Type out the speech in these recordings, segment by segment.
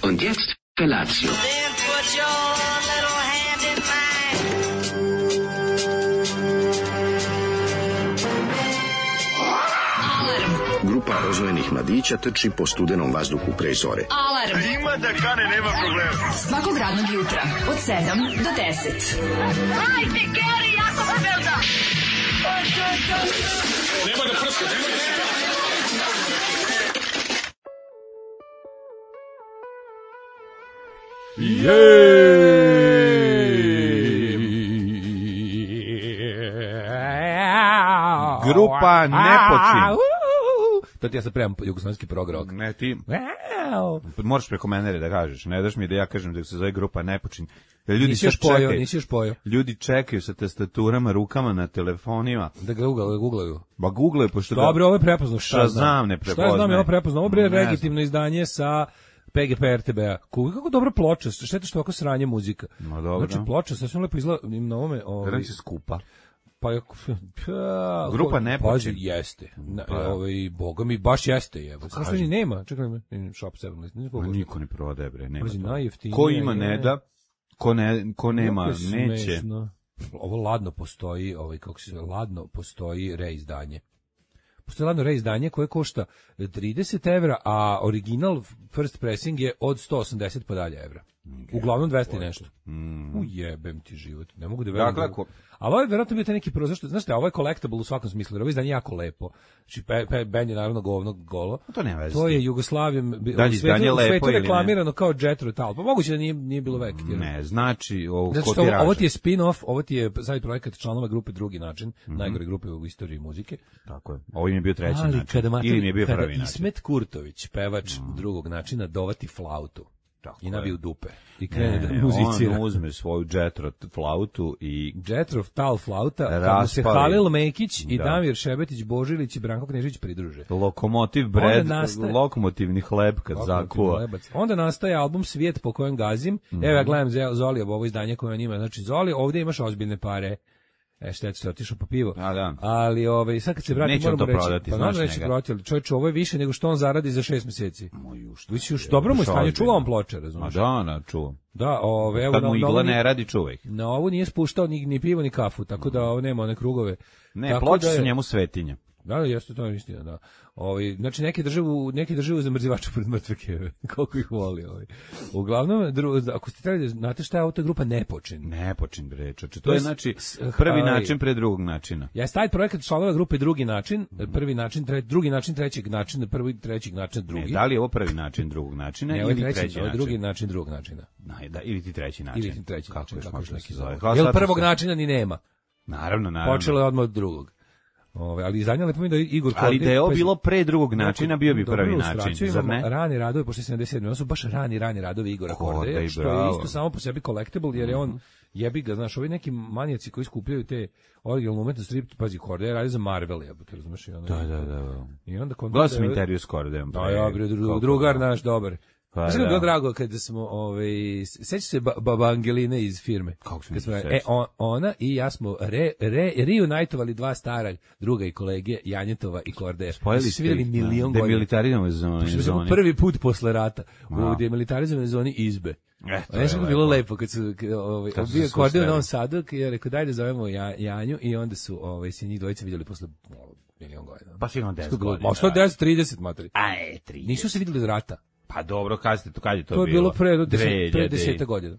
Und jetzt Felatio. Then put your little hand in mine. Grupa rozvojenih mladića trči po studenom vazduhu pre zore. Alarm. Ima da kane, nema problema. Svakog radnog jutra od 7 do 10. Hajde, Geri, jako se velda. Nema da prska, nema da prska. Grupa Nepočin. To ti ja sad premam jugoslovenski prog rock. Ne, ti moraš preko mene da kažeš. Ne daš mi da ja kažem da se zove Grupa Nepočin. Ljudi nisi još pojao. Ljudi čekaju sa tastaturama, rukama na telefonima. Da ga googlaju. Ba googlaju, pošto dobro, ovo je prepoznao. Šta znam, ne prepoznaje. Šta znam, je ovo prepoznao. Ovo je legitimno izdanje sa PGP RTB-a. Kako dobra ploča, šteta što ovako sranje muzika. No, dobro. Znači, ploča sasvim lepo izgleda na ovome. Gledaj se skupa. Grupa Nepočin. Jeste. Boga mi baš jeste. Samo što ni nema. Čekaj, Shop 7. Niko ne prodaje, bre. Nema to. Najjeftinije. Ko ima ne da, ko nema neće. Ovo ladno postoji, ladno postoji reizdanje. Postoji ladno reizdanje koje košta 30 evra, a original first pressing je od 180 pa dalje evra. Uglavnom 200 i nešto. Ujebem ti život. Ne mogu da verujem. Dakle, ali ovo je verovatno bio taj neki prozor, znaš šta, ovo je collectible u svakom smislu, jer ovo izdanje jako lepo. Znači, band je naravno golo. To nema veze. To je Jugoslavijom, u svetu reklamirano kao Jethro Tull. Pa moguće da nije bilo vek. Ne, znači, ovo ti je spin-off, ovo ti je sajt projekat članova grupe Drugi način, najgore grupe u istoriji muzike. Tako je. Ovo im je bio treći način. Ili mi je bio prvi način. Kada Ismet Kurtović, pevač Drugog načina, dovati flautu. I nabiju dupe. I krene da muzicira. On uzme svoju Jethro flautu i... Jethro Tull flauta, kad mu se Halil Mekić i Damir Šebetić, Božilić i Branko Knežić pridruže. Lokomotiv bread, lokomotivni hleb kad zakuva. Onda nastaje album Svijet po kojem gazim. Evo ja gledam Zoli, ovo izdanje koje on ima. Znači, Zoli, ovdje imaš ozbiljne pare. Šteta što je otišao po pivo. Ali sad kad se vrati moramo reći, prodati, pa naravno neće prodati, ali čovječe, ovo je više nego što on zaradi za 6 meseci. Viš dobro mu je stanje, čuva on ploče, razumiješ? Čuvam. Da, evo, kad mu igla ne radi, čuvaj. Na ovo nije spuštao ni pivo ni kafu, tako da ovo nema one krugove. Ne, ploče su njemu svetinje. Da, jeste, to je istina, da. Znači neki drže u zamrzivaču pred mrtve keve, koliko ih voli. Uglavnom, ako ste trebali, znate šta je ovo, to je grupa Nepočin. Nepočin, bre, čoče. To je, znači, prvi način pre drugog načina. Ja stavim projekat članova grupe Drugi način, prvi način, drugi način, trećeg načina, prvi, trećeg načina, drugi. Ne, da li je ovo prvi način drugog načina ili treći način? Drugi način drugog načina. Ili ti treći način. Ili ti treći način, kako još neki zove. Jer prvog načina ni nema. Naravno. Počelo je odmah od drugog. Ali izdanje lepo mi da Igor Kordić... Ali da je ovo bilo pre drugog načina, bio bi prvi način, zar ne? Rani radovi, pošto 77. Ovo su baš rani radovi Igora Kordeja, što je isto samo po sebi collectible, jer je on jebi ga, znaš, ovi neki manijaci koji skupljaju te originalne umetnosti, pazi, Kordeja radi za Marvel, jebote, razumeš? Da. I onda gledao sam intervju s Kordejom. Drugar naš, dobar. Znaš kako je bilo drago kada smo, sećaš se baba Angeline iz firme? Kako se mi ona i ja smo reunitovali dva stara druga i kolege, Janjetova i Kordeja. Spojili ste ih na demilitarizovanoj zoni. Prvi put posle rata u demilitarizovanoj zoni Izbe. Nešto je bilo lepo kad su bio Kordeja u Novom Sadu i je rekao daj da zovemo Janju i onda su se njih dvojice vidjeli posle milion godina. Pa sigurno 10 godina. Ma što 10, 30 materi. 30. Nisu se vidjeli iz rata. Pa dobro, kad je to bilo? To je bilo pre 10 godina.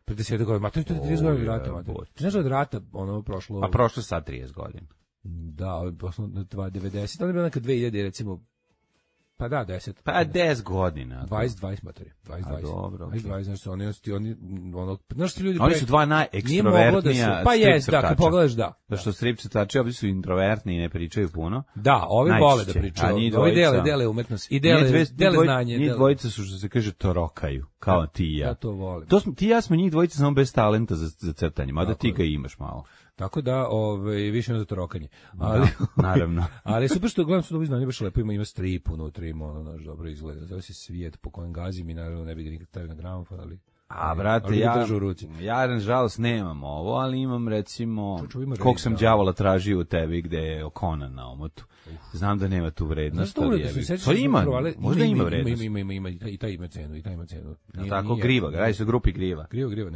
Pre 10 godina. Ma to je 30 godina od rata. Ti znaš da od rata prošlo... Pa prošlo sad 30 godina. Da, posle 90, ali je bilo neka 2000, recimo, pa da, 10. Pa 10 godina. 20 materi. 20. Dobro. 20, znači oni znaš ti ljudi... Oni su dva najekstravertnija pa jest, da, kad pogledaš, da. Zašto strip crtači, ovi su introvertni i ne pričaju puno. Da, ovi vole da pričaju. Ovi dele umetnost. I dele znanje. Njih dvojica su, što se kaže, torokaju, kao ti i ja. Ja to volim. Ti i ja smo njih dvojica samo bez talenta za crtanje, mada ti ga imaš malo. Tako da, više ima za torokanje. Ali, naravno. Ali super što gledam su dobi znanje baš lepo, ima strip unutri, naš dobro izgleda. Zove se Svijet po kojem gazim i naravno ne bi ga nikad stavio na gramofon, ali A, brate, Ali ga ja, držu u ruci. ja nažalost nemam ovo, ali imam recimo Čuču, ima koliko red, sam da. đavola tražio u tebi gde je Conan na omotu. Znam da nema tu vrednost, Znaš, ali to ima, možda ima vrednost. Ima, i taj ima cenu, Ja, tako, Griva, radi se o grupi Griva. Griva,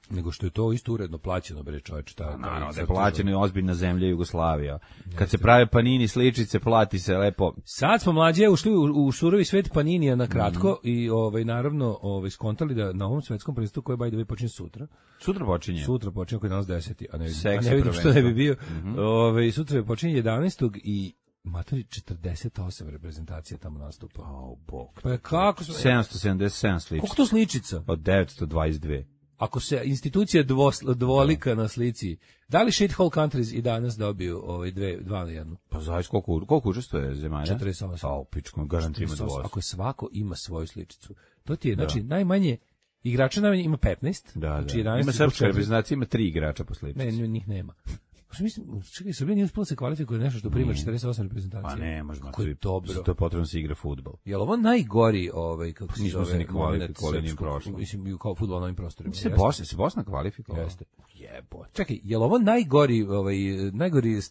nego što je to isto uredno plaćeno, bre, čoveče. Naravno, da je plaćeno i ozbiljna zemlja Jugoslavija. Kad se prave panini sličice, plati se lepo. Sad smo mlađe ušli u surovi svet paninija na kratko i naravno skontali da na ovom svetskom prvenstvu koje by the way počinje sutra. Sutra počinje. Sutra počinje koji je danas 10. A ne Seksi vidim što ne bi bio. prvenstvo. Sutra počinje 11. i matori 48 reprezentacija tamo nastupa. Bog. Pa kako smo 777 sličica. Koliko to sličica? Od 922. Ako se institucija dvolika na slici, da li shithole countries i danas dobiju 2 na 1? Pa zavis koliko učestvuje zemalja? 48. Pa u pičku, garantima 2. Ako svako ima svoju sličicu. To ti je, znači, najmanje igrača najmanje ima 15. Da. Znači 11 Ima srpska reprezentacija, ima 3 igrača po sličici. Ne, njih nema. Mislim, čekaj, Srbija nije uspela se kvalifikuje nešto što prima 48 reprezentacija. Pa ne, možda. Kako je dobro. Zato je potrebno se igra fudbal. Jel ovo najgori, kako se Nismo se zove, ni kvalifikovali ni prošlo. Mislim, kao fudbal na ovim prostorima. Se Bosna kvalifikovala? Jeste. Jebote. Čekaj, jel ovo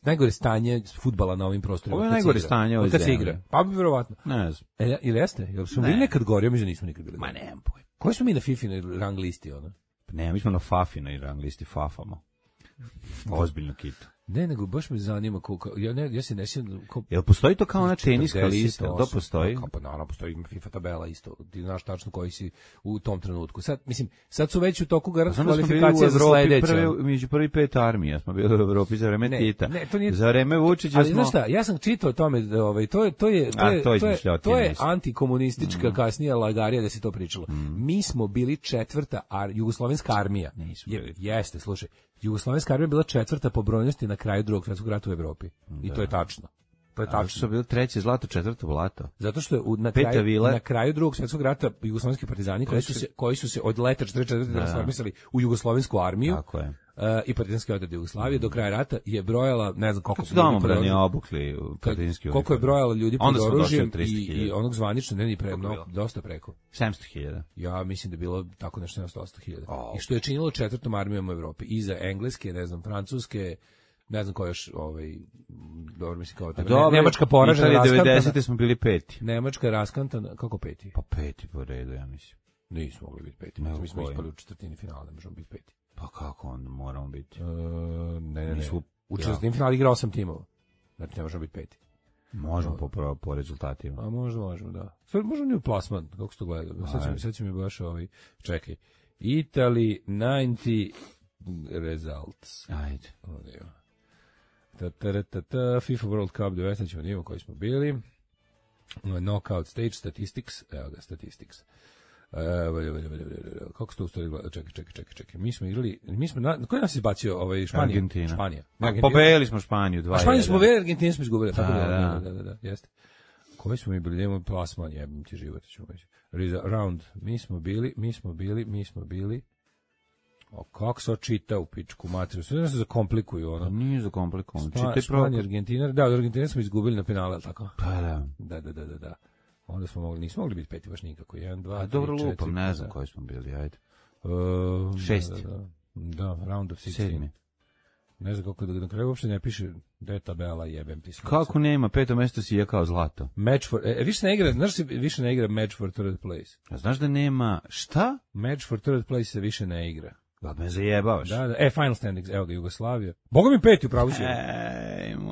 najgore stanje fudbala na ovim prostorima? Ovo je najgore stanje ove kad se zemlje. igra. Pa bi verovatno. Ne znam. Ili jeste? Jel smo bili nekad gori? Ja mislim da nismo nikad bili. Ma nemam pojma. Koji smo mi na FIFA rang listi, ono? Ne, mi smo na Fafinoj rang listi Fafamo. Ozbiljno kitu. Ne, nego baš me zanima ja se ne sjećam. Jel postoji to kao ona teniska lista? To postoji? Pa naravno postoji, ima FIFA tabela isto. Ti znaš tačno koji si u tom trenutku. Sad su već u toku kvalifikacija za sledeće. Među prvi 5 armija smo bili u Evropi za vreme Tita. Za vreme Vučića smo... Ali znaš šta, ja sam čitao o tome, to je antikomunistička kasnija lagarija da se to pričalo. Mi smo bili 4. jugoslovenska armija. Jeste, slušaj. Jugoslovenska armija bila 4. po brojnosti na kraju Drugog svjetskog rata u Evropi. I to je tačno. To je tačno. Su bili 3. zlato, 4. blato. Zato što je na kraju Drugog svjetskog rata jugoslovenski partizani koji su se od leta 44. transformisali u jugoslovensku armiju. Tako je. I partizanski odred Jugoslavije do kraja rata je brojala, ne znam koliko su domobrani obukli partizanski koliko je brojala ljudi pod oružjem i onog zvanično ne ni dosta preko 700.000. Ja mislim da je bilo tako nešto 700.000. I što je činilo 4. armijom u Evropi iza engleske, ne znam, francuske, ne znam ko još dobro mislim kao Nemačka poražena, raskantana. 90. smo bili 5. Nemačka raskantana, kako 5? Pa 5. po redu, ja mislim. Nismo mogli biti 5. Mi smo ispali u četvrtini finala, ne možemo biti 5. Pa kako onda moramo biti? Ne. U četvrtini finala igra 8 timova. Znači ne možemo biti 5. Možemo po rezultatima. A možemo, da. Sad možemo ni u plasman, kako se to gleda. Sad će mi baš čekaj. Italy 90 results. Ajde. FIFA World Cup 19 ćemo nimo koji smo bili. Knockout stage statistics. Evo ga, statistics. Kako se to u stvari gleda? Čekaj. Mi smo koji nas izbacio Španija? Argentina. Španija. Pobedili smo Španiju 2-1. Španiju smo pobedili, Argentinu smo izgubili. Da, jeste. Koji smo mi bili? Nemo plasman, jebim ti život, ćemo reći. Round. Mi smo bili. Kako se očita u pičku materiju? Sve se zakomplikuju, ono. Nije zakomplikovan. Španija, Argentina. Da, od Argentine smo izgubili na penale, tako? Pa Da. Onda nismo mogli biti 5 baš nikako. 1, 2, 3, 4. Dobro lupam, ne znam koji smo bili, ajde. 6. Da, round of 16. Ne znam kako na kraju uopšte ne piše da je tabela, jebem ti sve. Kako nema, 5. mesto si je kao zlato. Match for, više ne igra match for third place. A znaš da nema, šta? Match for third place se više ne igra. Da me zajebavaš. Da, final standings, evo ga, Jugoslavija. Boga mi 5. upravo si.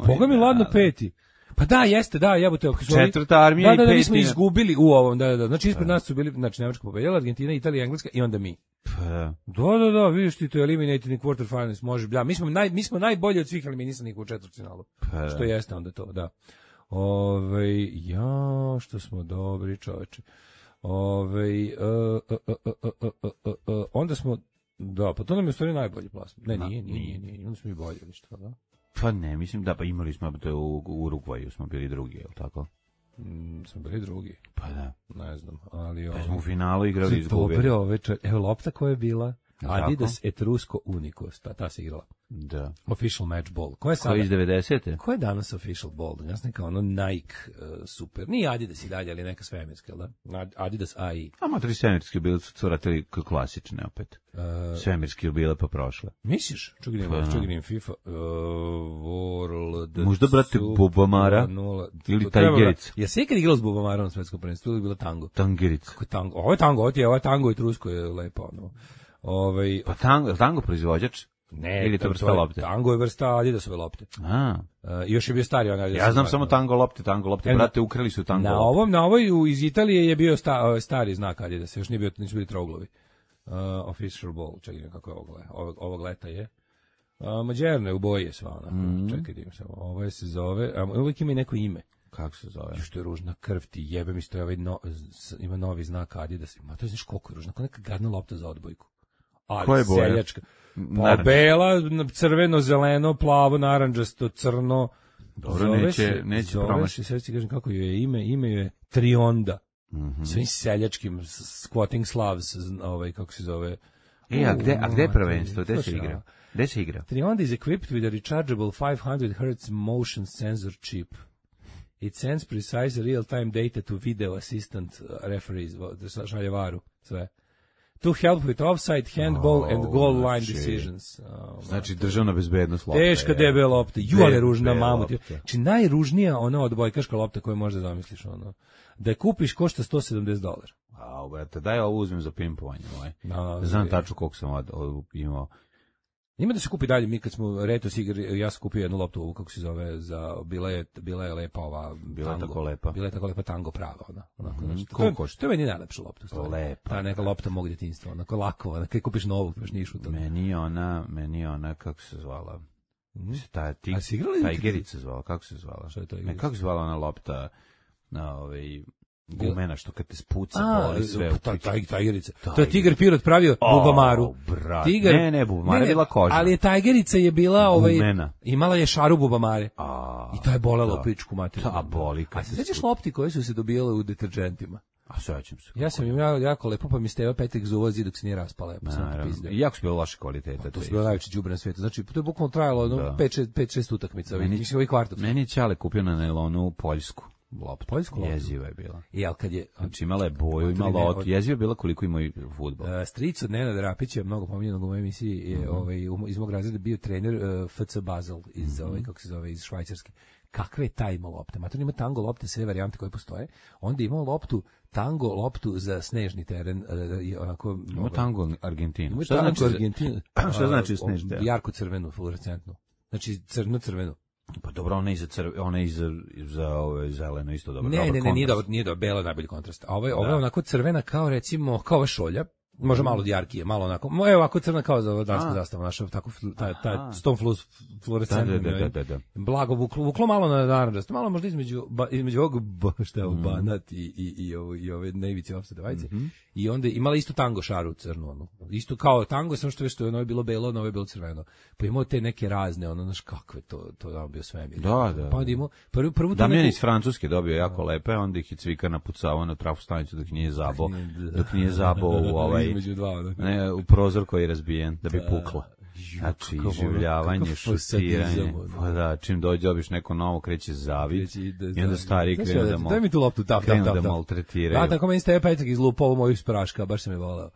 Boga mi ladno 5. Pa da, jeste, da, jebote. 4. armija i 5. Da, mi smo izgubili u ovom, da. Znači, ispred nas su bili, znači, Nemačka pobedila, Argentina, Italija, Engleska i onda mi. Da, vidiš ti to eliminated in quarterfinals, može, da, mi smo najbolji od svih eliminisanih u četvrtfinalu. Što jeste onda to, da. Što smo dobri, čoveče. Onda smo, da, pa to nam je u stvari najbolji plasman. Ne, nije, onda smo i bolji, ili što, da? Pa ne, mislim da, pa imali smo u Urugvaju, smo bili drugi, je li tako? Smo bili drugi. Pa da. Ne znam, ali... Pa smo u finalu igrali i izgubili. Dobro, evo lopta koja je bila. Adidas Etrusco Unico, ta se igrala. Da. Official match ball. Ko je sada? Ko je iz 90. Ko je danas official ball? Ja sam neka ono Nike super. Nije Adidas i dalje, ali neka svemirska, da? Adidas AI. A motori svemirski bili su curatili klasične opet. Svemirski bile pa prošle. Misliš? Čugirim FIFA. World. Možda, brate, Bubamara ili Tajgerica. Ja se ikad igrao s Bubamarom na svetskom prvenstvu ili bila tango? Tangerica. Kako je tango? Ovo je tango, ovo je tango i trusko je lepo. No. Pa tango proizvođač? Ne, ili to vrsta lopte? Tango je vrsta Adidasove lopte. Još je bio stari onaj. Ja znam samo tango lopte, brate, ukrali su tango lopte. Na ovoj iz Italije je bio stari znak Adidasa, još nisu bili trouglovi. Official ball, čekaj kako je ovog leta je. Mađerne u boji je sva ona. Čekaj, idem samo. Ovo se zove, uvijek ima i neko ime. Kako se zove? Što je ružna krv ti jebe mi stoji ima novi znak Adidas. Ma to je znaš koliko je ružna, kao neka gadna lopta za odbojku. Koja je boja? Seljačka. Pa bela, crveno, zeleno, plavo, naranđasto, crno. Dobro, neće promašiti. Sve ti kažem kako je ime je Trionda. Svim seljačkim squatting Slavs, kako se zove. A gde je prvenstvo? Gde se igra? Trionda is equipped with a rechargeable 500 Hz motion sensor chip. It sends precise real-time data to video assistant referees, da šalje varu, sve. To help with offside, handball and goal line decisions. Znači državna bezbednost lopta. Teška debela lopta, ali ružna mamut. Znači najružnija ona odbojkaška lopta koju možda zamisliš. Ono. Da je kupiš košta $170. Brate, daj ovo uzmem za pimpovanje. Znam tačno koliko sam imao. Ima da se kupi dalje, mi kad smo Retos igri, ja sam kupio jednu loptu ovu, kako se zove, bila je lepa ova Bila je tako lepa. Bila je tako lepa tango prava, ona. Koliko košta? To je meni najlepša lopta. Lepa. Ta neka lopta mog djetinjstva, onako lakova, kad kupiš novu, baš niš u tome. Meni je ona, kako se zvala? Tajgerica zvala, kako se zvala? Što je to? Kako se zvala ona lopta na gumena, što kad te spuca, boli sve. Tajgerica. To je Tiger Pirot pravio Bubamaru. Ne, Bubamara je bila koža. Ali je Tajgerica je bila, gumena. Imala je šaru Bubamare. I to je bolelo pičku materiju. Boli. A se sjećaš lopti koje su se dobijale u deterđentima? A sećam se. Ja sam imao jako lepo, pa mi Steva Petrik zuvozi dok se nije raspala. I jako su bilo loše kvalitete. To su bilo najveće đubre na svijetu. Znači, to je bukvalno trajalo 5-6 utakmica. Meni Ćale kupio na nailonu Poljsku. Poljsku loptu. Jeziva je bila. Znači imala je boju, imala jeziva je bila koliko ima i fudbal. Stric od Nenada Rapića, mnogo pominjenog u mojoj emisiji, je iz mog razreda bio trener FC Basel iz kako se zove, iz Švajcarske. Kakve je taj imao lopte? Mator ima tango lopte, sve varijante koje postoje. Onda imao tango loptu za snežni teren. Ima tango Argentinu. Šta znači Argentinu? Šta znači snežni teren? Jarko crvenu, fluorescentnu. Znači crvenu. Pa dobro, ona je za zeleno isto dobro. Ne, nije dobro, bela je najbolji kontrast. A ovo je onako crvena kao recimo, kao ova šolja, može malo jarkije, malo onako, evo ovako crna kao za dansku zastavu, naša tako, taj ston fluorescentni, blago vuklo malo na naranđasto, malo možda između ovog, šta je ovo, banat i ove nevice offset vajce, i onda imala isto tango šaru crnu, ono, isto kao tango, samo što je ono je bilo belo, ono je bilo crveno, pa imao te neke razne, ono, znaš kakve, to je bio svemir. Da. Pa onda imao, prvu Damjan iz Francuske dobio jako lepe, onda ih je Cvika napucavao na trafostanicu dok nije zabao u prozor koji je razbijen, da bi pukla. Znači, življavanje, šutiranje. Pa da, čim dobiš neko novo, kreće zavid i onda stari krenu da maltretiraju. Da, tako meni Stevo Petrik izlupa ovo moju spraška, baš sam je volao.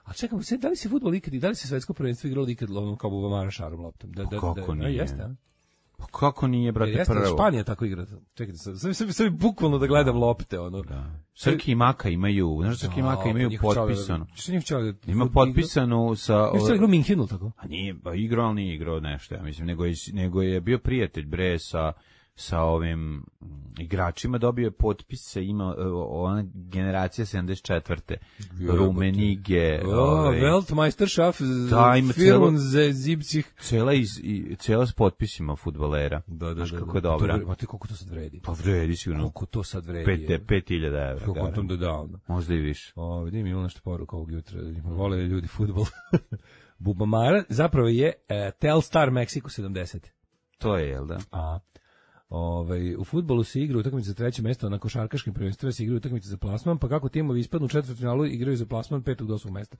A čekam, da li se fudbal ikad, da li se svetsko prvenstvo igralo ikad kao Bubamara šarom loptom? Kako nije? Jeste, a? Pa kako nije, brate, prvo? Španija tako igra. Čekajte, sad bukvalno da gledam lopte, ono. Srki i Maka imaju, znaš, Srki i Maka imaju potpisano. Ima potpisano sa... Još se igrao Minhenu, tako? A nije, igrao, ali nije igrao nešto, ja mislim, nego je bio prijatelj, bre, sa ovim igračima, dobio je potpise, ima ona generacija 74. Rumenige, Weltmeisterschaft, Firmen cela s potpisima fudbalera. Znaš kako je dobra. Ma ti koliko to sad vredi? Pa vredi sigurno. Koliko to sad vredi? 5.000 evra. Koliko tom da da onda? Možda i više. Vidim, imamo nešto poruka ovog jutra. Vole ljudi fudbal. Bubamara zapravo je Telstar Mexico 70. To je, jel da? U fudbalu se igra utakmice za treće mesto, na košarkaškim prvenstvima se igraju utakmice za plasman, pa kako timovi ispadnu u četvrtfinalu igraju za plasman 5. do 8. mesta.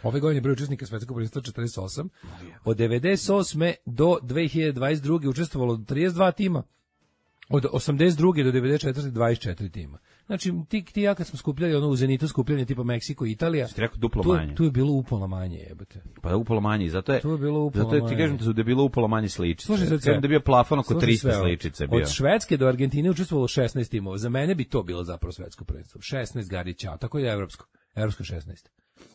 Ove godine broj učesnika svetskog prvenstva 48. Od 98. do 2022. učestvovalo 32 tima. Od 82. do 94. 24 tima. Znači, ti ja kad smo skupljali ono u Zenitu skupljanje tipa Meksiko i Italija, ste rekao duplo manje. Tu je bilo upola manje, jebote. Pa upola manje, zato je. Tu je bilo upola zato je, ti kažem da je bilo upola manje sličice. Slušaj, da je bio plafon oko 300 sličice bio. Od Švedske do Argentine učestvovalo 16 timova. Za mene bi to bilo zapravo svetsko prvenstvo. 16 Garića, tako je evropsko 16.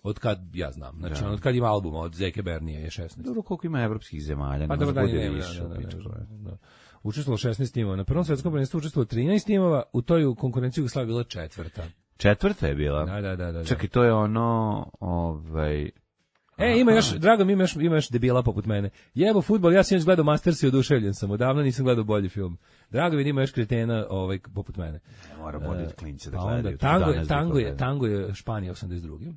Od kad ja znam, znači od kad ima albuma od Zeke Bernije je 16. Dobro, koliko ima evropskih zemalja, pa može bude više. Da. Učestvovalo 16 timova. Na prvom svetskom prvenstvu učestvovalo 13 timova, u toj konkurenciji Jugoslavija bila četvrta. Četvrta je bila? Da. Čekaj, to je ono, ima još, drago mi ima još debila poput mene. Jebo fudbal, ja sam još gledao Masters i oduševljen sam, odavno nisam gledao bolji film. Drago mi ima još kretena poput mene. Mora voditi klince da gledaju. Tango je Španija 82.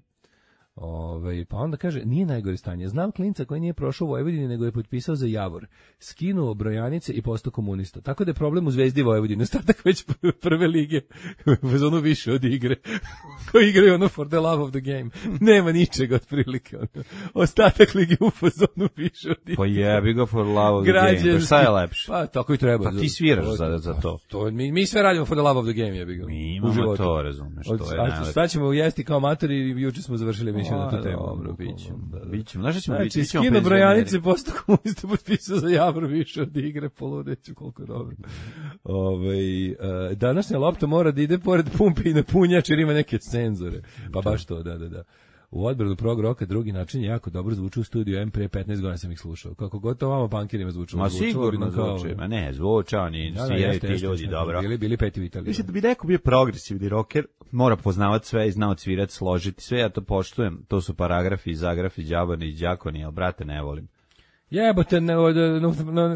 Pa onda kaže, nije najgore stanje. Znam klinca koji nije prošao u Vojvodini, nego je potpisao za Javor. Skinuo brojanice i postao komunista. Tako da je problem u Zvezdi Vojvodine. Ostatak već prve lige u fazonu više od igre. Koji igraju ono for the love of the game. Nema ničega otprilike. Ostatak lige u fazonu više od igre. Pa jebi ga for love of the game. Pa šta je lepše? Pa tako i treba. Pa ti sviraš za to. Mi sve radimo for the love of the game, jebi ga. Mi imamo to, razumeš. Šta ćemo jesti kao matori i juče smo završili na tu temu. Dobro, bićemo. Znaš šta ćemo biti? Znači, skino brojanice, postao komunista potpisao za Javor više od igre, poludeću koliko je dobro. Današnja lopta mora da ide pored pumpe i na punjač jer ima neke cenzore. Pa baš to, da. U odbranu prog roka drugi način je jako dobro zvuči u studiju M, pre 15 godina sam ih slušao. Kako god to vama punkirima zvučalo. Ma sigurno zvuči, ma ne, zvuča, oni sviraju ti ljudi, dobro. Bili peti u Italiji. Mislim da bi neko bio progresivni rocker, mora poznavati sve i znao cvirati, složiti sve, ja to poštujem, to su paragrafi, zagrafi, džabani i džakoni, ali brate ne volim. Jebote,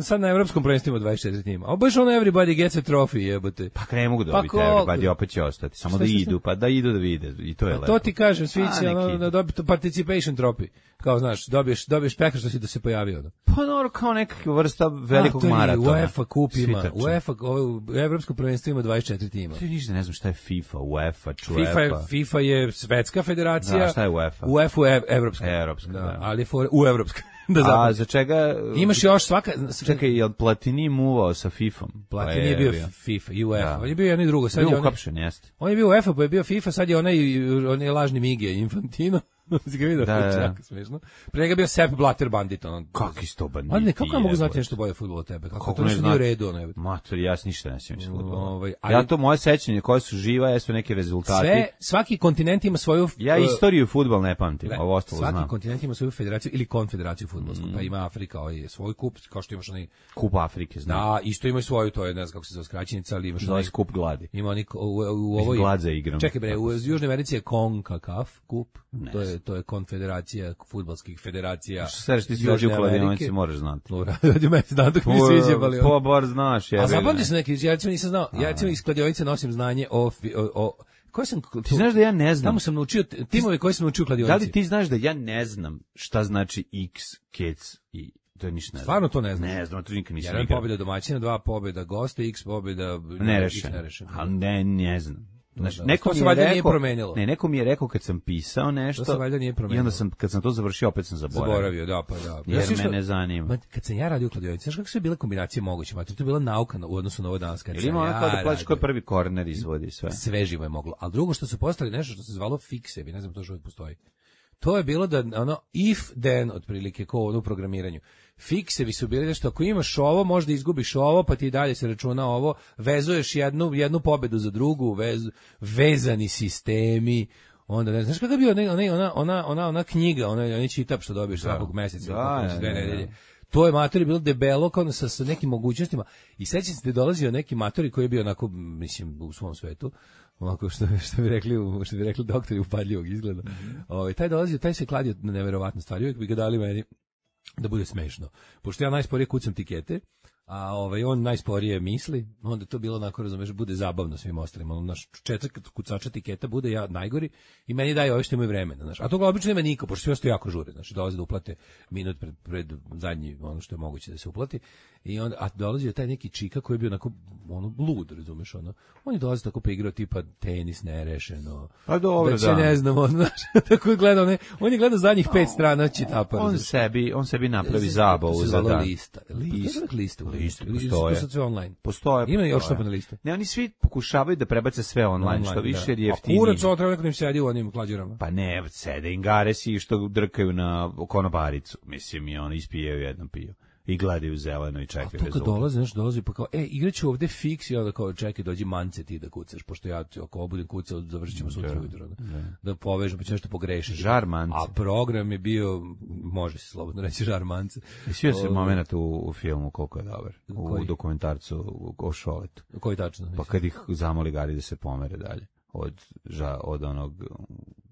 sad na evropskom prvenstvu 24 tima. A baš ono everybody gets a trophy, jebote. Pa ne mogu dobiti everybody, opet će ostati. Samo da idu, pa da idu da vide. I to je lepo. To ti kažem, svi će da dobiti participation trophy. Kao znaš, dobiješ pekar što si da se pojavio. Pa dobro, kao nekakva vrsta velikog maratona. UEFA kup ima. UEFA, evropsko prvenstvo ima 24 tima. Ti ništa ne znam šta je FIFA, UEFA, FIFA je svetska federacija. Da, šta je UEFA? UEFA je evropska. Da. Ali je u evropska. A za čega? Imaš još svaka... Čekaj, je li Platini muvao sa FIFA-om? Platini je bio FIFA i UEFA. On je bio jedno i drugo. Bio uhapšen, jeste. On je bio UEFA, pa je bio FIFA, sad je onaj lažni Mige, Infantino. Si ga vidio? Jako smiješno. Pre njega bio Sepp Blatter bandit. Kaki sto banditi? Ali ne, kako ja mogu znati nešto bolje fudbal od tebe? Kako to nešto nije u redu? Mater, ja ništa ne sjećam iz fudbala. Ja to moje sećanje koje su živa, jesu neki rezultati. Svaki kontinent ima svoju... Ja istoriju fudbal ne pamtim, ovo ostalo znam. Svaki kontinent ima svoju federaciju ili konfederaciju fudbalsku. Pa ima Afrika, svoj kup, kao što imaš onaj... Kup Afrike, znam. Da, isto ima svoju, to je, ne znam kako se zove skraćenica, ali imaš onaj... Kup gladi. Ima oni u ovoj... Glad za igram. Čekaj bre, u Južnoj Americi je CONCACAF kup. To je konfederacija fudbalskih federacija. Šta ti si u kladionici, moraš znati. Radio me znam dok mi se izjebali. Pa bar znaš. A zapamti se neki, ja nisam znao. Ja iz kladionice nosim znanje o koji sam... Ti znaš da ja ne znam. Tamo sam naučio timove koji sam naučio u kladionici. Da li ti znaš da ja ne znam šta znači X, Kec i... To je ništa ne znam. Stvarno to ne znam. Ne znam, to nikad nisam igrao. 1 pobjeda domaćina, 2 pobjeda gosta, X pobjeda nerešena. Ali ne znam. Znači, neko mi je rekao kad sam pisao nešto. To se valjda nije promenilo. I onda kad sam to završio opet sam zaboravio. Da, pa da. Jer me ne zanima. Kad sam ja radio u kladionici, znaš kako su bile kombinacije moguće? To je bila nauka u odnosu na ovo danas. Ili ima ono kao da plaćaš koji prvi korner izvodi sve. Sve živo je moglo. Ali drugo što su postali nešto što se zvalo fiksevi, ne znam to što uvijek postoji. To je bilo da if then otprilike kao u programiranju. Fiksevi su bili nešto, ako imaš ovo, možda izgubiš ovo, pa ti dalje se računa ovo, vezuješ jednu pobedu za drugu, vezani sistemi, onda ne znaš kako je bio ona knjiga, onaj čitap što dobiješ svakog meseca, dve nedelje. To je matori bilo debelo kao sa nekim mogućnostima i sećam se da je dolazio neki matori koji je bio onako, mislim, u svom svetu, onako što bi rekli doktori upadljivog izgleda. Taj dolazio, taj se kladio na neverovatne stvari, uvijek bi ga dali meni da bude smešno. Pošto ja najsporije kucam tikete, a on najsporije misli, onda to bilo onako, razumeš, bude zabavno svim ostalima. Naš četvrk kucača tiketa bude ja najgori i meni daje ovo što imaju vremena, znaš. A toga obično nema niko, pošto svi ostaju jako žure, znači dolaze da uplate minut pred zadnji, ono što je moguće da se uplati. I onda, a dolazi taj neki čika koji je bio onako lud, razumeš, on je dolazi tako pa igrao tipa tenis nerešeno. Pa dobro, da. Ne znam, znaš, tako je gledao, on je gledao zadnjih 5 strana čitapa. On sebi napravi zabavu za dan. Lista postoje. Ima još što na listu. Ne, oni svi pokušavaju da prebace sve online što više je jeftinije. A kurac treba nekom im sedi u onim klađerama. Pa ne, sede ingaresi što drkaju na konobaricu. Mislim, i oni ispijaju jednom piju. I gledaju zeleno i čekaju rezultat. A to kad dolazi pa kao, igraću ovde fiks i onda kao, čekaj, dođi Mance ti da kucaš, pošto ja ako budem kucao, završit ćemo sutra ujutro. Da povežem, pa će nešto pogrešiš. Žar Mance. A program je bio, može se slobodno reći, Žar Mance. I svio se moment u filmu koliko je dobar. U dokumentarcu o Šoletu. Koji tačno? Pa kad ih zamoli Gari da se pomere dalje. Od onog,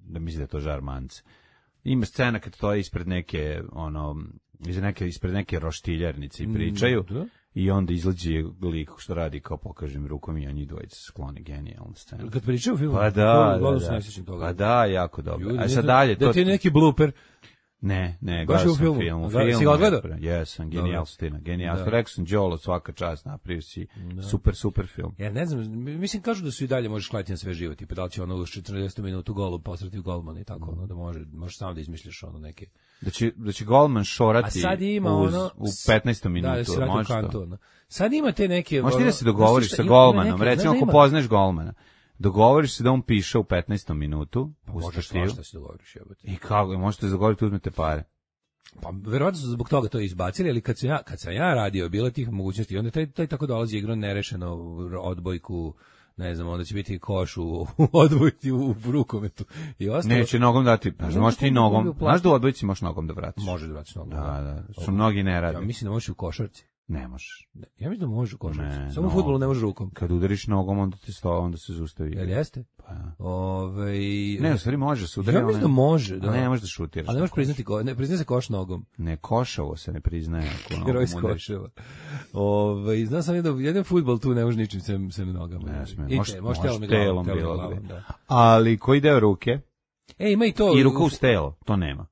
da misli da je to Žar Mance. Ima scena kad to je ispred neke, ispred neke roštiljarnice i pričaju i onda izlađe lik što radi kao pokažem rukom i on njih dvojica skloni, genijalna scena. Kad pričaju o filmu? Pa da, jako dobro. A sad dalje... Da ti je neki blooper? Ne, gledao sam film. Si ga odgledao? Jesam, genijalstina. Rekao sam, Đolo, svaka čast, napravio si super film. Ja ne znam, mislim kažu da su i dalje možeš kladiti na sve živo, tipa da li će u 40 minutu golu posrati u golmana i tako, da možeš samo da izmišljaš neke... Da će golman šorati u 15. minutu. Da se radi u kantu. Sad ima te neke... Možeš ti da se dogovoriš sa golmanom, recimo ako poznaš golmana. Dogovoriš se da on piše u 15. minutu. Možeš svašta se dogovoriš. I kako? Možete se dogovoriti, uzmete pare. Pa verovatno su zbog toga to izbacili, ali kad sam ja radio, bilo tih mogućnosti, onda taj tako dolazi igrao nerešeno odbojku, ne znam, onda će biti koš u odbojci u rukometu. I ostalo... Neće nogom dati, možeš ti nogom, znaš da u odbojci možeš nogom da vratiš? Može da vratiš nogom. Da, su mnogi ne rade. Ja mislim da možeš u košarci. Ne možeš. Ja mislim da možeš u košarci. Samo u fudbalu ne možeš rukom. Kad udariš nogom, onda se zaustavi. Jel jeste? Pa. Ne, u stvari može se udari. Ja mislim da može, da. Ne možeš da šutiraš. Ali ne možeš priznati, ne priznaje se koš nogom. Ne, košavo se ne priznaje. Heroj s koševa. Znam sam jedan fudbal tu ne može ničim sem nogama. Ne smije. Može telom bilo. Ali koji deo ruke? Ima i to. I ruka uz telo, to nema.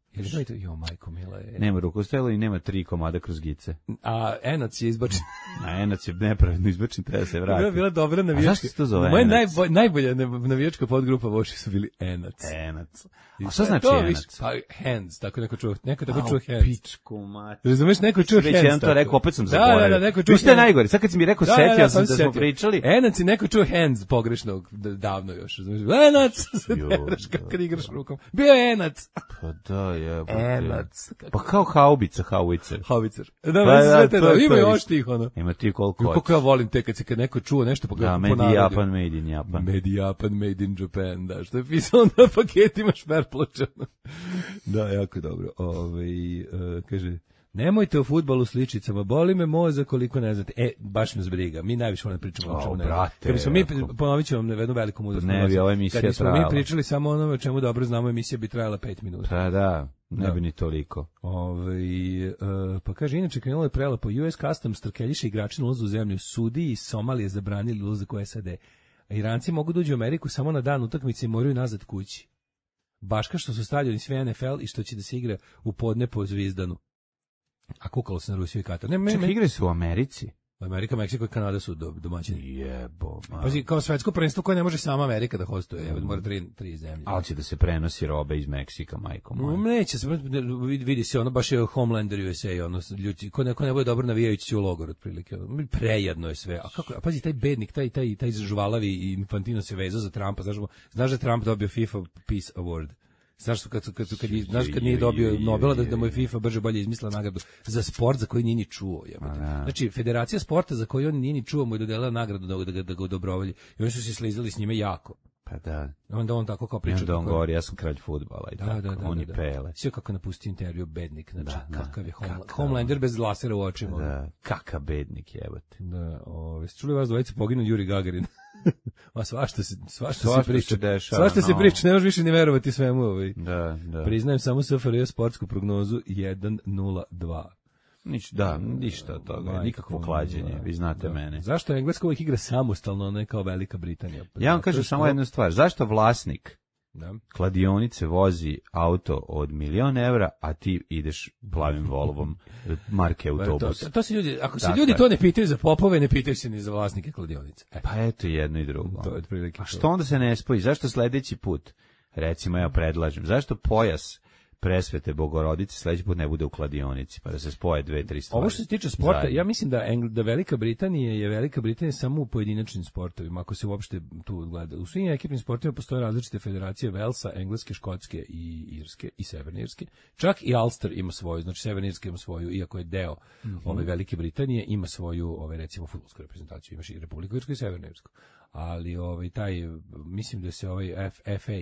Jo, majko mila je. Nema ruku uz telo i nema 3 komada kroz gice. A enac je izbačen. A enac je nepravedno izbačen, treba se vratiti. Bila dobra navijačka. A zašto se to zove moja enac? Najbolja navijačka podgrupa Voši su bili enac. Enac. A šta znači enac? Pa hands, tako neko čuo hands. Pičku mati. Razumeš, neko čuo hands. Već jedan to rekao, opet sam zaboravio. Da, neko čuo. Vi ste najgori, sad kad si mi rekao, setio sam da smo pričali. Enac i neko čuo hands pogrešno, davno još. Enac, kad igraš rukom. Bio je enac. Pa da, enac. Pa kao haubica, haubicer. Da, ima još tih, Ima ti koliko. Kako ja volim te kad neko čuo nešto, pa ga ponavlja. Da, made in Japan. Made in Japan, da, što je pisalo na paketima šmerpločano. Da, jako dobro. Kaže, nemojte o fudbalu s ličicama, boli me mozak koliko ne znate. Baš me zbriga, mi najviše volim pričamo o čemu ne znate. Kad bismo mi, ponovit ću vam jednu veliku mudrost. Ne bi ova emisija trajala. Kad bismo mi pričali samo onome o čemu dobro znamo, emisija bi trajala 5 minuta. Pa da, ne bi ni toliko. Pa kaže, inače krenulo je prelepo, US Customs trkeljiše igrači na ulazu u zemlju, sudiji iz Somalije zabranili ulazak u SAD. A Iranci mogu doći u Ameriku samo na dan utakmice i moraju nazad kući. Baš kao što su stavljeni sve NFL i što će da se igra u podne po Zvizdanu. A kukalo se na Rusiju i Katar. Čekaj, igre su u Americi. Amerika, Meksiko i Kanada su domaćini. Jebo. Pazi, kao svetsko prvenstvo koje ne može sama Amerika da hostuje. Mora 3 zemlje. Ali će da se prenosi robe iz Meksika, majko moja. Neće se, vidi se, baš je Homelander USA, ljudi, ko ne bude dobro navijajući u logor, otprilike. Prejedno je sve. A kako, pazi, taj bednik, taj žvalavi i Infantino se vezao za Trumpa. Znaš da Trump dobio FIFA Peace Award? Znaš kad nije dobio Nobela da mu je FIFA brže bolje izmislila nagradu za sport za koji nije ni čuo. Znači, Federacija sporta za koju on nije ni čuo mu je dodelila nagradu da ga odobrovolji. I oni su se slizali s njime jako. Pa da. Onda on tako kao priča. Onda on govori, ja sam kralj fudbala i tako. Oni pele. Sve kako napustio intervju bednik. Znači, kakav je Homelander bez lasera u očima. Da, kakav bednik jebote. Da, čuli vas dvojice poginu Juri Gagarin. Ma svašta se priča. Svašta se priča, ne možeš više ni verovati svemu. Da. Priznajem samo SFRJ sportsku prognozu 1-0-2. Ništa od toga, nikakvo klađenje, vi znate mene. Zašto Engleska uvijek igra samostalno, ne kao Velika Britanija? Ja vam kažem samo jednu stvar, zašto vlasnik kladionice vozi auto od €1.000.000, a ti ideš plavim Volvom marke autobus? To se ljudi, ako se ljudi to ne pitaju za popove, ne pitaju se ni za vlasnike kladionice. Pa eto jedno i drugo. To je otprilike. A što onda se ne spoji? Zašto sledeći put, recimo ja predlažem, zašto pojas Presvete Bogorodice sledeći put ne bude u kladionici, pa da se spoje 2-3 stvari. Ovo što se tiče sporta, zajedno. Ja mislim da Velika Britanija samo u pojedinačnim sportovima, ako se uopšte tu gleda. U svim ekipnim sportovima postoje različite federacije Velsa, Engleske, Škotske i Irske i Severne Irske. Čak i Ulster ima svoju, znači Severna Irska ima svoju, iako je deo ove Velike Britanije, ima svoju, recimo fudbalsku reprezentaciju, imaš i Republiku Irsku i Severnu Irsku. Ali mislim da se FA,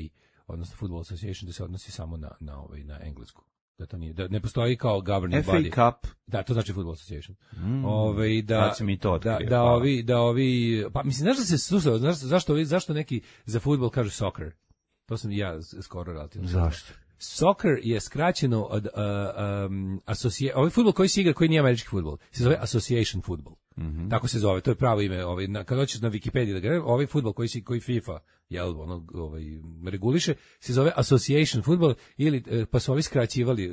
odnosno Football Association, da se odnosi samo na englesku. Da to nije, da ne postoji kao governing body. FA Cup. Da, to znači Football Association. Sad se mi to otkrije. Pa mislim, znaš da se susao, zašto neki za fudbal kažu soccer? To sam i ja skoro relativno. Zašto? Soccer je skraćeno od ovaj fudbal koji se igra, koji nije američki fudbal, se zove Association Football. Tako se zove, to je pravo ime. Kad hoćeš na Wikipediji da gledam, ovaj fudbal koji FIFA reguliše, se zove Association Football, ili pa su ovi skraćivali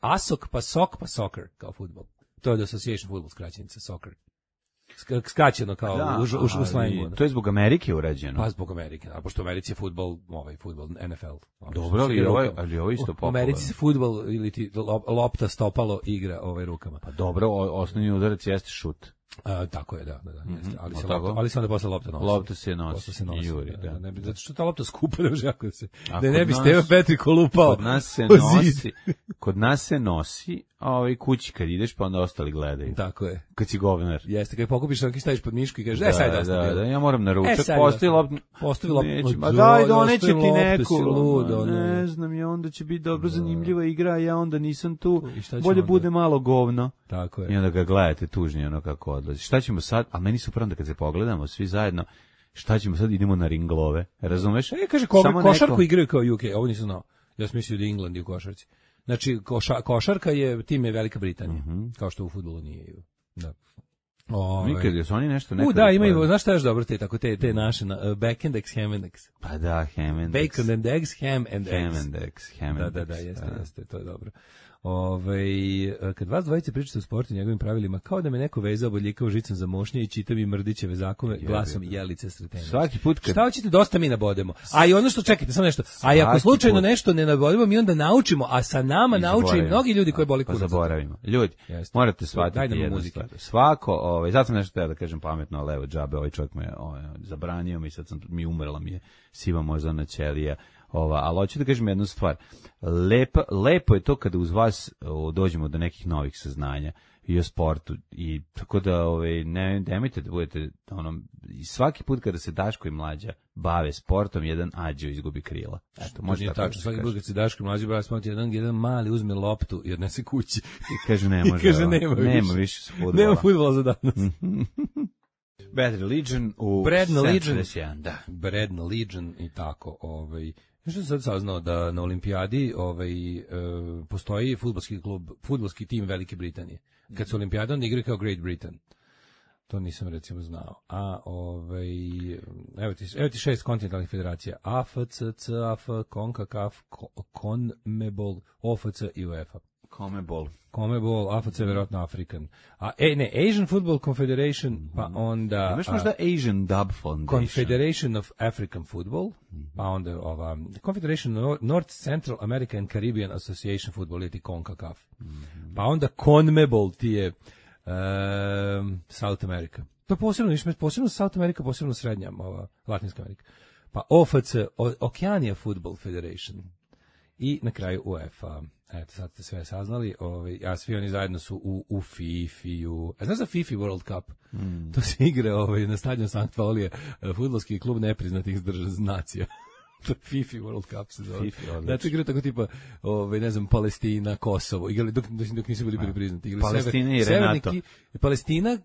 ASOC, pa soccer kao fudbal. To je Association Football skraćenica, soccer. Skraćeno kao u slangu. To je zbog Amerike urađeno. Pa zbog Amerike, a pošto u Americi je fudbal, fudbal NFL. Dobro, ali ovo isto popularno. U Americi se fudbal ili ti lopta stopalo igra rukama. Pa dobro, osnovni udarac jeste šut. Tako je, da, jeste. Ali se onda posle lopta nosi. Lopta se nosi. Juri, da. Zato što ta lopta skupa, da ne bi Stevan Petriko lupao. Kod nas se nosi, kući kad ideš, pa onda ostali gledaju. Tako je. Kad si govnar. Jeste, kad pokupiš, neki staviš pod mišku i kažeš, sad dosta. Da, ja moram na ručak, postoji lopta. Ma daj, doneće ti neku. Ne znam, i onda će biti dobro zanimljiva igra, ja onda nisam tu. Bolje bude malo govno. Tako je. I onda ga gledate tužni, kako odlazi. Šta ćemo sad? A meni su prvo da kad se pogledamo svi zajedno, šta ćemo sad, idemo na ringlove. Razumeš? Kaže, košarku igraju kao UK, ovo nisam znao. Ja sam mislio da je England u košarci. Znači, košarka je, tim je Velika Britanija, kao što u fudbalu nije. Da. Nikad, su oni nešto da, imaju, znaš šta je još dobro, te naše, bacon eggs, ham and eggs. Pa da, ham and eggs. Bacon and eggs, ham and eggs. Da, jeste, to je dobro. Kad vas dvojice pričate o sportu i njegovim pravilima, kao da me neko vezao bodljikao žicom za mošnje i čita mi Mrdićeve zakone glasom Jelice Sretenović. Svaki put kad... Šta hoćete, dosta mi nabodemo. A i ono što, čekajte, samo nešto, a i ako slučajno nešto ne nabodemo, mi onda naučimo, a sa nama nauče i mnogi ljudi koji boli kurac. Pa zaboravimo. Ljudi, morate shvatiti jednu stvar. Svako, sad sam nešto da kažem pametno, ali evo, džabe, ovaj čovjek me zabranio mi, sad umrla mi je siva moždana ćelija. Ali hoću da kažem jednu stvar. Lepo je to kada uz vas dođemo do nekih novih saznanja i o sportu, i tako da nemojte da budete i svaki put kada se Daško i Mlađa bave sportom, jedan Ađo izgubi krila. Eto, može tako. Tačno, svaki put kad se Daško i Mlađa bave sportom, jedan mali uzme loptu i odnese kući. I kaže ne može. Nema više fudbala. Nema fudbala za danas. Bad Religion u Bradna Legion, da. Bradna Legion i tako, Što sam sad saznao da na olimpijadi postoji fudbalski tim Velike Britanije. Kad su olimpijade, onda igraju kao Great Britain. To nisam recimo znao. A evo ti 6 kontinentalnih federacija: AFC, CAF, CONCACAF, CONMEBOL, OFC i UEFA. CONMEBOL, AFC, verovatno African. Asian Football Confederation, pa onda... Imaš možda Asian Dub Foundation? Confederation of African Football, pa onda Confederation North Central America and Caribbean Association Football, ili ti CONCACAF. Pa onda CONMEBOL, ti je South America. To posebno South America, posebno srednja, Latinska Amerika. Pa OFC, Oceania Football Federation. I na kraju UEFA. Eto, sad ste sve saznali, a svi oni zajedno su u FIFA-u. A znaš za FIFA World Cup? To se igra na stadionu Sankt Paulije, fudbalski klub nepriznatih nacija. FIFA World Cup se zove. Znači igra tako tipa, ne znam, Palestina, Kosovo. Igrali dok nisu bili priznati. Palestina i Renato. Palestina,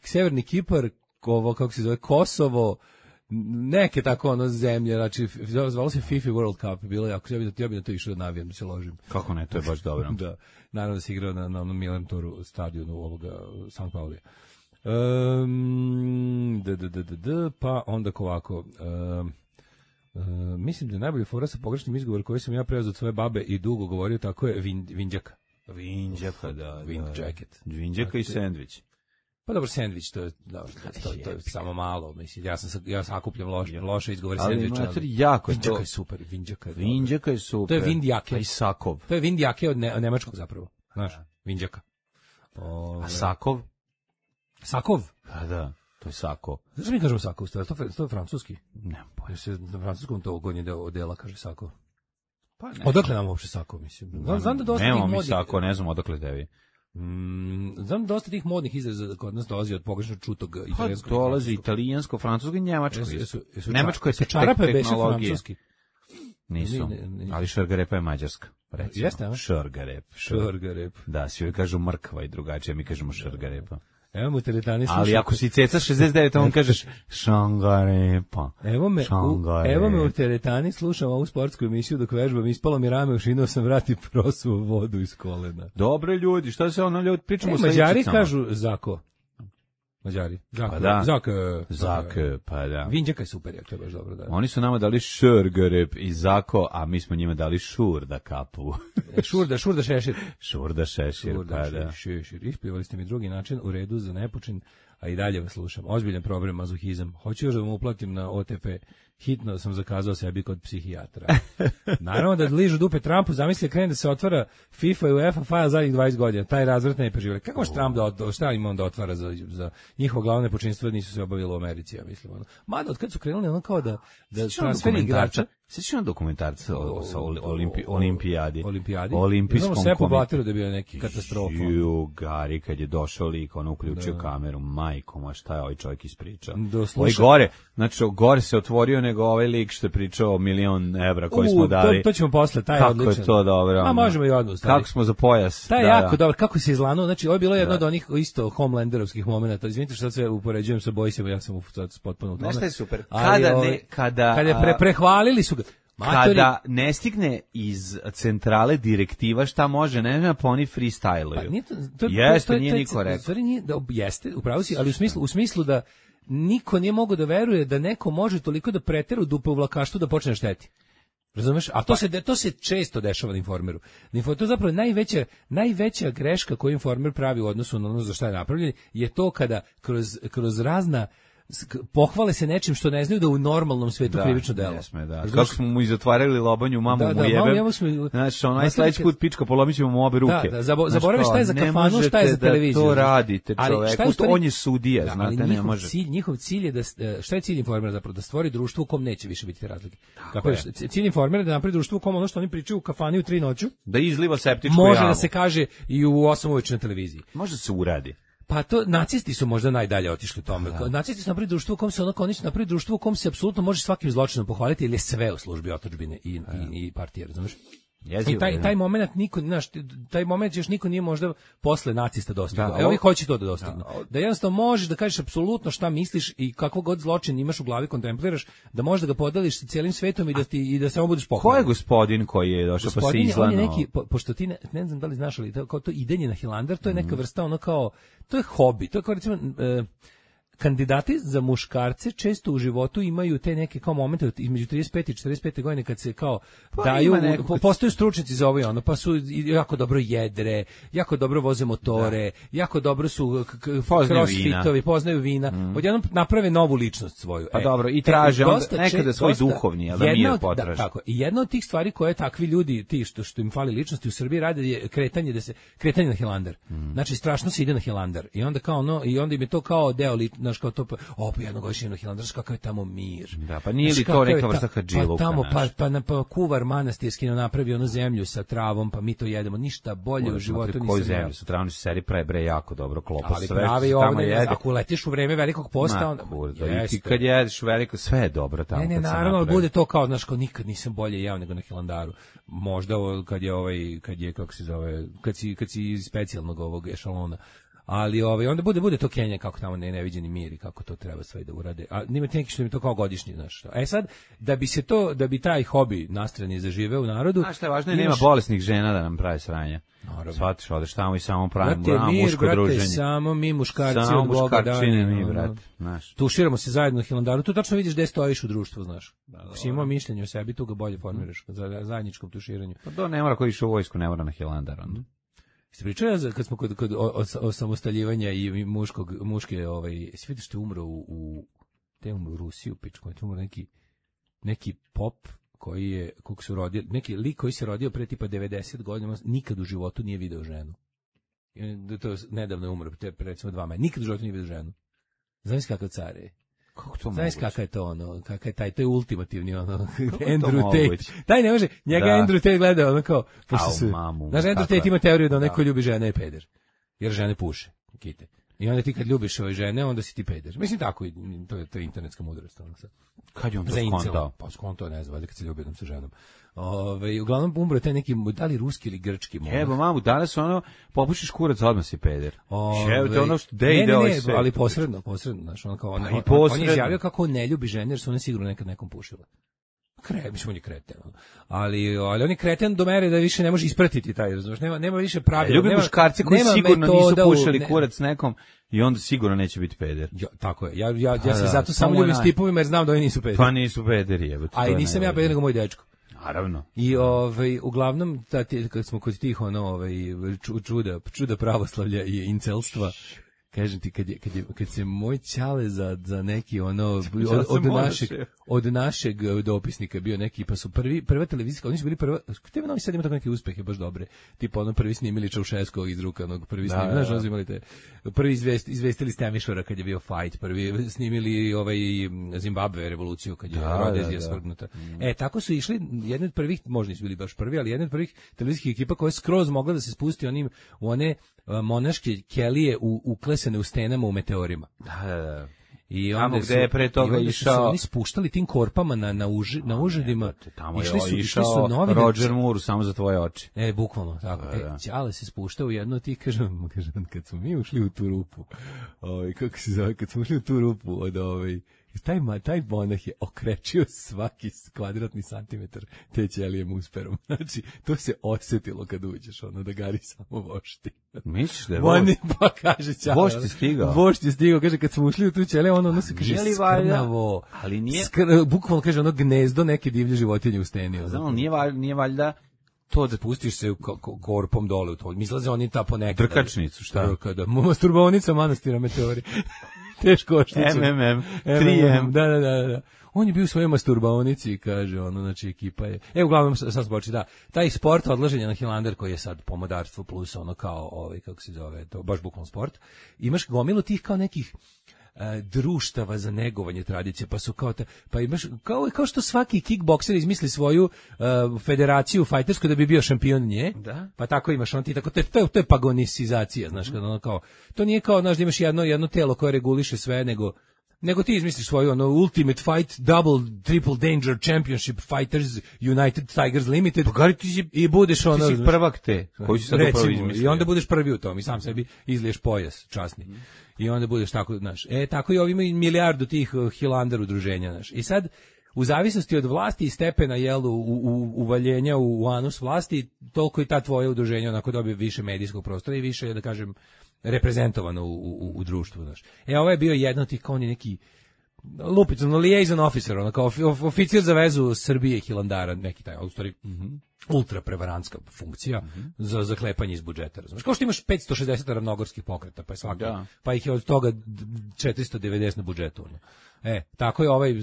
Severni Kipar, kako se zove, Kosovo, neke tako ono zemlje, znači zvalo se FIFA World Cup, bilo je, ako ja bi na to išao da navijam, da se ložim. Kako ne, to je baš dobro. Da, naravno da se igrao na onom Milantoru stadionu ovoga St. Paulija. Pa onda ovako, mislim da je najbolji fora sa pogrešnim izgovorom koji sam ja preuzeo od svoje babe i dugo govorio, tako je Vinđaka. Vinđaka, da. Wind jacket. Vinđaka i sendvič. Pa dobro, sendvič, to je samo malo, mislim, ja sakupljam loše izgovore sendviča. Ali jako Vinđaka je super, Vinđaka je super. To je Vindjake. I Sakov. To je Vindjake od nemačkog zapravo, znaš, Vinđaka. A Sakov? Sakov? Pa da, to je Sako. Zašto mi kažemo Sakov? To je francuski. Ne, Jer se na francuskom to gornji dela kaže Sakov. Pa ne. Odakle nam uopšte Sakov, mislim? Znam da dosta nemamo mi Sako, ne znam odakle tebi. Znam dosta tih modnih izraza kod nas dolazi od pogrešno čutog italijanskog. Pa dolazi italijansko, francusko i njemačko. Nemačko je čarape beše tehnologija. francuski. Nisu, ali šargarepa je mađarska. Recimo. Jeste, a? Šargarep. Da, svi joj kažu mrkva i drugačije, mi kažemo šargarepa. Evo mu teretani slušaju. Ali ako si ceca 69, on kažeš šangarepa. Evo me u teretani slušam ovu sportsku emisiju dok vežbam, ispalo mi rame, ušinuo sam vrat i prosuo vodu iz kolena. Dobre ljudi, šta se ono ljudi pričamo sa Mađari kažu Zako. Mađari. Pa da. Zak, pa da. Vinđaka je super, ja, to je baš dobro. Da. Oni su nama dali šargarep i Zako, a mi smo njima dali šurda kapu. Šurda šešir. Šurda šešir, pa da. Šešir. Ispjevali ste mi drugi način, u redu za nepočin, a i dalje vas slušam. Ozbiljan problem, mazohizam. Hoću još da vam uplatim na OTP. Hitno sam zakazao sebi kod psihijatra. Naravno da ližu dupe Trumpu, zamisli krene da se otvara FIFA i UEFA fajl zadnjih 20 godina. Taj razvrt ne preživjeli. Kako može Trump šta ima onda otvara za njihovo glavne počinstvo nisu se obavilo u Americi, ja mislim. Mada, od kad su krenuli, ono kao da transfer igrača. Sjećaš na dokumentarca sa olimpijadi? Olimpijskom sve poblatilo da je bio neki katastrofa. Gari, kad je došao lik, ono uključio kameru, majkom, a šta je ovaj čovjek ispričao? Gore se otvorio nego ovaj lik što je pričao $1.000.000 koji smo dali. To ćemo posle, taj je odličan. Kako je to dobro? A možemo i odmah. Kako smo za pojas? Taj je jako dobro, kako se izlanuo, znači ovo je bilo jedno od onih isto Homelanderovskih momenata. Izvinite što sve upoređujem sa Bojsima, ja sam potpuno u tome. Nešto je super. Kada prehvalili su ga. Kada ne stigne iz centrale direktiva šta može, ne znam, pa oni freestyluju. Pa nije niko rekao. Jeste, upravo si, ali u smislu da niko nije mogao da veruje da neko može toliko da pretera u dupe u vlakaštvu da počne šteti. Razumeš? A to se često dešava na Informeru. To je zapravo najveća greška koju Informer pravi u odnosu na ono za šta je napravljen, je to kada kroz razna pohvale se nečim što ne znaju da u normalnom svetu krivično delo. Da. Kako smo mu izotvarali lobanju, mamu mu jebem. Znači, onaj sledeći put pička, polomit ćemo mu obe ruke. Zaboraviš šta je za kafanu, šta je za televiziju. To radite, čoveku, on je sudija, znate, ne može. Njihov cilj je šta je cilj Informera zapravo? Da stvori društvo u kom neće više biti te razlike. Cilj Informera je da napravi društvo u kom ono što oni pričaju u kafani u 3 noću, da izliva septičku jamu. Može da se kaže i u 8 uveče na televiziji. Može se uradi. Pa to, nacisti su možda najdalje otišli u tome. Nacisti su napravili društvo u kom se oni su napravili društvo u kom se apsolutno može svakim zločinom pohvaliti, jer je sve u službi otadžbine i partije, razumeš? I taj moment taj moment još niko nije možda posle nacista dostigao. Evo i hoće to da dostigne. Da jednostavno možeš da kažeš apsolutno šta misliš i kakvog god zločin imaš u glavi, kontempliraš, da možeš da ga podeliš sa cijelim svetom i da samo budeš pohvalan. Ko je gospodin koji je došao pa se izlano? On je neki, pošto ti ne znam da li znaš, ali to idenje na Hilandar, to je neka vrsta ono kao, to je hobi, to je kao recimo kandidati za muškarce često u životu imaju te neke kao momente između 35 i 45 godine kad se kao daju, postaju stručnjaci za ovo i ono, pa su jako dobro jedre, jako dobro voze motore, jako dobro su crossfitovi, poznaju vina, odjednom naprave novu ličnost svoju. Pa dobro, i traže nekada svoj duhovni, ali da mir potraže. Tako, i jedna od tih stvari koje takvi ljudi, ti što im fali ličnosti u Srbiji rade je kretanje na Hilandar. Znači strašno se ide na Hilandar i onda kao ono, i onda im je to kao deo znaš, kao to, jednogodišnje na Hilandarsku, kakav je tamo mir. Da, pa nije li to neka vrsta hadžiluka? Pa tamo, pa kuvar manastirski napravi onu zemlju sa travom, pa mi to jedemo, ništa bolje u životu nisam. Koju zemlju sa travom, se seri pravi jako dobro klopa. Ali pravi ovdje, ako letiš u vreme velikog posta, onda... I kad jedeš u veliko, sve je dobro tamo. Ne, naravno, bude to kao, znaš, kao nikad nisam bolje jeo nego na Hilandaru. Možda kad je kako se zove, kad si iz specijalnog ovog ešalona. Ali onda bude to Kenija kako tamo neviđeni mir i kako to treba sve da urade. A nima neki što mi to kao godišnji, znaš. Sad da bi taj hobi nastrani zaživeo u narodu. A šta je važno, nema bolesnih žena da nam prave sranja. Shvatiš, odeš tamo i samo pravimo muško druženje. Brate, samo mi muškarci od Boga dani. Mi, brate, znaš. Tuširamo se zajedno na Hilandaru, tu tačno vidiš gde stojiš u društvu, znaš. Si imao mišljenje o sebi, tu ga bolje formiraš za zajedničkom tuširanju. Pa to ne mora ko išao u vojsku, ne mora na Hilandar, onda. Ste pričali kad smo kod osamostaljivanja i muške, jesi vidiš što je umro u Rusiju, pičku, je umro neki pop kog su rodili, neki lik koji se rodio pre tipa 90 godina, nikad u životu nije video ženu. To nedavno je umro, pre recimo 2 meseca, nikad u životu nije video ženu. Znaš kakav car je? Kako to moguće? Znaš kakav je to kakav je taj, to je ultimativni Andrew Tate. Taj ne može, njega Andrew Tate gleda pošto se. Znaš, Andrew Tate ima teoriju da onaj ko ljubi žene je peder. Jer žene puše, kite. I onda ti kad ljubiš ove žene, onda si ti peder. Mislim tako, to je internetska mudrost. Kad je on to skontao? Pa skontao, ne znam, kad se ljubi jednom sa ženom. Uglavnom umro je taj neki, da li ruski ili grčki monak. Evo, mamu, danas popušiš kurac, odmah si peder. Ne, ali posredno, znaš, on je izjavio kako on ne ljubi žene, jer su one sigurno nekad nekom pušile. Mislim, on je kreten. Ali on je kreten do mere da više ne može ispratiti taj, razumiješ, nema više pravila. Ljubi muškarci koji sigurno nisu pušili kurac nekom i onda sigurno neće biti peder. Tako je, ja se zato samo ljubim s tipovima jer znam da oni nisu pederi. Pa nisu pederi, jebote. A i nisam ja peder nego moj dečko. Naravno. I uglavnom kad smo kod tih čuda pravoslavlja i incelstva, kažem ti kad se moj ćale za neki od našeg dopisnika bio neki, pa su prva televizijska, oni su bili prva, TV Novi Sad ima tako neke uspehe baš dobre, tipa prvi snimili Čaušeskog izrukanog, prvi snimili, znaš, uzimali te, prvi izvestili Stemišvara kad je bio fight, prvi snimili Zimbabve revoluciju kad je Rodezija svrgnuta. Tako su išli, jedni od prvih, možda nisu bili baš prvi, ali jedni od prvih televizijskih ekipa koja je skroz mogla da se spusti u one monaške kelije uklesane u stenama u meteorima. Da. I tamo gde je pre toga išao... Oni spuštali tim korpama na užadima. Tamo je išao Roger Moore samo za tvoje oči. Bukvalno, tako. Ćale se spuštao u jedno, ti kažem, kad smo mi ušli u tu rupu, kako se zove, kad smo ušli u tu rupu od taj monah je okrečio svaki kvadratni santimetar te ćelije musperom. Znači, to se osjetilo kad uđeš, da Gari samo vošti. Misliš da je vošti? Pa kaže Ćale. Vošti stigao? Vošti stigao, kaže, kad smo ušli u tu ćelije, ono se kaže skrnavo. Ali nije... Bukvalno kaže, gnezdo neke divlje životinje u steni. Znam, nije valjda to da pustiš se korpom dole u to. Misle oni ta ponekad. Drkačnicu, šta? Masturbonica manastira Meteori. Teško oštećen. MMM, 3M. Da. On je bio u svojoj masturbaonici, kaže, znači ekipa je. Uglavnom, sad spoči, taj sport odlaženja na Hilandar koji je sad pomodarstvo plus kao, kako se zove, to baš bukvalno sport. Imaš gomilu tih kao nekih društava za negovanje tradicije, pa su pa imaš, kao što svaki kickbokser izmisli svoju federaciju fajtersku da bi bio šampion nje, pa tako imaš to je pagonisizacija, znaš, to nije kao, znaš, da imaš jedno telo koje reguliše sve, nego ti izmisliš svoju Ultimate Fight Double Triple Danger Championship Fighters United Tigers Limited i budeš ti si prvak te koji si sad upravo izmislio. I onda budeš prvi u tom i sam sebi izliješ pojas časni. I onda budeš tako, znaš, tako i ovi imaju milijardu tih Hilandar udruženja, znaš. I sad, u zavisnosti od vlasti i stepena, uvaljenja u anus vlasti, toliko i ta tvoja udruženja onako dobije više medijskog prostora i više, da kažem, reprezentovano u društvu, znaš. Ovo je bio jedno od tih, kao neki lupicano liaison officer, kao oficir za vezu Srbije i Hilandara, neki taj, u stvari, ultra prevarantska funkcija za zaklepanje iz budžeta, razumiješ. Kao što imaš 560 ravnogorskih pokreta, pa je svaki, pa ih je od toga 490 na budžetu. Tako je ovaj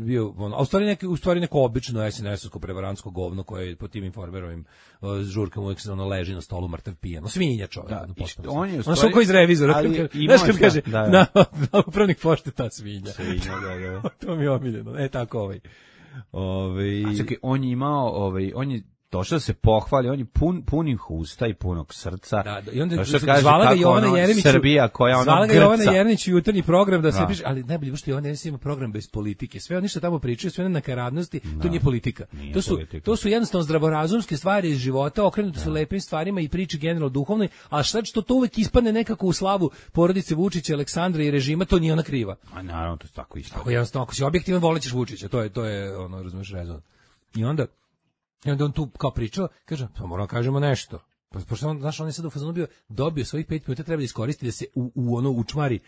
bio, a u stvari neko obično SNS-ovsko prevarantsko govno koje je po tim Informerovim žurkama uvijek se leži na stolu mrtav pijan. Svinja čovjek. On je u stvari... Ono iz revizora. Znaš kad kaže, na upravnik pošte ta svinja. Da. To mi je omiljeno. Tako ovaj. A čekaj, on je imao, on je došao da se pohvali, on je punih usta i punog srca. Da, i onda kaže zvala ga Jovana Jeremić, Srbija koja ona zvala ga grca. Jovana Jeremić u jutarnji program da se piše, ali najbolje je što Jovana Jeremić ima program bez politike. Sve oni što tamo pričaju, sve na nakaradnosti, to nije politika. To su jednostavno zdravorazumske stvari iz života, okrenute su lepim stvarima i priči generalno duhovnoj, a šta što to uvek ispadne nekako u slavu porodice Vučića, Aleksandra i režima, to nije ona kriva. A naravno, to je tako isto. Tako jednostavno, ako si objektivan, volećeš Vučića, to je ono, razumeš, rezon. I onda on tu kao pričao, kaže, pa moramo kažemo nešto. Pošto on, znaš, on je sad u fazonu dobio svojih 5 minuta, treba da iskoristi da se u ono učmari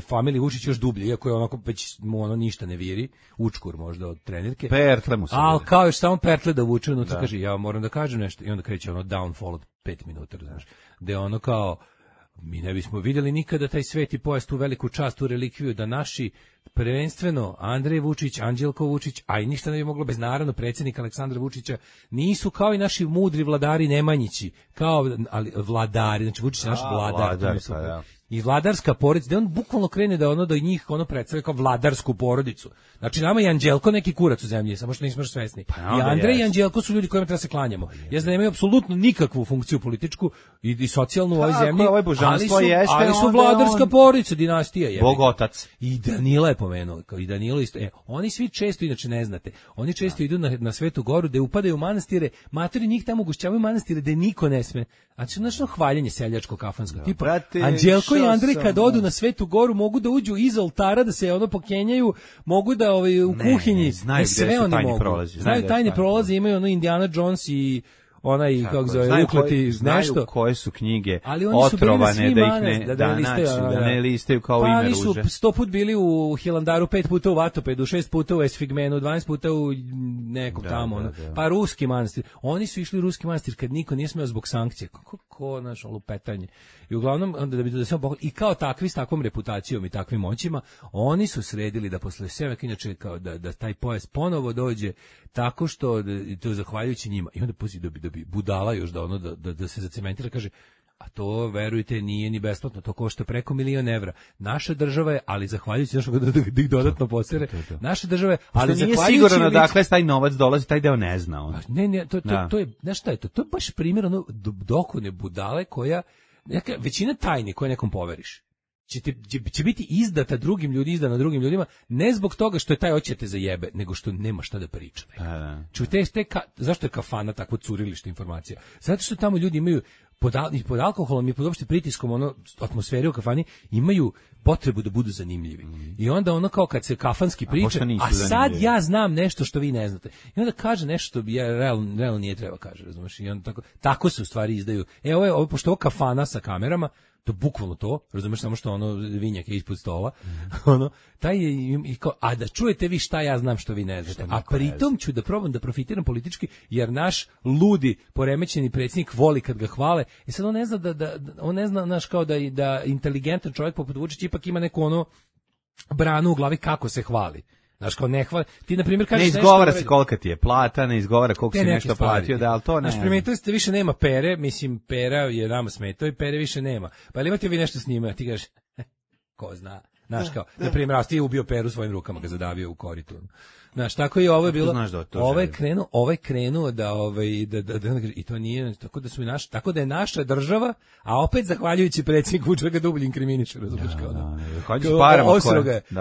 familiji Vučić još dublje, iako je onako već mu ono ništa ne viri, učkur možda od trenerke. Pertle mu se ali kao još samo pertle da vuče unutra, kaže, ja moram da kažem nešto. I onda kreće ono downfall od 5 minuta, znaš, gde ono kao, mi ne bismo vidjeli nikada taj sveti pojas, tu veliku čast, tu relikviju, da naši prvenstveno Andrej Vučić, Anđelko Vučić, a i ništa ne bi moglo bez naravno predsjednika Aleksandra Vučića, nisu kao i naši mudri vladari Nemanjići, ali vladari, znači Vučić je naš vladar. I vladarska porodica, da on bukvalno krene da ono da njih ono predstavlja kao vladarsku porodicu. Znači nama je Anđelko neki kurac u zemlji, samo što nismo još svesni. I Andrej i Anđelko su ljudi kojima treba se klanjamo. Da nemaju apsolutno nikakvu funkciju političku i socijalnu u ovoj zemlji, ali su vladarska porodica, dinastija je. Bog otac. I Danila je pomenuo, kao i Danilo isto. Oni svi često, inače ne znate, oni često idu na Svetu Goru, da upadaju u manastire, materi njih tamo ugošćavaju manastire da niko ne sme. Znači, nešto hvaljenje seljačko kafansko. Tipa, Anđelko i Andrej kad odu na Svetu Goru mogu da uđu iz oltara, da se ono pokenjaju, mogu da u kuhinji, sve oni mogu. Znaju tajne prolaze, imaju ono Indiana Jones i onaj, kako zove, ukleti nešto. Znaju koje su knjige otrovane, da ne listaju kao ime ruže. Pa oni su 100 put bili u Hilandaru, 5 puta u Vatopedu, 6 puta u Esfigmenu, 12 puta u nekom tamo. Pa ruski manastir. Oni su išli u ruski manastir kad niko nije smeo zbog sankcije. Kako naš lupetanje. I uglavnom, onda da se i kao takvi s takvom reputacijom i takvim moćima, oni su sredili da posle svega, inače kao da taj pojas ponovo dođe tako što to zahvaljujući njima. I onda da bi budala još da se zacementira, kaže, a to, verujte, nije ni besplatno, to košta preko $1.000.000 evra. Naša država je, ali zahvaljujući nešto da ih dodatno posere, naša država je, ali nije sigurno dakle taj novac dolazi, taj deo ne zna on. Ne, to je, znaš šta je to? To je baš primjer ono dokone budale koja, većina tajni koje nekom poveriš, će biti izdata izdana drugim ljudima, ne zbog toga što je taj hoće te zajebe, nego što nema šta da priča. Zašto je kafana takvo curilište informacija? Zato što tamo ljudi imaju pod alkoholom i pod opšte pritiskom atmosfere u kafani imaju potrebu da budu zanimljivi. I onda ono kao kad se kafanski priča, a sad ja znam nešto što vi ne znate. I onda kaže nešto što ja realno nije treba kaže, razumiješ? I onda tako se u stvari izdaju. Ovo pošto ovo kafana sa kamerama, to bukvalno to, razumeš, samo što ono vinjak je ispod stola, taj je, a da čujete vi šta ja znam što vi ne znate, a pritom ću da probam da profitiram politički, jer naš ludi, poremećeni predsjednik voli kad ga hvale, i sad on ne zna on ne zna, naš, kao da inteligentan čovjek poput Vučića ipak ima neku branu u glavi kako se hvali. Znaš, kao ne hvali. Ti, na primjer, kažeš nešto... Ne izgovara se kolika ti je plata, ne izgovara koliko si nešto platio, ali to ne... Znaš, primijetili ste, više nema Pere, mislim, Pera je nama smetao i Pere više nema. Pa ali imate vi nešto s njima, ti kažeš, ko zna. Znaš, kao, na primjer, ti je ubio Peru svojim rukama, ga zadavio u koritu. Znaš, tako i ovo je bilo, ovo je krenuo da i to nije, tako da je naša država, a opet zahvaljujući predsjedniku Vučića ga dublje inkriminiše, razumiješ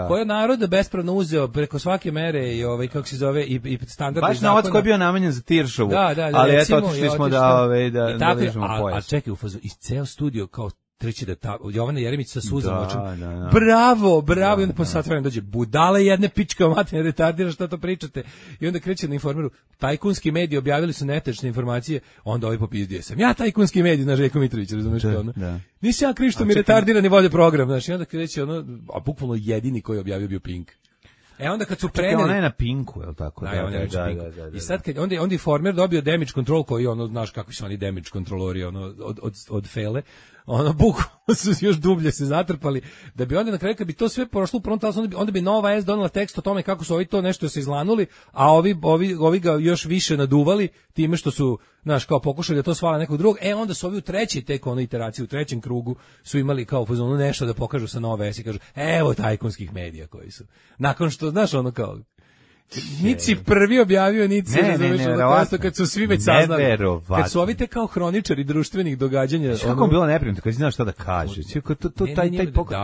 koja narod bespravno uzeo preko svake mere i kako se zove i standardni baš novac koji je bio namenjen za Tiršovu, ali eto otišli smo da ližemo pojas. A čekaj, u fazu, iz ceo studio kao treći da Jovana Jeremić sa suzama očima. Bravo, i onda posle sat vremena dođe budale jedne pička materne retardira šta to pričate. I onda kreće na Informeru, tajkunski mediji objavili su netačne informacije, onda ovaj popizdio sam. Ja tajkunski mediji, znaš, Željko Mitrović, razumeš kao ono. Nisam ja kriv što mi retardirani vode program, znaš, i onda kreće a bukvalno jedini koji je objavio bio Pink. Onda kad su preneli... Ona je na Pinku, je li tako? I sad kad onda Informer dobio damage control koji znaš kakvi su oni damage kontrolori od fele, bukvalno su još dublje se zatrpali, da bi onda na kraju kad bi to sve prošlo u prvom talasu, onda bi Nova S donela tekst o tome kako su ovi to nešto se izlanuli, a ovi ga još više naduvali time što su, znaš, kao pokušali da to svala nekog drugog, onda su ovi u trećoj tek iteraciji, u trećem krugu su imali kao fazonu nešto da pokažu sa Nove S i kažu, evo tajkunskih medija koji su. Nakon što, znaš, kao... Nici prvi objavio, nici ne, kad su svi već saznali. Kad su ovi te kao hroničari društvenih događanja. Kako bilo neprijatno kad znaš šta da kaže. Taj pokret.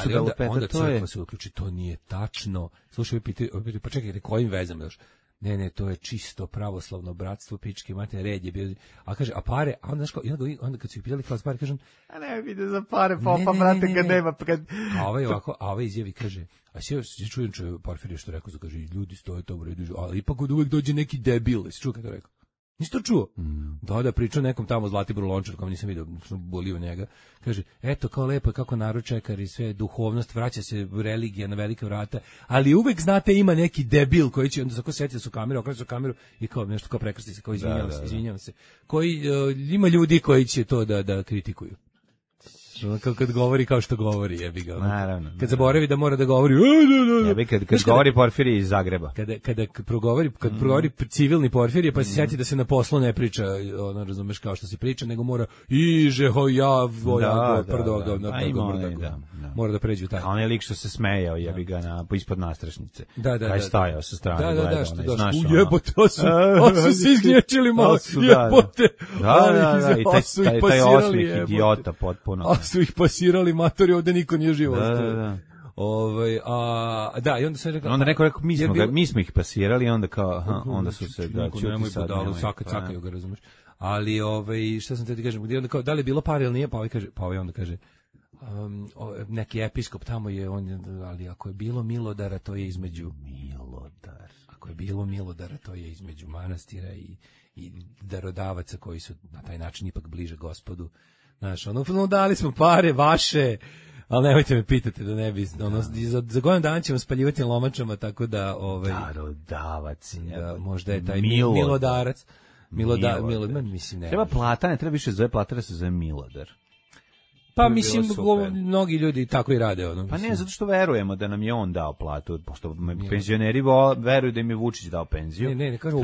Ali onda crkva se uključi, to nije tačno. Slušaj, pa čekaj, kojim vezama još? Ne, to je čisto pravoslavno bratstvo, pičke mate, red je bio. A kaže, a pare, a onda, onda kad su ih pitali kao pare, kažem, a ne vide za pare, popa, brate, kad nema. A ovaj izjavi kaže, a se čujem Porfirije što rekao, kaže, ljudi stoje to u redu, ali ipak od uvek dođe neki debil, si čuo kad to rekao? Nisi to čuo? Da, pričao nekom tamo Zlatiboru Lončar, kao nisam vidio, bolio njega. Kaže, eto, kao lepo je kako narod čekar i sve, duhovnost, vraća se religija na velike vrata, ali uvek, znate, ima neki debil koji će, onda tako setio su kameru, okreću kameru i kao nešto kao prekrsti se, kao izvinjavam se. Koji, ima ljudi koji će to da kritikuju. Kad govori kao što govori, jebi ga. Naravno. Kad zaboravi da mora da govori. Jebi kad govori Porfirije iz Zagreba. Kad progovori civilni Porfirije, pa se sjeti da se na poslu ne priča, ono, razumeš, kao što se priča, nego mora mora da pređe u taj. A on je lik što se smejao, jebi ga ispod nastrašnice. Kaj je stajao sa strane, gledao. Jebote, su se izgnječili malo, jebote. Da, i taj osmih idiota potpuno. Su ih pasirali matori, ovde niko nije živo. Da. I onda se rekao. Onda neko rekao, mi smo ih pasirali, onda kao, onda su se čuti sad. Sakaju ga, razumeš. Ali, šta sam te ti kažem, onda kao, da li je bilo pare ili nije, pa onda kaže, neki episkop tamo je, ali ako je bilo milodara, to je između Ako je bilo milodara, to je između manastira i darodavaca koji su na taj način ipak bliže Gospodu. Znaš, dali smo pare vaše, ali nemojte me pitati da ne bi, za godinu dana ćemo spaljivati lomačama, tako da, darodavac, možda je taj milodarac, mislim, ne. Treba plata, ne treba više zove plata, da se zove milodar. Pa mislim, mnogi ljudi tako i rade. Pa ne, zato što verujemo da nam je on dao platu, pošto penzioneri veruju da im je Vučić dao penziju. Ne, kažu,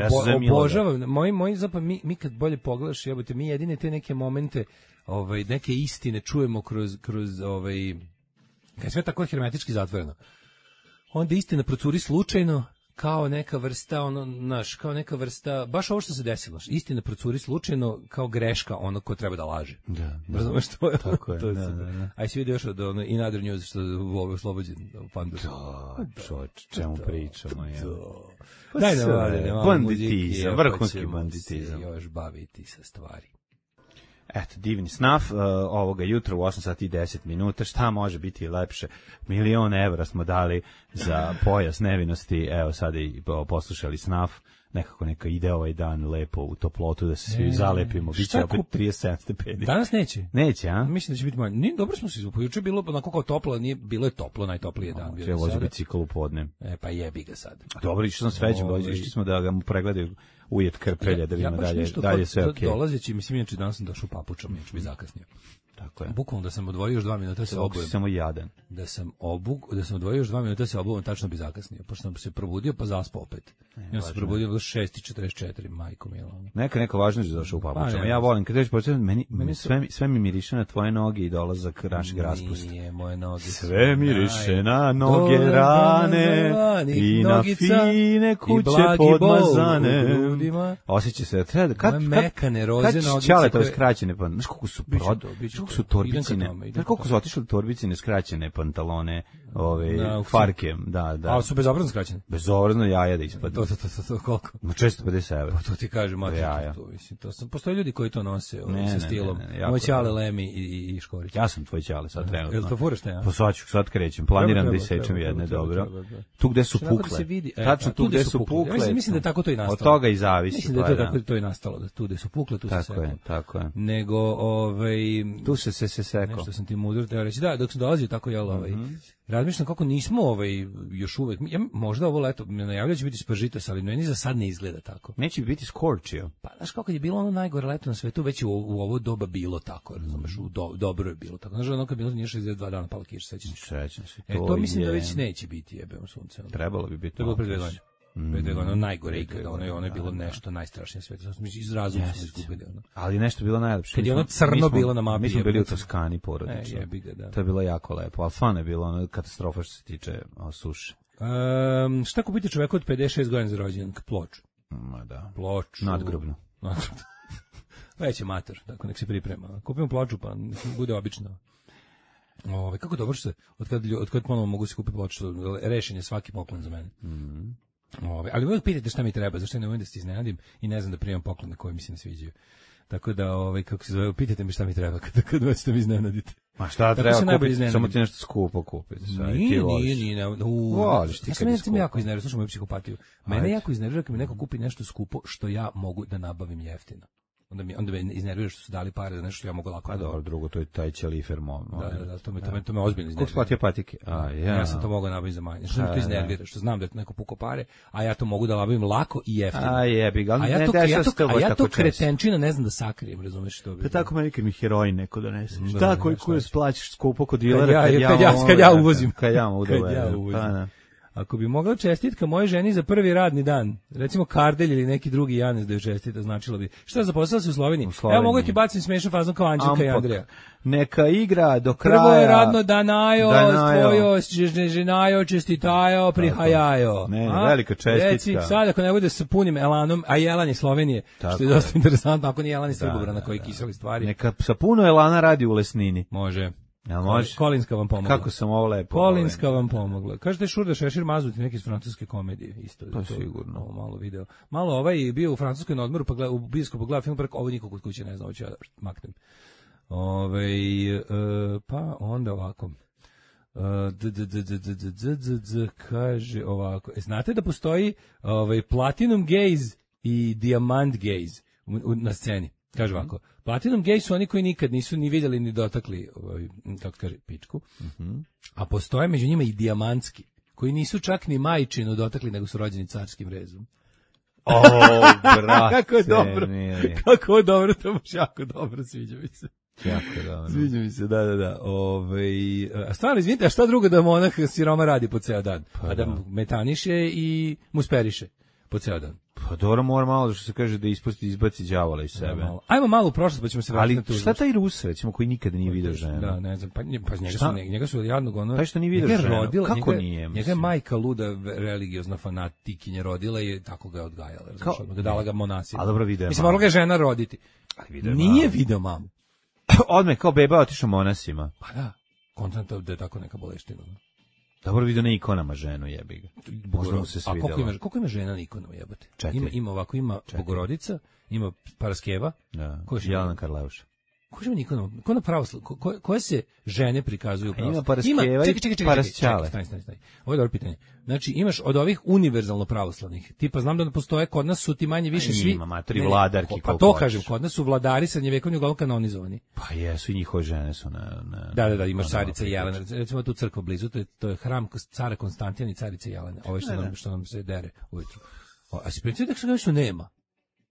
obožavam, moji zapravo, mi kad bolje pogledaš, jebote, mi jedine te neke momente, neke istine čujemo kroz kad je sve tako hermetički zatvoreno. Onda istina procuri slučajno, kao neka vrsta, kao neka vrsta, baš ovo što se desilo, istina procuri slučajno kao greška onog ko treba da laže. Da. Razumeš što je? Tako je, da. Aj si vidio još od In Other News što u ovoj oslobođen u Pandusu. Da, čemu pričamo, je. Daj da valjamo. Banditizam, vrhunski banditizam. Još baviti sa stvari. Eto, divni snaf, ovoga jutra u 8 sati i 10 minuta, šta može biti lepše? 1.000.000 evra smo dali za pojas nevinosti, evo sada i poslušali snaf, nekako neka ide ovaj dan lepo u toplotu da se svi zalepimo, bit će opet 37 stepeni. Danas neće? Neće, a? Mislim da će biti manje. Dobro smo se izvukli, juče je bilo onako kao toplo, nije bilo je toplo, najtoplije dan. Treba vozi bicikl u podne. Pa jebi ga sad. Dobro, išli sam s Feđom, išli smo da ga mu pregledaju ujet Krpelja, da vidimo dalje sve okej. Dolazeći, mislim, inače danas sam došao u papučama, inače bi zakasnio. Tako je. Bukvalno da sam odvojio još 2 minuta se obujem. Samo jadan. Da sam odvojio još 2 minuta se obujem, tačno bi zakasnio. Pošto sam se probudio pa zaspao opet. Ja sam se probudio do 6:44, majko mila. Neka važno je došao u papučama. Ja volim kad dođeš početi, meni sve mi miriše na tvoje noge i dolazak našeg raspusta. Nije moje noge. Sve miriše na noge rane i na fine kuće podmazane. Osjeća se treba kad mekane roze noge. Čale to skraćene pa, znaš koliko su su torbicine, znaš koliko su otišle torbicine skraćene pantalone, farke, da. A su bezobrazno skraćene? Bezobrazno jaja da ispadne. To koliko? 450 evra. To ti kažem, postoje ljudi koji to nose sa stilom. Moj ćale Lemi i Škorić. Ja sam tvoj ćale sad trenutno. Jel to furaš te, ja? Pa sad krećem, planiram da isečem jedne, dobro. Tu gde su pukle. Tačno tu gde su pukle. Mislim da tako to i nastalo. Od toga i zavisi. Mislim da je tako to i nastalo, da tu gde su pukle, tu se seklo. Tako je. Nego, tu se sekao. Nešto sam ti mudro teo reći. Da, dok sam dolazio tako, razmišljam kako nismo još uvek, možda ovo leto najavljaju će biti spržitos, ali meni za sad ne izgleda tako. Neće biti scorchio. Pa znaš kako je bilo ono najgore leto na svetu, već u ovo doba bilo tako, razumeš, dobro je bilo tako. Znaš, ono kad bilo nije 62 dana pala kiša, sećam se. To mislim da već neće biti, jebem sunce. Trebalo bi biti. To je bilo pre 2 godine. Pre 2 godine, najgore ikada, ono je bilo nešto najstrašnije na svetu. Iz razuma smo izgubili. Ali nešto bilo najlepše. Kad je ono crno bilo na mapi. Mi smo bili u Toskani porodično. Jebi ga, da. To je bilo jako lepo, ali stvarno je bilo katastrofa što se tiče suše. Šta kupiti čoveku od 56 godina za rođendan? Ploču. Ma da. Ploču. Nadgrobno. Već je mater, tako nek se priprema. Kupimo ploču, pa bude obično. Kako dobro što se, od kad ponovno mogu se kupiti ploču, rešen je svaki poklon za mene. Ali uvijek pitajte šta mi treba, zašto ne umem da se iznenadim i ne znam da primam poklone koje mi se ne sviđaju. Tako da, kako se zove, pitajte mi šta mi treba kad hoćete mi iznenaditi. Ma šta treba kupiti, samo ti nešto skupo kupiti. Nije. Voliš ti kad je skupo. Mene jako iznervira, slušaj moju psihopatiju. Mene jako iznervira kad mi neko kupi nešto skupo što ja mogu da nabavim jeftino. Onda me iznervira što su dali pare za nešto što ja mogu lako. Pa dobro, drugo, to je taj ćelifer Da, to me ozbiljno iznervira. Kako splatio patike? Ja sam to mogao nabaviti za manje. Što me to iznervira? Što znam da je neko pukao pare, a ja to mogu da nabavim lako i jeftino. A ja to kretenčina ne znam da sakrijem, razumeš što bi. Pa tako meni kad mi heroin neko donese. Šta koji splaćaš skupo kod dilera kad ja uvozim. Kad ja uvozim. Ako bi mogla čestitka moje ženi za prvi radni dan, recimo Kardelj ili neki drugi Janez da je čestita, značilo bi. Šta zaposlila se u Sloveniji? Evo mogu ti bacim smešan fazon kao Anđelka i Andreja. Neka igra do kraja. Prvo je radno danajo, tvojo, ženajo, čestitajo, prihajajo. Ne, velika čestitka. Reci, sad ako ne bude sa punim elanom, a jelan je Slovenije, što je dosta interesantno, ako nije jelan iz Srbobrana koji kiseli stvari. Neka sa puno elana radi u Lesnini. Može. Jel može? Kolinska vam pomogla. Kako sam ovo lepo. Kolinska vam pomogla. Kažete Šurda Šešir mazuti neki iz francuske komedije. Isto. To sigurno. Malo video. Malo ovaj bio u francuskoj na odmoru, pa u bioskopu gledao film, pa ovo niko kod kuće ne zna, hoću ja da maknem. Pa onda ovako. Kaže ovako. Znate da postoji Platinum Gaze i Diamant Gaze na sceni? Kaže ovako, Platinum Gaze su oni koji nikad nisu ni vidjeli ni dotakli, kako kaže, pičku, a postoje među njima i dijamantski, koji nisu čak ni majčinu dotakli, nego su rođeni carskim rezom. Brate, kako je dobro, kako je dobro, to baš jako dobro, sviđa mi se. Jako dobro. Sviđa mi se, da. A stvarno, izvinite, a šta drugo da monah siroma radi po ceo dan? A da metaniše i musperiše po ceo dan. Pa dobro, mora malo, što se kaže, da izbaci đavola iz sebe. Ajmo malo u prošlost, pa ćemo se vratiti na tu. Ali šta taj Rus, recimo, koji nikada nije vidio ženu? Da, ne znam, pa njega su jadnog ono... Taj što nije vidio ženu, kako nije? Njega je majka luda religiozna fanatikinja rodila i tako ga je odgajala, da dala ga monasima. A dobro, video je. Mislim, morala ga je žena roditi. Nije video mamu. Odmah kao beba otišao monasima. Pa da, konstantno da je tako neka boleština. Dobro vidio na ikonama ženu, jebi ga. Možda mu se svidjelo. A koliko ima žena na ikonama, jebate? Ima Bogorodica, ima Paraskeva. Da, Jelena Karleuša. Ko ima ikonama? Ko na pravoslavlju? Koje se žene prikazuju u pravoslavlju? Ima Paraskeva i Parasčale. Stani. Ovo je dobro pitanje. Znači, imaš od ovih univerzalno pravoslavnih. Tipa, znam da postoje, kod nas su ti manje više svi... Ima, matri vladarki. Pa to kažem, kod nas su vladari srednjevjekovni uglavnom kanonizovani. Pa jesu, i njihove žene su na... Da, imaš carica Jelena. Recimo tu crkva blizu, to je hram cara Konstantina i carice Jelene. Ovo je što nam se dere ujutru. A si predstavio da se nešto nema?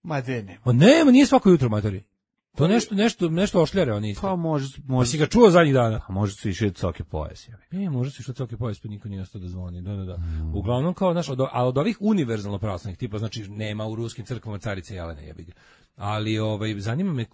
Ma de nema. Nema, nije svako jutro, matori. To nešto ošljare oni isto. Pa može. Pa si ga čuo zadnjih dana? Pa može su išli coke pojas. Može su išli coke pojas, pa niko nije ostao da zvoni. Da. Uglavnom kao, od ovih univerzalno pravoslavnih tipa, znači nema u ruskim crkvama carice Jelene, jebi ga. Ali zanima me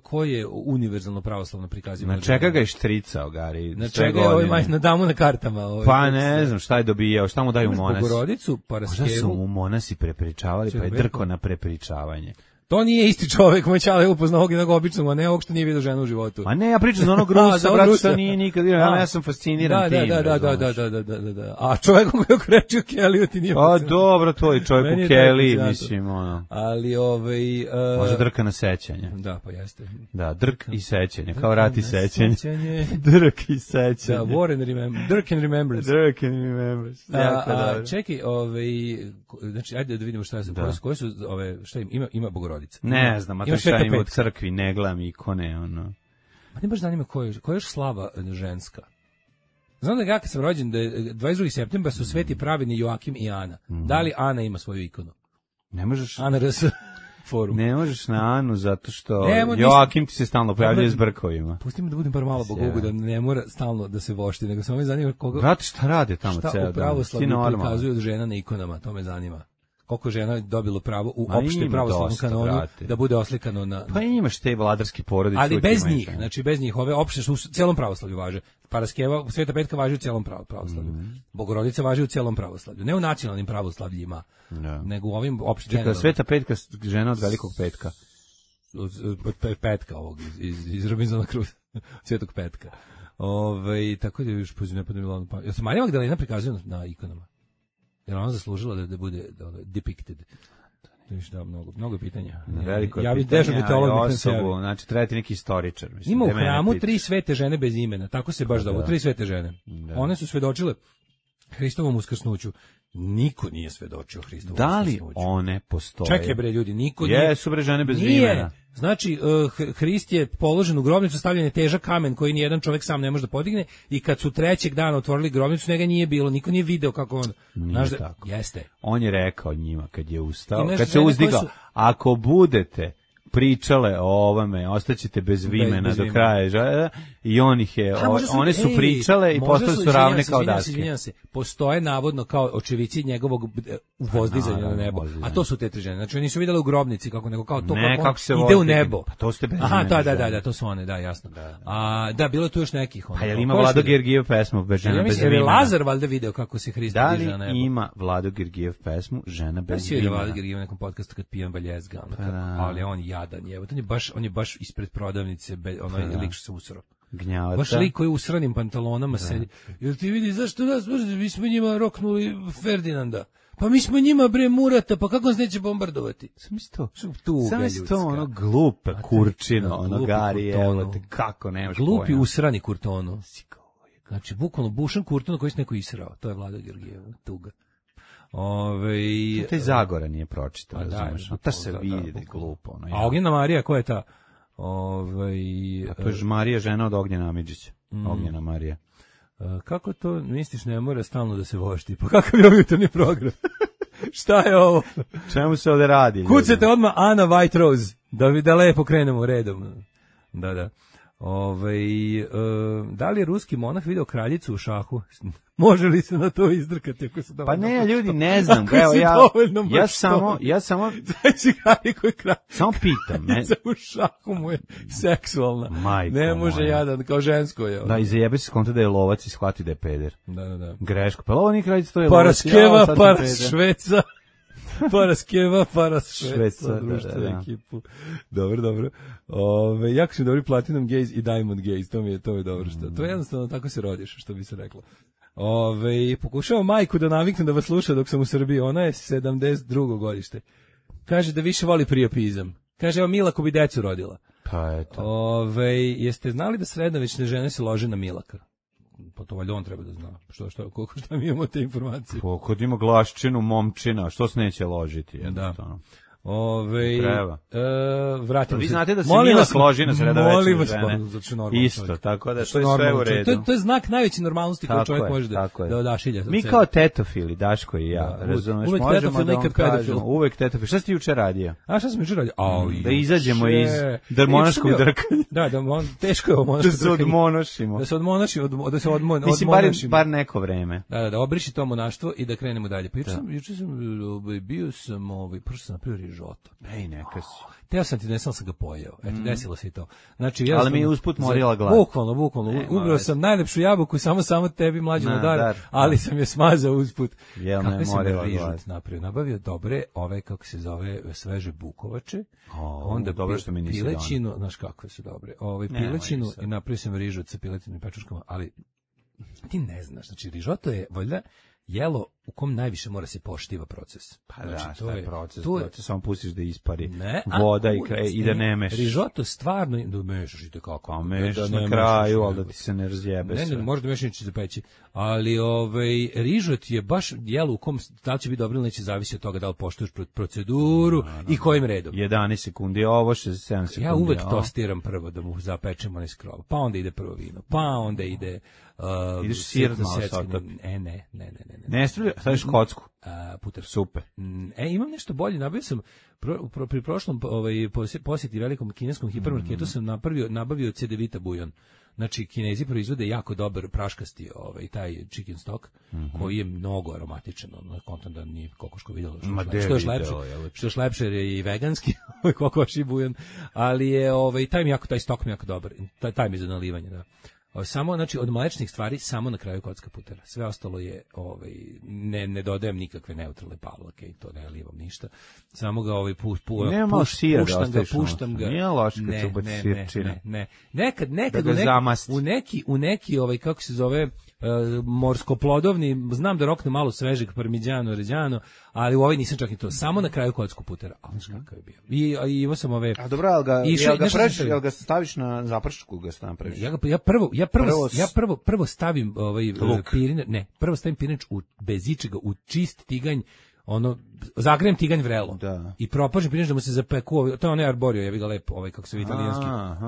ko je univerzalno pravoslavno prikazivano. Na čega ga je štricao, Gari? Na čega je na damu na kartama? Pa ne znam šta je dobijao, šta mu daju monasi. Bogorodicu, Paraskevu. Možda su mu monasi prepričavali, pa je drko na prepričavanje. To nije isti čovjek, moj čale upoznao ovog jednog običnog, a ne ovog što nije vidio ženu u životu. A ne, ja pričam za onog Rusa, brate, što nije nikad vidio, ja sam fasciniran tim. Da. A čovjek koji je okrečio Kelly, ti nije fasciniran. A dobro, to je čovjek u Kelly, mislim, ono. Ali, Može drka na sećanje. Da, pa jeste. Da, drk i sećanje, kao rat i sećanje. Drk i sećanje. Da, Drk and Remembrance. Drk and Remembrance. Čekaj, znači, ajde da vidimo šta je, koje su, šta ima Bogorodica. Ne znam, a to šta ima u crkvi, ne gledam ikone, ono. Pa ne baš zanima koja je još slava ženska. Znam da ja kad sam rođen, da je 22. septembra su sveti pravedni Joakim i Ana. Da li Ana ima svoju ikonu? Ne možeš. Ana RS forum. Ne možeš na Anu zato što Joakim ti se stalno pojavljuje s brkovima. Pusti me da budem bar malo bogogu, da ne mora stalno da se vošti, nego samo me zanima koga... Brate, šta rade tamo ceo dan? Šta u pravoslavlju prikazuju od žena na ikonama, to me zanima. koliko žena dobilo pravo u opšte pravoslavnom kanonu da bude oslikano na... Pa imaš te vladarske porodice. Ali bez njih, znači bez njih, ove opšte su u celom pravoslavlju važe. Paraskeva, Sveta Petka važi u celom pravoslavlju. Bogorodica važi u celom pravoslavlju. Ne u nacionalnim pravoslavljima, nego u ovim opšte... Čekaj, Sveta Petka, žena od Velikog petka. Od petka ovog, iz Robinsona Crusoe, Svetog Petka. Tako da još pozivam ne bilo pa. Ja sam Marija Magdalena prikazuje na ikonama. Jer ona zaslužila da bude depicted. Da, mnogo pitanja. Ja bih dežurni teolog osobu, znači treba ti neki istoričar. Mislim, ima u hramu 3 svete žene bez imena, tako se baš zove, 3 svete žene. One su svedočile Hristovom uskrsnuću. Niko nije svedočio Hristovom uskrsnuću. Da li one postoje? Čekaj bre ljudi, niko nije. Jesu bre žene bez imena. Znači, Hrist je položen u grobnicu, stavljen je težak kamen koji nijedan čovjek sam ne može da podigne i kad su 3. dana otvorili grobnicu, njega nije bilo, niko nije video kako on... Nije tako. Jeste. On je rekao njima kad je ustao, kad se uzdigao, ako budete pričale o ovome, ostaćete bez vimena do kraja. I on ih je, one su pričale i postali su ravne kao daske. Izvinjam se, postoje navodno kao očevici njegovog uvozdizanja na nebo. A to su te 3 žene. Znači oni su vidjeli u grobnici kako nego kao to kako se ide u nebo. Pa to ste bez imena. Aha, da, to su one, da, jasno. Da, bilo tu još nekih. Pa jel ima Vlado Gergijev pesmu žena bez imena? Ja Lazar valjda video kako se Hrist diže na nebo. Da li ima Vlado Gergijev pesmu žena bez imena? Vlado Gergijev u nekom podcastu kad pijem valjezga, ali on jadan je. On je baš ispred prodavnice, onaj lik što se usro. Gnjavata. Baš lik koji u usranim pantalonama sedi. Jel ti vidi, zašto nas mrzi? Mi smo njima roknuli Ferdinanda. Pa mi smo njima bre Murata, pa kako nas neće bombardovati? Sam isto ono glupe kurčino, ono gari, evo te, kako nemaš pojma. Glupi usrani kurtono. Znači, bukvalno bušan kurton koji se neko israo. To je Vlada Georgijev, tuga. To je Zagora nije pročitao, razumeš? Ta se vidi da je glupo. A Ognjena Marija, ko je ta? A to je Marija, žena od Ognjena Amidžića. Ognjena Marija. Kako to, misliš, ne mora stalno da se vošti? Pa kakav je jutarnji program? Šta je ovo? Čemu se ovde radi? Kucate odmah Ana White Rose, da lepo krenemo redom. Da. Da li je ruski monah video kraljicu u šahu? Može li se na to izdrkati? Ako se pa ne, ljudi, ne znam. Evo, ja samo samo pitam. U šahu mu je seksualna. Ne može jadan, kao žensko je. Da, i zajebe se konta da je lovac i shvati da je peder. Da. Greško. Pa ovo nije kraljica, to je lovac. Paraskeva, paras Šveca. Paraskeva, paras Šveca, društvenu ekipu. Dobro. Jako su dobri Platinum Gaze i Diamond Gaze, to je dobro što. To je jednostavno tako se rodiš, što bi se reklo. Pokušavam majku da naviknem da vas sluša dok sam u Srbiji, ona je 72. godište. Kaže da više voli priopizam. Kaže, evo Milako bi decu rodila. Pa eto. Jeste znali da srednjovične žene se lože na Milaka? Pa to valjda on treba da zna. Šta mi imamo te informacije? Kod ima glaščinu, momčina, što se neće ložiti? Jednostavno. Treba. Vratimo vi se. Znate da se Milak loži na sredovečne žene. Isto, tako da to je sve u redu. To je znak najveće normalnosti koju čovjek može da odašilja. Mi kao tetofili, Daško i ja, razumeš, možemo da vam kažemo. Uvek tetofili. Šta si ti juče radio? A šta sam juče radio? Da izađemo iz monaškog drkanja. Da, teško je ovo monaško drkanje. Da se odmonošimo. Mislim, bar neko vreme. Da obriši to monaštvo i da krenemo dalje. Pa juče sam bio sam, prošao sam napravio rižoto. Ej, neka si. Teo sam ti donesao, sam ga pojeo. Eto, desilo se i to. Znači, ali mi je usput morila glad. Bukvalno. Ubrao sam najlepšu jabuku, samo tebi mlađi na dar, ali sam je smazao usput. Kakve sam je rižot napravio? Nabavio dobre, kako se zove, sveže bukovače. Onda dobro što mi nisi donao. Pilećinu, znaš kakve su dobre. Pilećinu i napravio sam rižot sa piletinim pečurkama, ali ti ne znaš, znači rižoto je valjda jelo u kom najviše mora se poštiva proces. Pa znači, to je proces. Proces samo pustiš da ispari voda i da ne mešaš. Rižoto stvarno da mešaš i tako. A mešaš na kraju, ali da ti se ne razjebe sve. Ne, možda mešaš neće zapeći. Ali rižot je baš jelo u kom da li će biti dobro ili neće, zavisi od toga da li poštuješ proceduru i kojim redom. 11 sekundi ovo, 67 sekundi. Ja uvek tostiram prvo da mu zapečemo onaj skrov. Pa onda ide prvo vino. Pa onda ide ideš sir malo sa to. Ne. Ne stavlja, Staviš kocku. Puter. Super. Imam nešto bolje, nabavio sam pri prošlom posjeti velikom kineskom hipermarketu sam nabavio CDVita bujon. Znači, Kinezi proizvode jako dobar praškasti taj chicken stock, koji je mnogo aromatičan, kontam da nije kokoško vidjelo, što je lepše je i veganski, kokoši bujon, ali je taj stok mi jako dobar, taj mi je za nalivanje, da. Samo, znači, od mlečnih stvari, samo na kraju kocka putera. Sve ostalo je, ne dodajem nikakve neutralne pavlake i to ne livam ništa. Samo ga puštam ga. Nije loš kad se ubaci sirčina. Ne. Nekad u neki, kako se zove, morskoplodovni, znam da rokne malo svežeg parmigiano reggiano, ali u ovaj nisam čak i to. Samo na kraju kocku putera. Ali kakav je bio. I imao sam ove... A dobro, jel ga staviš na zapršku, ga napraviš? Ja prvo stavim prvo stavim pirinač bez ičega u čist tiganj, zagrejem tiganj vrelo i propržim pirinač da mu se zapeku, to je onaj arborio, ja bih ga lep, kako se vidi italijanski,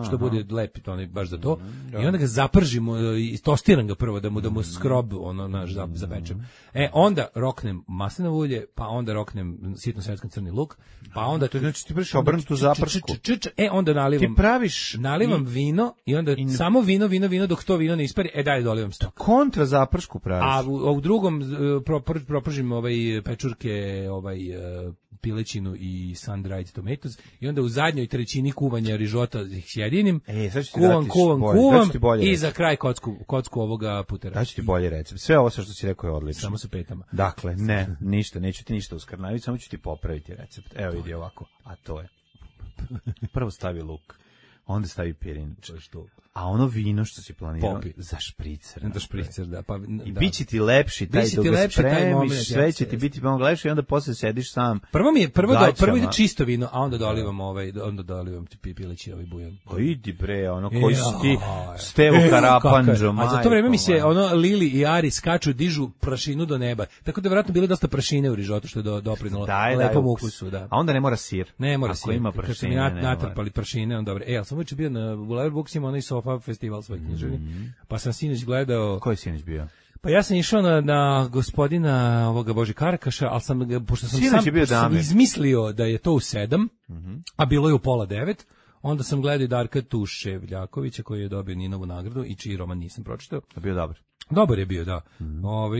što bude lep, to je baš za to, i onda ga zapržim i tostiram ga prvo da mu skrob zapečem. Onda roknem maslinovo ulje, pa onda roknem sitno svetskan crni luk, pa onda... To znači ti praviš obrnutu zaprsku. Onda nalivam vino i onda samo vino dok to vino ne ispari, dalje dolivam stok. Kontra zaprsku praviš. A u drugom propržim pečurke, pilećinu i sun-dried tomatoes i onda u zadnjoj trećini kuvanja rižota ih sjedinim, kuvam i za kraj kocku ovoga putera. Daću ti bolji recept. Sve ovo što si rekao je odlično. Samo sa petama. Dakle, ništa, neću ti ništa uskrnaviti, samo ću ti popraviti recept. Evo vidi ovako, a to je. Prvo stavi luk, onda stavi pirinač. A ono vino što si planirao za špricer. Za špricer, da. I bit će ti lepši taj dok ga spremiš, sve će ti biti mnogo lepše i onda posle sediš sam. Prvo ide čisto vino, a onda dolivam ti pileći bujon. Pa idi bre, koji si ti Stevo Karapanđo, a za to vreme mi se Lili i Ari skaču, dižu prašinu do neba. Tako da vjerojatno bile dosta prašine u rižotu što je doprinalo lepom ukusu. A onda ne mora sir. Ne mora sir. Ako ima prašine, ne mora. Natrpali prašine, onda dobro. Ali sam već bio na Bulevar Buksima, onaj festival svoj književni. Pa sam sinoć gledao... Ko je sinoć bio? Pa ja sam išao na gospodina ovoga Boži Karakaša, ali pošto sam izmislio da je to u 7, a bilo je u 8:30, onda sam gledao i Darka Tuševljakovića koji je dobio Ninovu nagradu i čiji roman nisam pročitao. A bio dobar? Dobar je bio, da.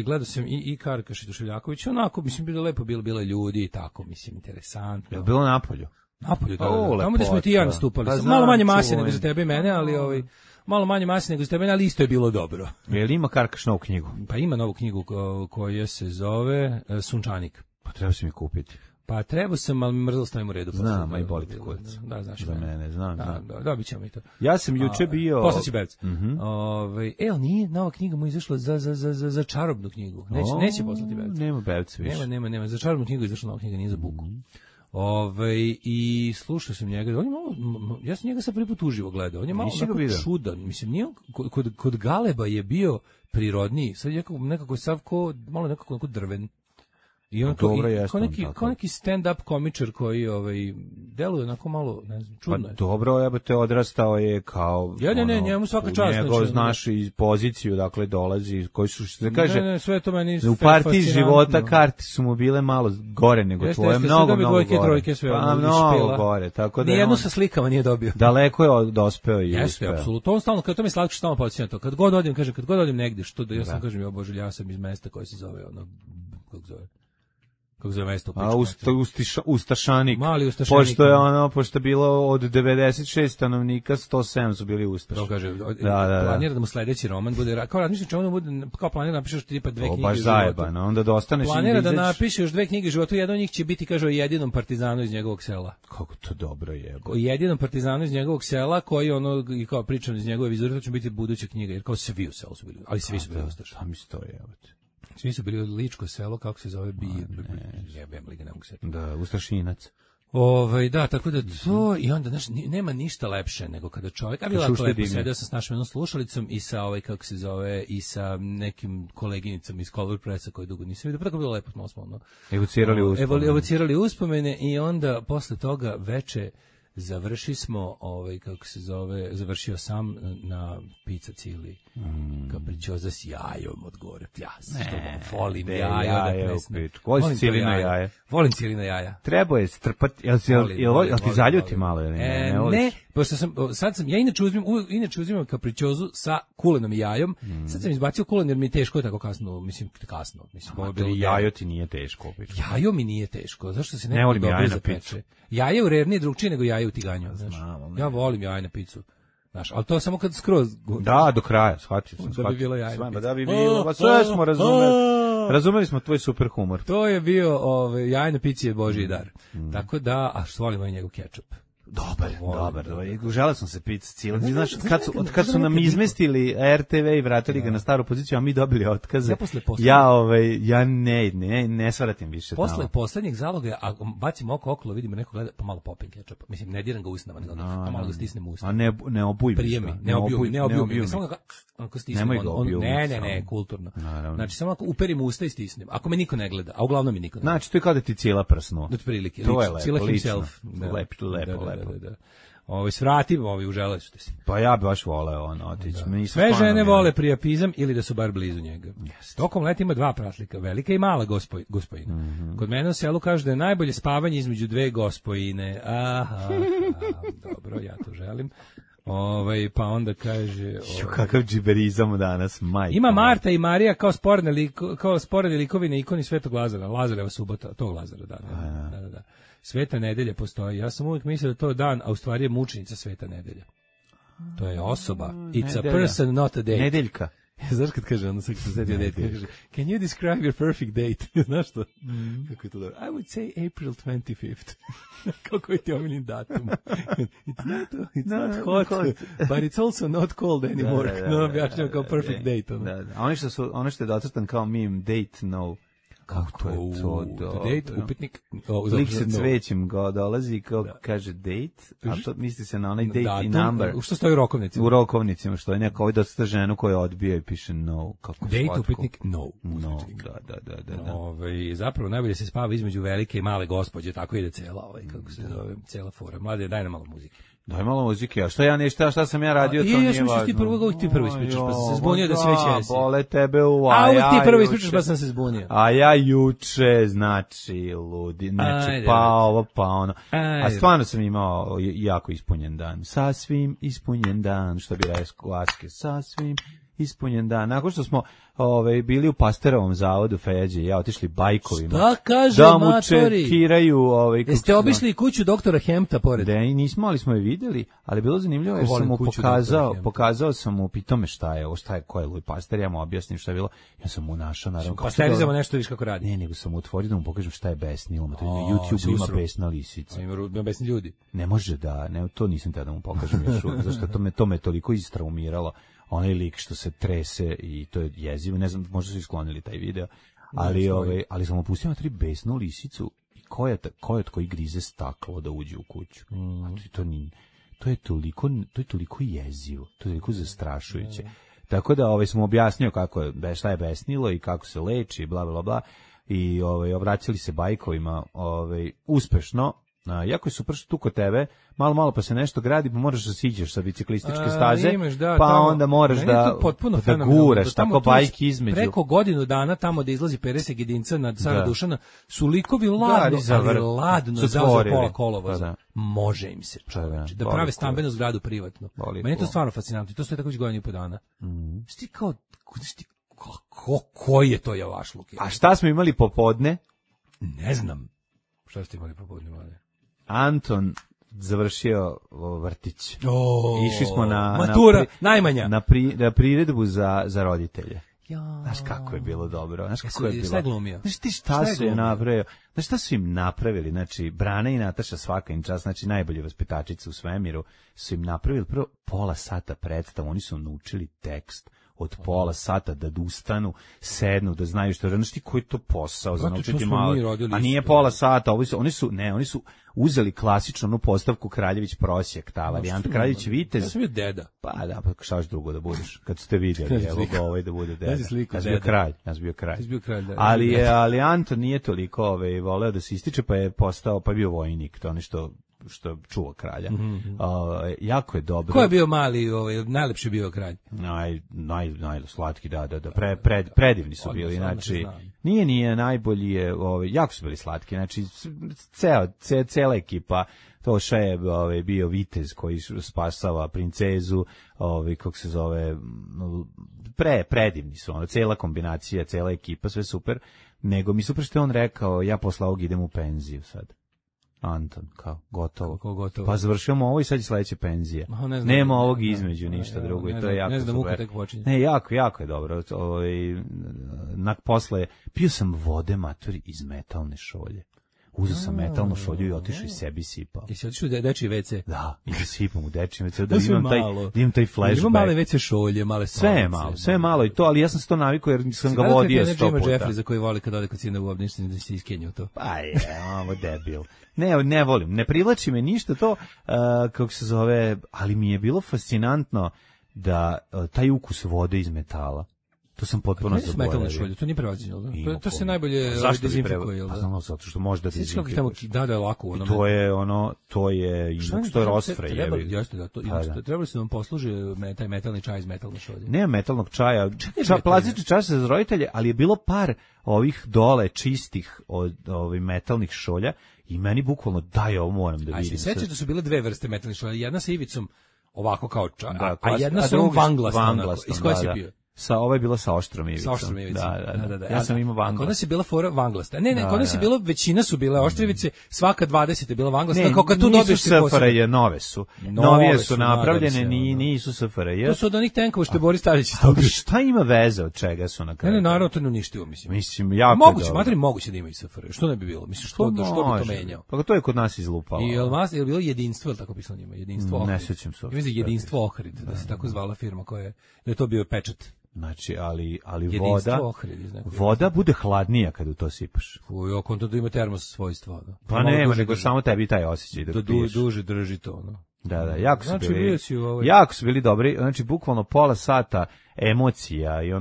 Gledao sam i Karakaš i Tuševljaković, onako, mislim, bilo lepo, bilo ljudi i tako, mislim, interesantno. Je bilo napolju? Napolju, da. Tamo gde smo ti ja nastupali. Malo manje mase nego za tebe i mene, ali malo manje mase nego za tebe, ali isto je bilo dobro. Je li ima Karkaš novu knjigu? Pa ima novu knjigu koja se zove Sunčanik. Pa treba si mi kupiti. Pa trebao sam, ali mi mrzlo stavim u redu. Znam, a i boli te kurac. Da, znaš. Za mene, znam. Dobit ćemo i to. Ja sam juče bio... Poslaći Bevc. Ali nije, nova knjiga mu izašla za čarobnu knjigu. Neće poslati Bevc. Nema Bevc više. Nema. Za čarobnu knjigu izašla nova knjiga, nije za buku. I slušao sam njega, ja sam njega sad prvi put uživo gledao, on je malo čudan, mislim, nije kod Galeba je bio prirodniji, sad je nekako sav malo nekako drven. I on kao neki stand-up komičar koji deluje onako malo, ne znam, čudno je. Pa dobro, ja te odrastao je kao... njemu svaka čast. Njegov znaš iz poziciju, dakle, dolazi, koji su, što se kaže... Ne, sve to meni... U partiji života karte su mu bile malo gore nego tvoje, mnogo gore. Trojke, sve pa mnogo gore, tako da... Nijedno sa slikama nije dobio. Daleko je dospeo i uspeo. Jeste, apsolutno. On stalno, to mi Slatko stalno podsjeća to. Kad god odim negdje, što da ja sam kažem, ja bože, ja sam iz mesta koje se zove, kako zove mesto? Ustašanik. Mali Ustašanik. Pošto je bilo od 96 stanovnika, 107 su bili Ustaši. To kaže, planira da mu sledeći roman bude, kao razmišljam čemu da bude, kao planira da napiše još tipa 2 knjige života. Baš zajebano, onda da ostaneš... Planira da napiše još 2 knjige života, jedan od njih će biti, kaže, o jedinom partizanu iz njegovog sela. Kako to dobro je. O jedinom partizanu iz njegovog sela, koji i kao pričan iz njegove vizure, to će biti buduća knjiga, jer kao svi u selu su bili, ali svi su bili Ustaši. Šta mi stoje, svi su bili od Ličko selo, kako se zove, jebem li ga, ne mogu se. Da, Ustašinac. Da, tako da to, i onda, znaš, nema ništa lepše nego kada čovjek, a bilo jako lepo, sedio sam s našom jednom slušalicom i sa, kako se zove, i sa nekim koleginicama iz Color Pressa koji dugo nisam vidio, pa tako bilo lepo, malo smo, evocirali uspomene i onda, posle toga, veče, završio sam na pizza cili. Capricciosa s jajom od gore. Volim jaja. Volim cilina jaja. Volim cilina jaja. Treba je strpati, jel ti zaljuti malo ili ne, pošto ja inače uzimam capricciosu sa kulenom i jajom. Sad sam izbacio kulen jer mi je teško tako kasno. Jajo ti nije teško. Jajo mi nije teško. Zašto se ne volim jaje na picu? Jaje u rerni je drugčije nego jaje u tiganju. Ja volim jaje na picu. Znaš, ali to samo kad skroz... Da, do kraja, shvatio sam. Da bi bilo jaje. Da bi bilo, pa sve smo razumeli. Razumeli smo tvoj super humor. To je bio, jaje na pici je Božji dar. Tako da, a što volimo i njegov kečup. Dobar. Želeo sam se pica cijela. Znaš, kad su nam izmestili RTV i vratili ga na staru poziciju, a mi dobili otkaze. Ja ne svaratim više. Posle poslednjeg zaloga, a bacim oko okolo, vidimo neko gleda, pa malo popim kečapa. Mislim, ne diram ga usnama, nego pa malo ga stisnem u usta. A ne obuj. Ne obuj. Samo ako stisnem. Ne, kulturno. Znači, samo ako uperim usta i stisnem. Ako me niko ne gleda, a uglavnom mi niko ne gleda. Znači, to je kao da ti cijela prsno. Otprilike. To je lepo. Lepo. Svratim, uželeli su te si. Pa ja bi baš voleo otići. Sve žene vole prijapizam ili da su bar blizu njega. Tokom leta ima 2 pratlika, velika i mala gospojina. Kod mene u selu kaže da je najbolje spavanje između 2 gospojine. Aha, dobro, ja to želim. Pa onda kaže... Kakav džiberizam danas, majka. Ima Marta i Marija kao sporedne likovi na ikoni Svetog Lazara. Lazareva subota, tog Lazara, da. Sveta nedelja postoji. Ja sam uvijek mislio da to je dan, a u stvari je mučenica Sveta nedelja. To je osoba. It's a person, not a date. Nedeljka. Znaš kad kaže, ono sad posjetio date, kaže, can you describe your perfect date? Znaš što? Kako je to dobro? I would say April 25th. Kako je ti omiljeni datum? It's not hot, but it's also not cold anymore. No, objašnjamo kao perfect date. A ono što je docrtan kao meme, date no. Kako je to date, upitnik. Lik se cvećem dolazi kao kaže date, a to misli se na onaj date i number. Što stoji u rokovnicima? U rokovnicima, što je neko ovaj dosta ženu koja odbija i piše no. Date, upitnik, no. Da. Zapravo najbolje se spava između velike i male gospođe, tako ide cela fora. Mlade, daj nam malo muzike. Daj malo muzike, a šta sam ja radio, to nije važno. Ti prvo ispričaš, pa sam se zbunio da si već jesi. Bole tebe uvijek ti prvo ispričaš, pa sam se zbunio. A ja juče, znači, ludi, pa ovo, pa ono. A stvarno sam imao jako ispunjen dan. Sasvim ispunjen dan, što bi rekao Aske, sasvim ispunjen dan. Nakon što smo bili u Pasterovom zavodu Feđe i ja otišli bajkovima. Šta kaže da mu matori? čekiraju. Jeste obišli kuću doktora Hempta pored? Da, nismo, ali smo je videli, ali bilo zanimljivo jer sam mu pokazao sam mu, pitao me šta je, ko je Louis Pasteur, ja mu objasnim šta je bilo. Ja sam mu našao, naravno. Pasterizamo nešto, viš kako radi. Ne, nego sam mu otvorio da mu pokažem šta je besnilo. Na YouTube ima besna lisica. Ima besni ljudi. Ne može da, to nisam tada mu pokažem još uvijek, zašto to me toliko istraumiralo. Onaj lik što se trese i to je jezivo, ne znam, možda su isklonili taj video, ali sam opustio na 3 besnu lisicu i ko je koji grize staklo da uđe u kuću. To je toliko jezivo, to je toliko zastrašujuće. Tako da smo objasnio šta je besnilo i kako se leči, bla bla bla, i obraćali se bajkovima uspešno. Jako je super što tu kod tebe, malo pa se nešto gradi, pa moraš da siđeš sa biciklističke staze, onda moraš da guraš, tako bajki između. Preko godinu dana tamo da izlazi Pereseg jedinca nad Cara Dušana, su likovi ladno zauzeo pola kolovoza. Može im se čoveče, da prave stambenu zgradu privatno. Meni je to stvarno fascinantno, to stoje tako već godinu i po dana. Šti kao, koji je to javašluk? A šta smo imali popodne? Ne znam. Šta ste imali popodne, mlade? Anton završio vrtić. Išli smo matura, najmanja. Na priredbu za roditelje. Znaš kako je bilo dobro. Znaš kako je bilo. Šta je glumio? Znaš ti šta su im napravili? Znači, Brana i Nataša, svaka im čast, znači najbolje vaspitačice u svemiru, su im napravili prvo pola sata predstavu. Oni su naučili tekst od pola sata da ustanu, sednu, da znaju što je. Znaš ti koji je to posao za naučiti malo? A nije pola sata, oni su uzeli klasičnu onu postavku Kraljević prosjek, ta varijanta. Kraljević vitez. Ja sam bio deda. Pa da, pa šta još drugo da budeš? Kad ste vidjeli, evo ga da bude deda. Ja sam bio kralj. Ali Anton nije toliko voleo da se ističe, pa je postao, pa je bio vojnik. To nešto što čuva kralja. Jako je dobro. Ko je bio mali, najlepši bio kralj? Najslatki, da. Predivni su bili, znači nije najbolji je, jako su bili slatki, znači cela ekipa. Toša je bio vitez koji spasava princezu, kako se zove, predivni su, cela kombinacija, cela ekipa, sve super, nego mi super što je on rekao, ja posle ovog idem u penziju sad. Anton, kao, gotovo. Pa završimo ovo i sad je sledeća penzija. Nema ovog između, ništa drugo i to je jako super. Ne, jako je dobro. Posle, pio sam vode, maturi, iz metalne šolje. Uzeo sam metalnu šolju i otišao i sebi sipao. Jesi otišao u dečiji WC? Da, i da sipam u dečiji WC, da imam taj flashback. Ima male WC šolje, male stolice. Sve je malo i to, ali ja sam se to navikao jer sam ga vodio 100 puta. Jima Jeffrey za koji voli kad ode kod sina u obništini da se iskenju to. Pa je, ovo debil. Ne volim, ne privlači me ništa to, kako se zove, ali mi je bilo fascinantno da taj ukus vode iz metala. To sam potpuno zaboravio. To nije prevaziđeno. To se najbolje dezinfikuje, jel da? Znam, zato što može da dezinfikuješ. Da je lako. I to je inox, to je rosfre. Jeste, da, trebali su nam posluži taj metalni čaj iz metalne šolje. Nema metalnog čaja, plastični čaj za roditelje, ali je bilo par ovih dole čistih metalnih šolja i meni bukvalno daj ovo moram da vidim. A se sećaš da su bile dve vrste metalnih šolja, jedna sa ivicom ovako kao čaj, a jedna sa ovom vanglastom. Iz koje si bio? Ovo je bilo sa oštrom ivicom. Da. Ja sam imao vanglast. Kod nas je bila fora vanglasta. Ne, kod nas je bilo, većina su bile oštrivice, svaka 20 je bila vanglasta. Ne, kako tu nisu SFRJ, nove su. Novije su napravljene, nisu SFRJ. To su od onih tenkova što je Boris Tadić stavio. Šta ima veze od čega su na kraju? Ne, naravno to ne uništio, mislim. Mislim, jako moguće da ima i SFRJ. Što ne bi bilo? Mislim, što bi to menjao? Pa to je kod nas izlupalo. I je bilo jedinstvo, ili tako pisalo njima? Jedinstvo Ohrid. Ne sećam se. Jedinstvo Ohrid, da se tako zvala firma koja je, da je to bio pečat. Znači, ali voda bude hladnija kad u to sipaš. Fuj, konto da ima termos svojstva. Pa nema, nego samo tebi taj osjećaj da piješ. Duže drži to, Da, jako su bili dobri, znači bukvalno pola sata emocija i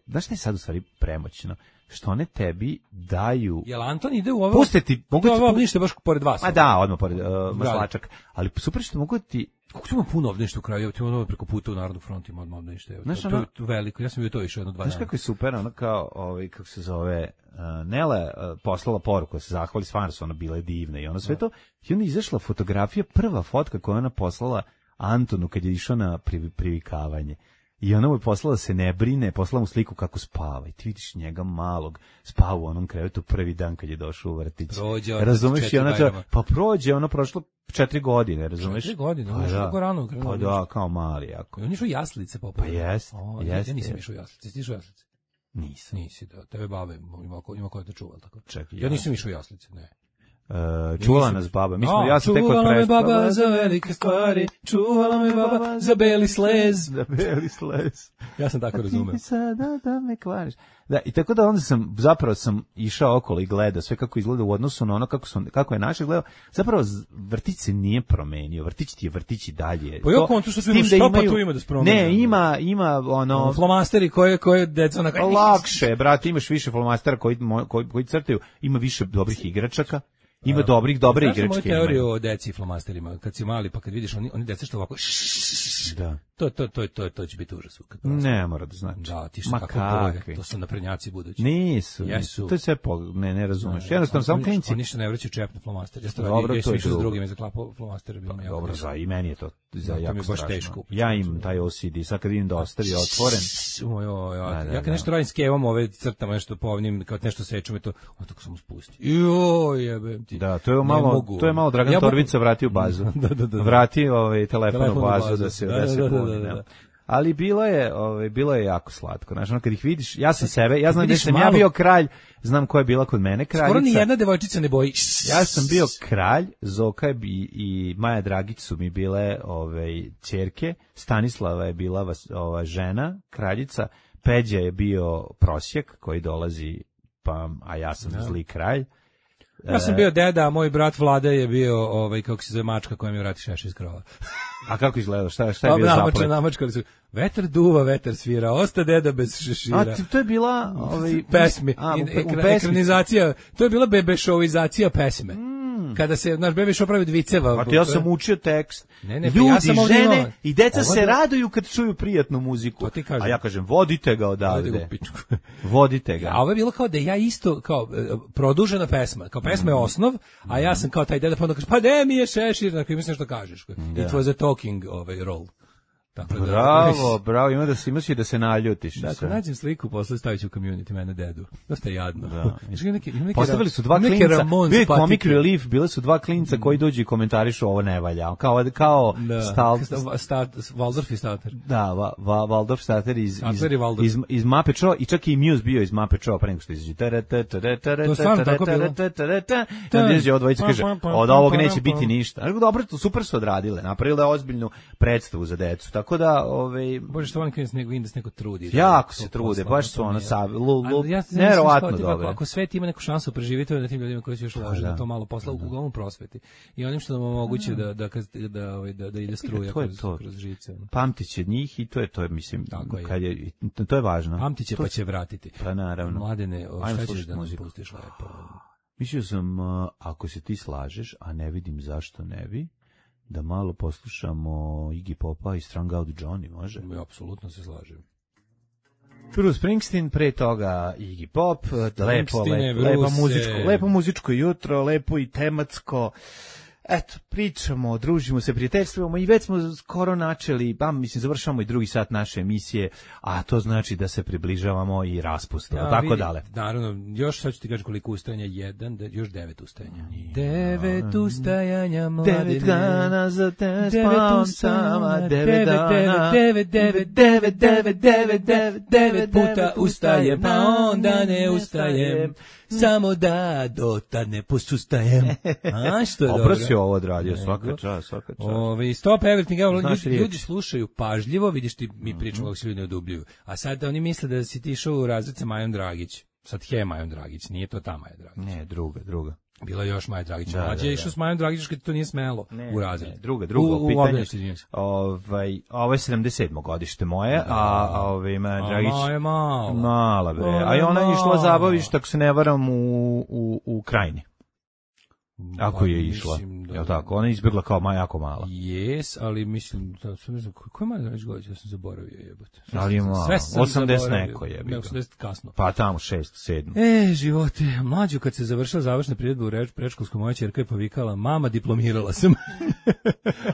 znaš šta je sad u stvari premoćno? Što one tebi daju... Jel Anton ide u ovo? Pustiti, mogu ti... Ovo ništa baš pored vas. A da, odmah pored maslačak. Ali super što mogu ti... Kako ćemo puno obdaništa u kraju, ti ono preko puta u Narodnog frontu ima odmah obdaništa. To je veliko, ja sam bio to išao 1-2 dana. Znaš kako je super, kao, kako se zove, Nele poslala poruku, se zahvali, stvarno su ona bile divne i ono sve to, i onda izašla fotografija, prva fotka koju ona poslala Antonu kad je išao na privikavanje. I ona mu je poslala se ne brine, poslala mu sliku kako spava. I ti vidiš njega malog, spava u onom krevetu prvi dan kad je došao u vrtić. Razumeš? Pa prođe, prošlo 4 godine, razumeš? 4 godine, on je što rano krenuo. Pa da, kao mali jako. I on je išao jaslice poput. Pa jest. Ja nisam išao jaslice, ti išao jaslice? Nisam. Nisi, da, tebe babe ima ko te čuva, tako. Čekaj, ja nisam išao jaslice, ne. Čuvala nas baba. Čuvala me baba za velike stvari, čuvala me baba za beli slez. Za beli slez. Ja sam tako razumeo. Sada da me kvariš. Da, i tako da onda sam išao okolo i gledao sve kako izgleda u odnosu na ono kako je naše gledao. Zapravo vrtić se nije promenio. Vrtić ti je vrtić i dalje. Pa jo kontu što se pa tu ima da se promeni. Ne, ima ono flomasteri koje deca na kraju. Lakše, brate, imaš više flomastera koji crtaju, ima više dobrih igračaka. Ima dobre igračke. Znaš moju teoriju o deci i flomasterima? Kad si mali, pa kad vidiš oni deca što ovako... Da. To će biti užas. Ne mora da znači. Da, ti što tako boje. To su naprednjaci budući. Nisu. To je sve ne razumeš. Jednostavno, samo klinci. Oni što ne vraćaju čep na flomaster. Ja sam išao s drugim i zaklapao flomaster. Dobro, i meni je to jako strašno. Ja imam taj OCD. Sad kad vidim da ostavi otvoren. Ja kad nešto radim s kevom, ove crtama, nešto povnim, kao nešto sečem, to tako sam spustio. Joj, jebem ti. Da, to je malo Dragan Torbica vrati u bazu. Vrati telefon u bazu da se puni. Ali bilo je jako slatko. Znači, kad ih vidiš, ja znam da sam ja bio kralj, znam ko je bila kod mene kraljica. Skoro ni jedna devojčica ne boji. Ja sam bio kralj, Zoka i Maja Dragić su mi bile ćerke, Stanislava je bila žena, kraljica, Peđa je bio prosjek koji dolazi, a ja sam zli kralj. Ja sam bio deda, a moj brat Vlada je bio, kako se zove, mačka koja mi vrati šeš iz krova. A kako izgleda? Šta je bio zaplet? Namačkali su, vetar duva, vetar svira, osta deda bez šešira. A to je bila... pesmi, ekranizacija, to je bila bebešovizacija pesme. kada se naš bebe išao praviti viceva. Pa ja sam učio tekst. Ne, ljudi, ja sam žene i deca se raduju kad čuju prijatnu muziku. A ja kažem, vodite ga odavde. Vodite ga. A ovo je bilo kao da ja isto, kao produžena pesma. Kao pesma je osnov, a ja sam kao taj deda, pa onda kaže, pa de mi je šešir, dakle, mislim što kažeš. It was a talking role. Tako bravo, imaš da se naljutiš. Dakle, nađem sliku, posle stavit ću u community, mene dedu. Dosta je jadno. Da. Postavili su dva klinca, bio je comic relief, bile su dva klinca koji dođu i komentarišu ovo ne valja. Kao Waldorf i Starter. Da, Waldorf Starter iz Muppet Show i čak i Muse bio iz Muppet Show, pre nego što izađe. To stvarno tako bilo. Onda izađe od dvojice kaže, od ovog neće biti ništa. Dobro, super su odradile, napravile ozbiljnu predstavu za decu. Tako da, Bože, što volim da se neko trudi. Jako se trude, baš su ono neverovatno dobro. Ako svet ima neku šansu preživjeti na tim ljudima koji su još uložili da to malo posla uglavnom prosveti. I onim što nam omoguće da ide struja kroz žice. Pamtiće njih i to je, mislim, to je važno. Pamtiće pa će vratiti. Pa naravno. Mladene, šta ćeš da nam pustiš lepo? Mislio sam, ako se ti slažeš, a ne vidim zašto ne bi, da malo poslušamo Iggy Popa i Strung Out Johnny, može? Ja apsolutno se slažem. Bruce Springsteen, pre toga Iggy Pop, lepo muzičko jutro, lepo i tematsko. Eto, pričamo, družimo se, prijateljstvujemo i već smo skoro načeli, završavamo i drugi sat naše emisije, a to znači da se približavamo i raspustu, tako dale. Naravno, još sad ću ti kažem koliko ustajanja, još 9 ustajanja. 9 ustajanja, mladine. 9 dana za te spavam sama, 9 dana. 9 puta ustajem, pa onda ne ustajem. Samo da do tad ne posustajem. A što je dobro. Dobro si ovo odradio, svaka čast. Stop everything, ljudi slušaju pažljivo, vidiš ti, mi pričamo kako se ljudi ne odubljuju. A sad oni misle da si ti išao u razred sa Majom Dragić. Sad Majom Dragić, nije to ta Maja Dragić. Ne, druga. Bila još Maja Dragić. Mlađe je išao s Majom Dragić kad to nije smelo u razred. Druga, pitanje. Ovo je 77. godište moje, a Maja Dragić... Maja mala. Mala, bre. A i ona je išla zabavište, ako se ne varam, u Krajini. Ako je išla, jel tako? Ona je izbjegla kao jako mala. Jes, ali mislim, ko je Maja Dragić godić? Ja sam zaboravio, jebote. Ali je malo, 80 neko je. 80 kasno. Pa tamo 6, 7. Živote, mlađu kad se završila završna priredba u predškolskom, moja ćerka je povikala, mama, diplomirala sam.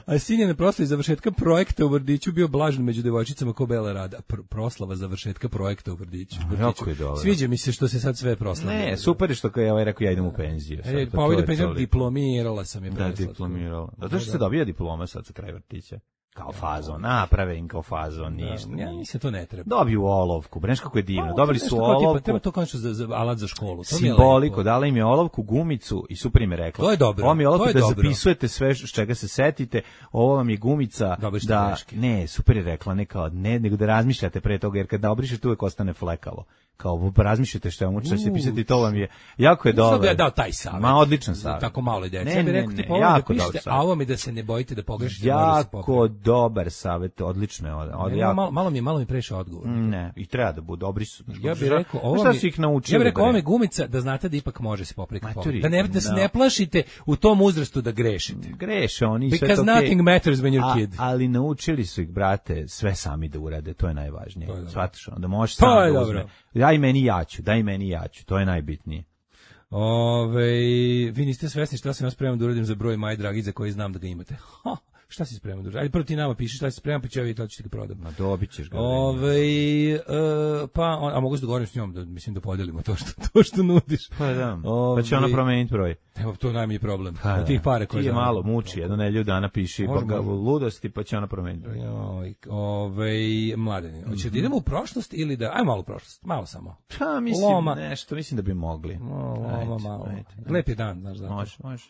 A sin je na proslavi završetka projekta u vrtiću bio blažen među devojčicama ko bela rada. Proslava završetka projekta u vrtiću. Jako je dobro. Sviđa mi se što se sad sve proslavlja. Ne, super je što kao je rekao ja idem u penziju. Pa ovo ide penziju, diplomirala sam je preslatko. Da, diplomirala. Zato što se dobija diploma sad za kraj vrtića. Kao fazon, naprave im kao fazon, ništa. Ja mislim to ne treba. Dobiju olovku, breš kako je divno. Dobili su olovku. Treba to kao za alat za školu. Simboliko, dala im je olovku, gumicu i super im je rekla. To je dobro. Ovo mi je olovka da zapisujete sve s čega se setite. Ovo vam je gumica da ne, super je rekla, nego da razmišljate pre toga, jer kad da obrišete uvek ostane flekavo. Kao razmišljate što vam će pisati, to vam je jako je dobro. Ja dao taj savjet. odličan savjet. Tako malo i dece. Ja bih rekao ti da pišete, a ovo mi da se ne bojite da pogrešite. Jako dobar savjet, odlično je. Malo mi preše odgovor. Ne, i treba da bude dobri su. Ja bih rekao, ovo mi gumica da znate da ipak može se popraviti. Da se ne plašite u tom uzrastu da grešite. Greše oni sve to. Because nothing matters when you're kid. Ali naučili su ih, brate, sve sami da urade, to je najvažnije. Shvataš, da možeš sam da uzme. Daj meni jaču, to je najbitnije. Vi niste svesni šta sam ja spreman da uradim za broj Maje Dragić za koji znam da ga imate. Šta si spreman da uradim? Ajde prvo ti nama piši šta si spreman, pa ću ja vidjeti da ću ti ga prodam. Ma dobit ćeš ga. A mogu se dogovorim s njom, da podelimo to što nudiš. Pa da, pa će ona promeniti broj. Evo, to najmanji problem. Od tih pare koje ti je malo muči, jedno nedelju dana piši ludosti, pa će ona promeniti broj. Mladeni, hoće da idemo u prošlost ili da... Aj malo u prošlost, malo samo. Pa mislim da bi mogli. Malo. Lep je dan, znaš zato. Može.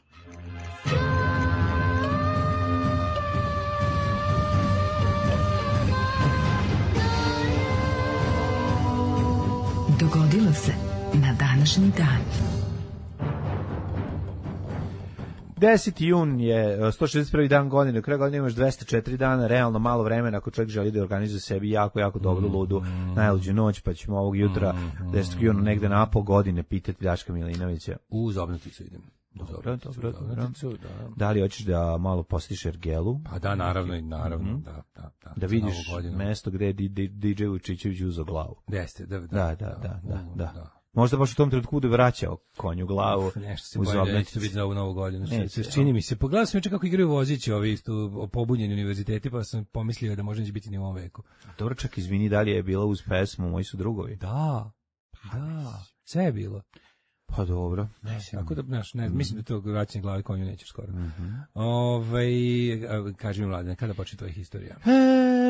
Dogodilo se na današnji dan. 10. jun je 161. dan godine, u kraju godine imaš 204 dana, realno malo vremena ako čovjek želi da organizuje sebi jako dobru ludu najluđu noć, pa ćemo ovog jutra 10. juna negde na pol godine pitati Daška Milinovića. U Zobnuticu idem. Dobro. Da li hoćeš da malo posjetiš Ergelu? Pa da, naravno, da. Da vidiš mesto gde je DJ Vučićević uzeo glavu. Jeste, da. Možda baš u tom trenutku bude vraćao konju glavu. Nešto se bolje, neće biti za ovu novu godinu. Čini mi se. Pogledao sam juče kako igraju vozići ovi isto pobunjeni univerziteti, pa sam pomislio da možda neće biti ni u ovom veku. Dobro, čak izvini, da li je bila uz pesmu Moji su drugovi? Da, sve je bilo. Pa dobro. Tako da, mislim da to vraćanje glavi konju nećeš skoro. Kaži mi, Mladene, kada počne tvoja historija?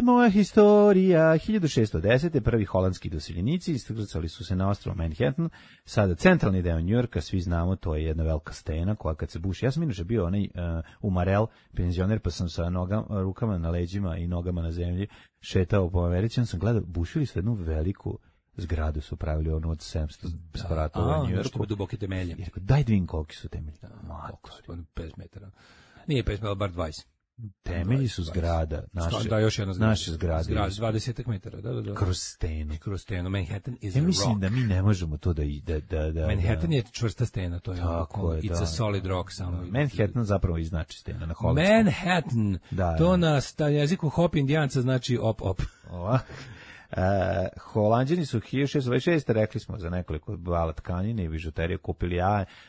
Moja historija, 1610. prvi holandski doseljenici iskrcali su se na ostrvo Manhattan, sada centralni deo Njujorka, svi znamo, to je jedna velika stena koja kad se buši, ja sam inače bio onaj umarel, penzioner, pa sam sa rukama na leđima i nogama na zemlji šetao po Americi, sam gledao, bušili su jednu veliku zgradu, su pravili ono od 700 spratova u Njujorku. Duboke temelje. I rekao, daj da vidim koliki su temelji. 5 metara. Nije 5 metara, bar 20. Temelji su zgrada, još jedna zgrada. Naše zgrade. 20 metara, da. Kroz stenu. Manhattan is a rock. Ja mislim da mi ne možemo to da Manhattan je čvrsta stena, to je it's a solid rock. Manhattan zapravo i znači stena na holandskom. Manhattan, to na jeziku hop indijanca znači op. Holanđani su 1626. rekli smo za nekoliko bala tkanine i bižuterije kupili,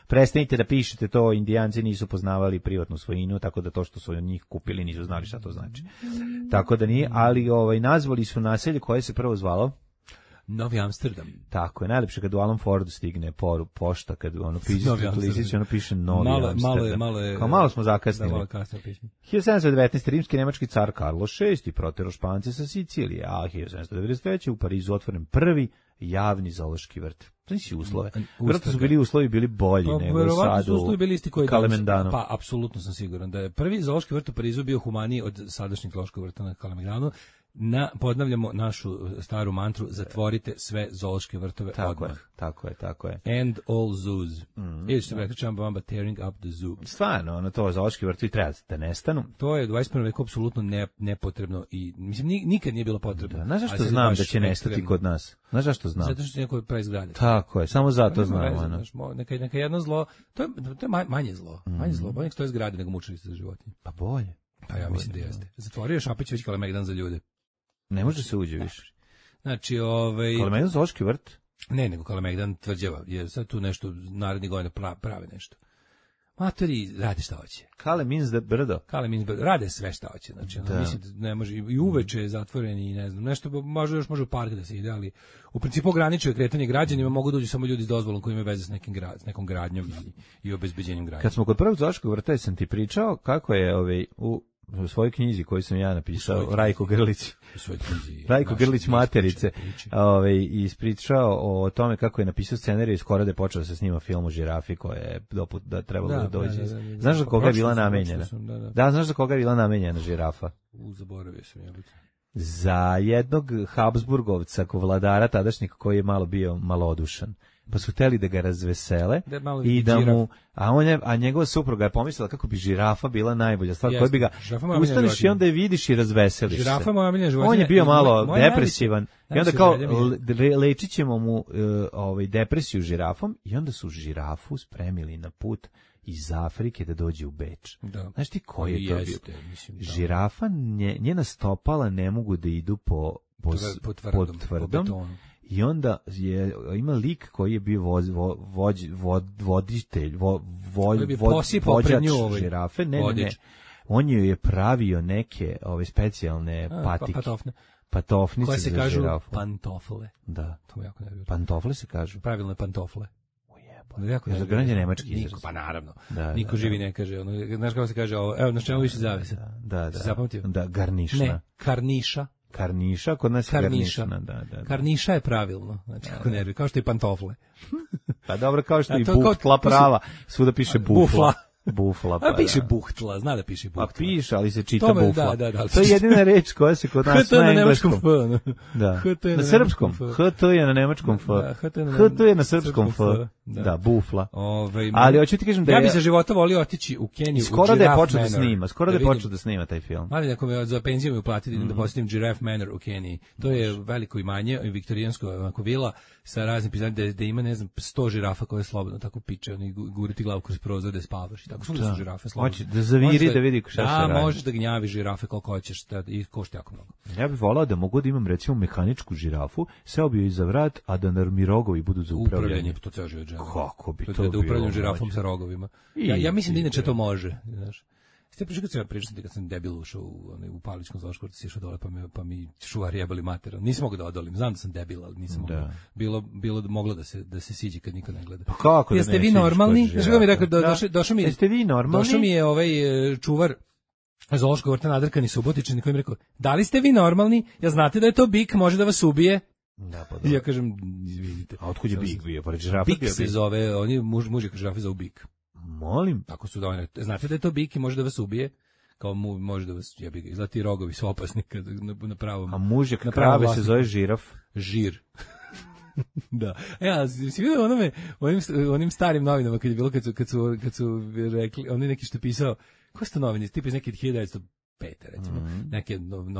prestanite da pišete to, Indijanci nisu poznavali privatnu svojinu, tako da to što su od njih kupili nisu znali šta to znači. Tako da nije, ali nazvali su naselje koje se prvo zvalo Novi Amsterdam. Tako je, najlepše kad u Alan Fordu stigne pošta, kad piše listić, piše Novi Amsterdam. Malo smo zakasnili. Malo kasnije piše. 1719. rimski nemački car Carlos VI proterao Špance sa Sicilije, a 1793. u Parizu otvoren prvi javni zoološki vrt. Znači uslove. Vjerojatno su bili uslovi bili bolji nego sad u Kalemegdanu. Pa, apsolutno sam siguran da je prvi zoološki vrt u Parizu bio humaniji od sadašnjeg zoološkog vrta na Kalemegdanu. Podnavljamo našu staru mantru, zatvorite sve zoološke vrtove odmah. Tako je. End all zoos. Ili što bi rekao Čamba tearing up the zoo. Stvarno, to zoološki vrtovi treba da nestanu. To je u 21. veku apsolutno nepotrebno i mislim nikad nije bilo potrebno. Znaš zašto znam da će nestati kod nas? Znaš zašto znam? Zato što će neko preizgraditi. Tako je, samo zato znam. Neka jedno zlo, to je manje zlo. Manje zlo, bolje nek stoje zgrade nego mučilište za životinje. Pa bolje. Pa ja mislim da jeste. Zatvorio Šapić već Kalemegdan za ljude. Ne može se uđe više. Znači, Kalemegdan zoološki vrt? Ne, nego Kalemegdan tvrđava, jer sad tu nešto naredni godina prave nešto. Matori rade šta hoće. Kalemins brdo. Rade sve šta hoće. Znači, mislim da ne može, i uveče je zatvoren i ne znam, nešto još može u park da se ide, ali u principu ograničuje kretanje građanima, mogu doći samo ljudi s dozvolom koji imaju veze s nekom gradnjom i obezbeđenjem gradnje. Kad smo kod prvog zoološkog vrta, sam ti pričao kako je u svojoj knjizi koju sam ja napisao, Rajko Grlić materice, ispričao o tome kako je napisao scenarij i skoro da je počeo da se snima film o žirafi koja je da trebalo da dođe. Znaš za koga je bila namenjena? Da, znaš za koga je bila namenjena žirafa? Zaboravio sam ja. Za jednog Habsburgovca, vladara tadašnjeg koji je malo bio malodušan. Pa su hteli da ga razvesele i da mu, a njegova supruga je pomislila kako bi žirafa bila najbolja stvar, koja bi ga ustaneš i onda je vidiš i razveseliš se. Žirafa moja omiljena životinja. On je bio malo depresivan i onda kao lečit ćemo mu depresiju žirafom i onda su žirafu spremili na put iz Afrike da dođe u Beč. Znaš ti koji je to bio? Žirafa, njena stopala ne mogu da idu po tvrdom. I onda ima lik koji je bio voditelj, vođač žirafe. Ne. On je pravio neke specijalne patofnice koje se za kažu žirafu. pantofle. Da. To jako nervira. Pantofle se kažu. Pravilne pantofle. Za granje nemački izraz. Pa naravno. Niko živi ne kaže. Znaš kako se kaže ovo? Evo, na čemu više zavise? Da. Zapamtio? Da, garnišna. Ne, karniša. Karniša, kod nas je garnišna. Da. Karniša je pravilno, znači kako nervi, kao što i pantofle. Pa dobro, kao što i bufla prava, svuda piše bufla. Bufla, A piše buhtla, zna da piše buhtla. Pa piše, ali se čita Tome, bufla. da. To je jedina reč koja se kod nas na engleskom. Da. Na srpskom. HT je na nemačkom F. HT je na srpskom F. Da, bufla. Ali hoću ti kažem da ja bi za života volio otići u Keniju. Skoro da je počeo da snima. Skoro da je počeo da snima taj film. Ali ako me za penziju mi uplatiti da posjetim Giraffe Manor u Keniji. To je veliko imanje, viktorijansko vila sa raznim pizanima da ima, ne znam, 100 žirafa koje slobodno tako piče, oni guriti glavu kroz prozor da spavaš i tako. Su žirafe slobodno. Hoće da zaviri da vidi šta se radi. Da, možeš da gnjavi žirafe koliko hoćeš i košta jako mnogo. Ja bih volao da mogu da imam recimo mehaničku žirafu, seo bi joj za vrat, a da mi rogovi budu za upravljanje. To ceo život želim. Kako bi to bilo? Da upravljam žirafom sa rogovima. Ja mislim da inače to može, znaš. Ste pričali kad sam pričao kad sam debil ušao u Pavličkom zoološkom vrtu, išao dole pa mi čuvari jebali mater. Nisam mogao da odolim. Znam da sam debil, ali nisam mogao. Bilo moglo da se siđe kad niko ne gleda. Pa kako da jeste vi normalni? Što mi rekao došao mi. Jeste vi normalni? Došao mi je čuvar zoološkog vrta nadrkani Subotičan koji mi rekao: "Da li ste vi normalni? Ja znate da je to bik, može da vas ubije." Da, pa ja kažem: "Izvinite." A otkud je bik bio? Pored žirafe bik se zove, oni muž je žirafe zove bik. Molim. Tako su da znate da je to bik i može da vas ubije. Kao može da vas jebi ga, izlati rogovi su opasni kad na pravom. A mužjak krave se zove žiraf. Žir. Da. A si vidio onim starim novinama kad je bilo kad su rekli, oni neki što je pisao, ko su to novine, tipa iz neke 1905 recimo, neke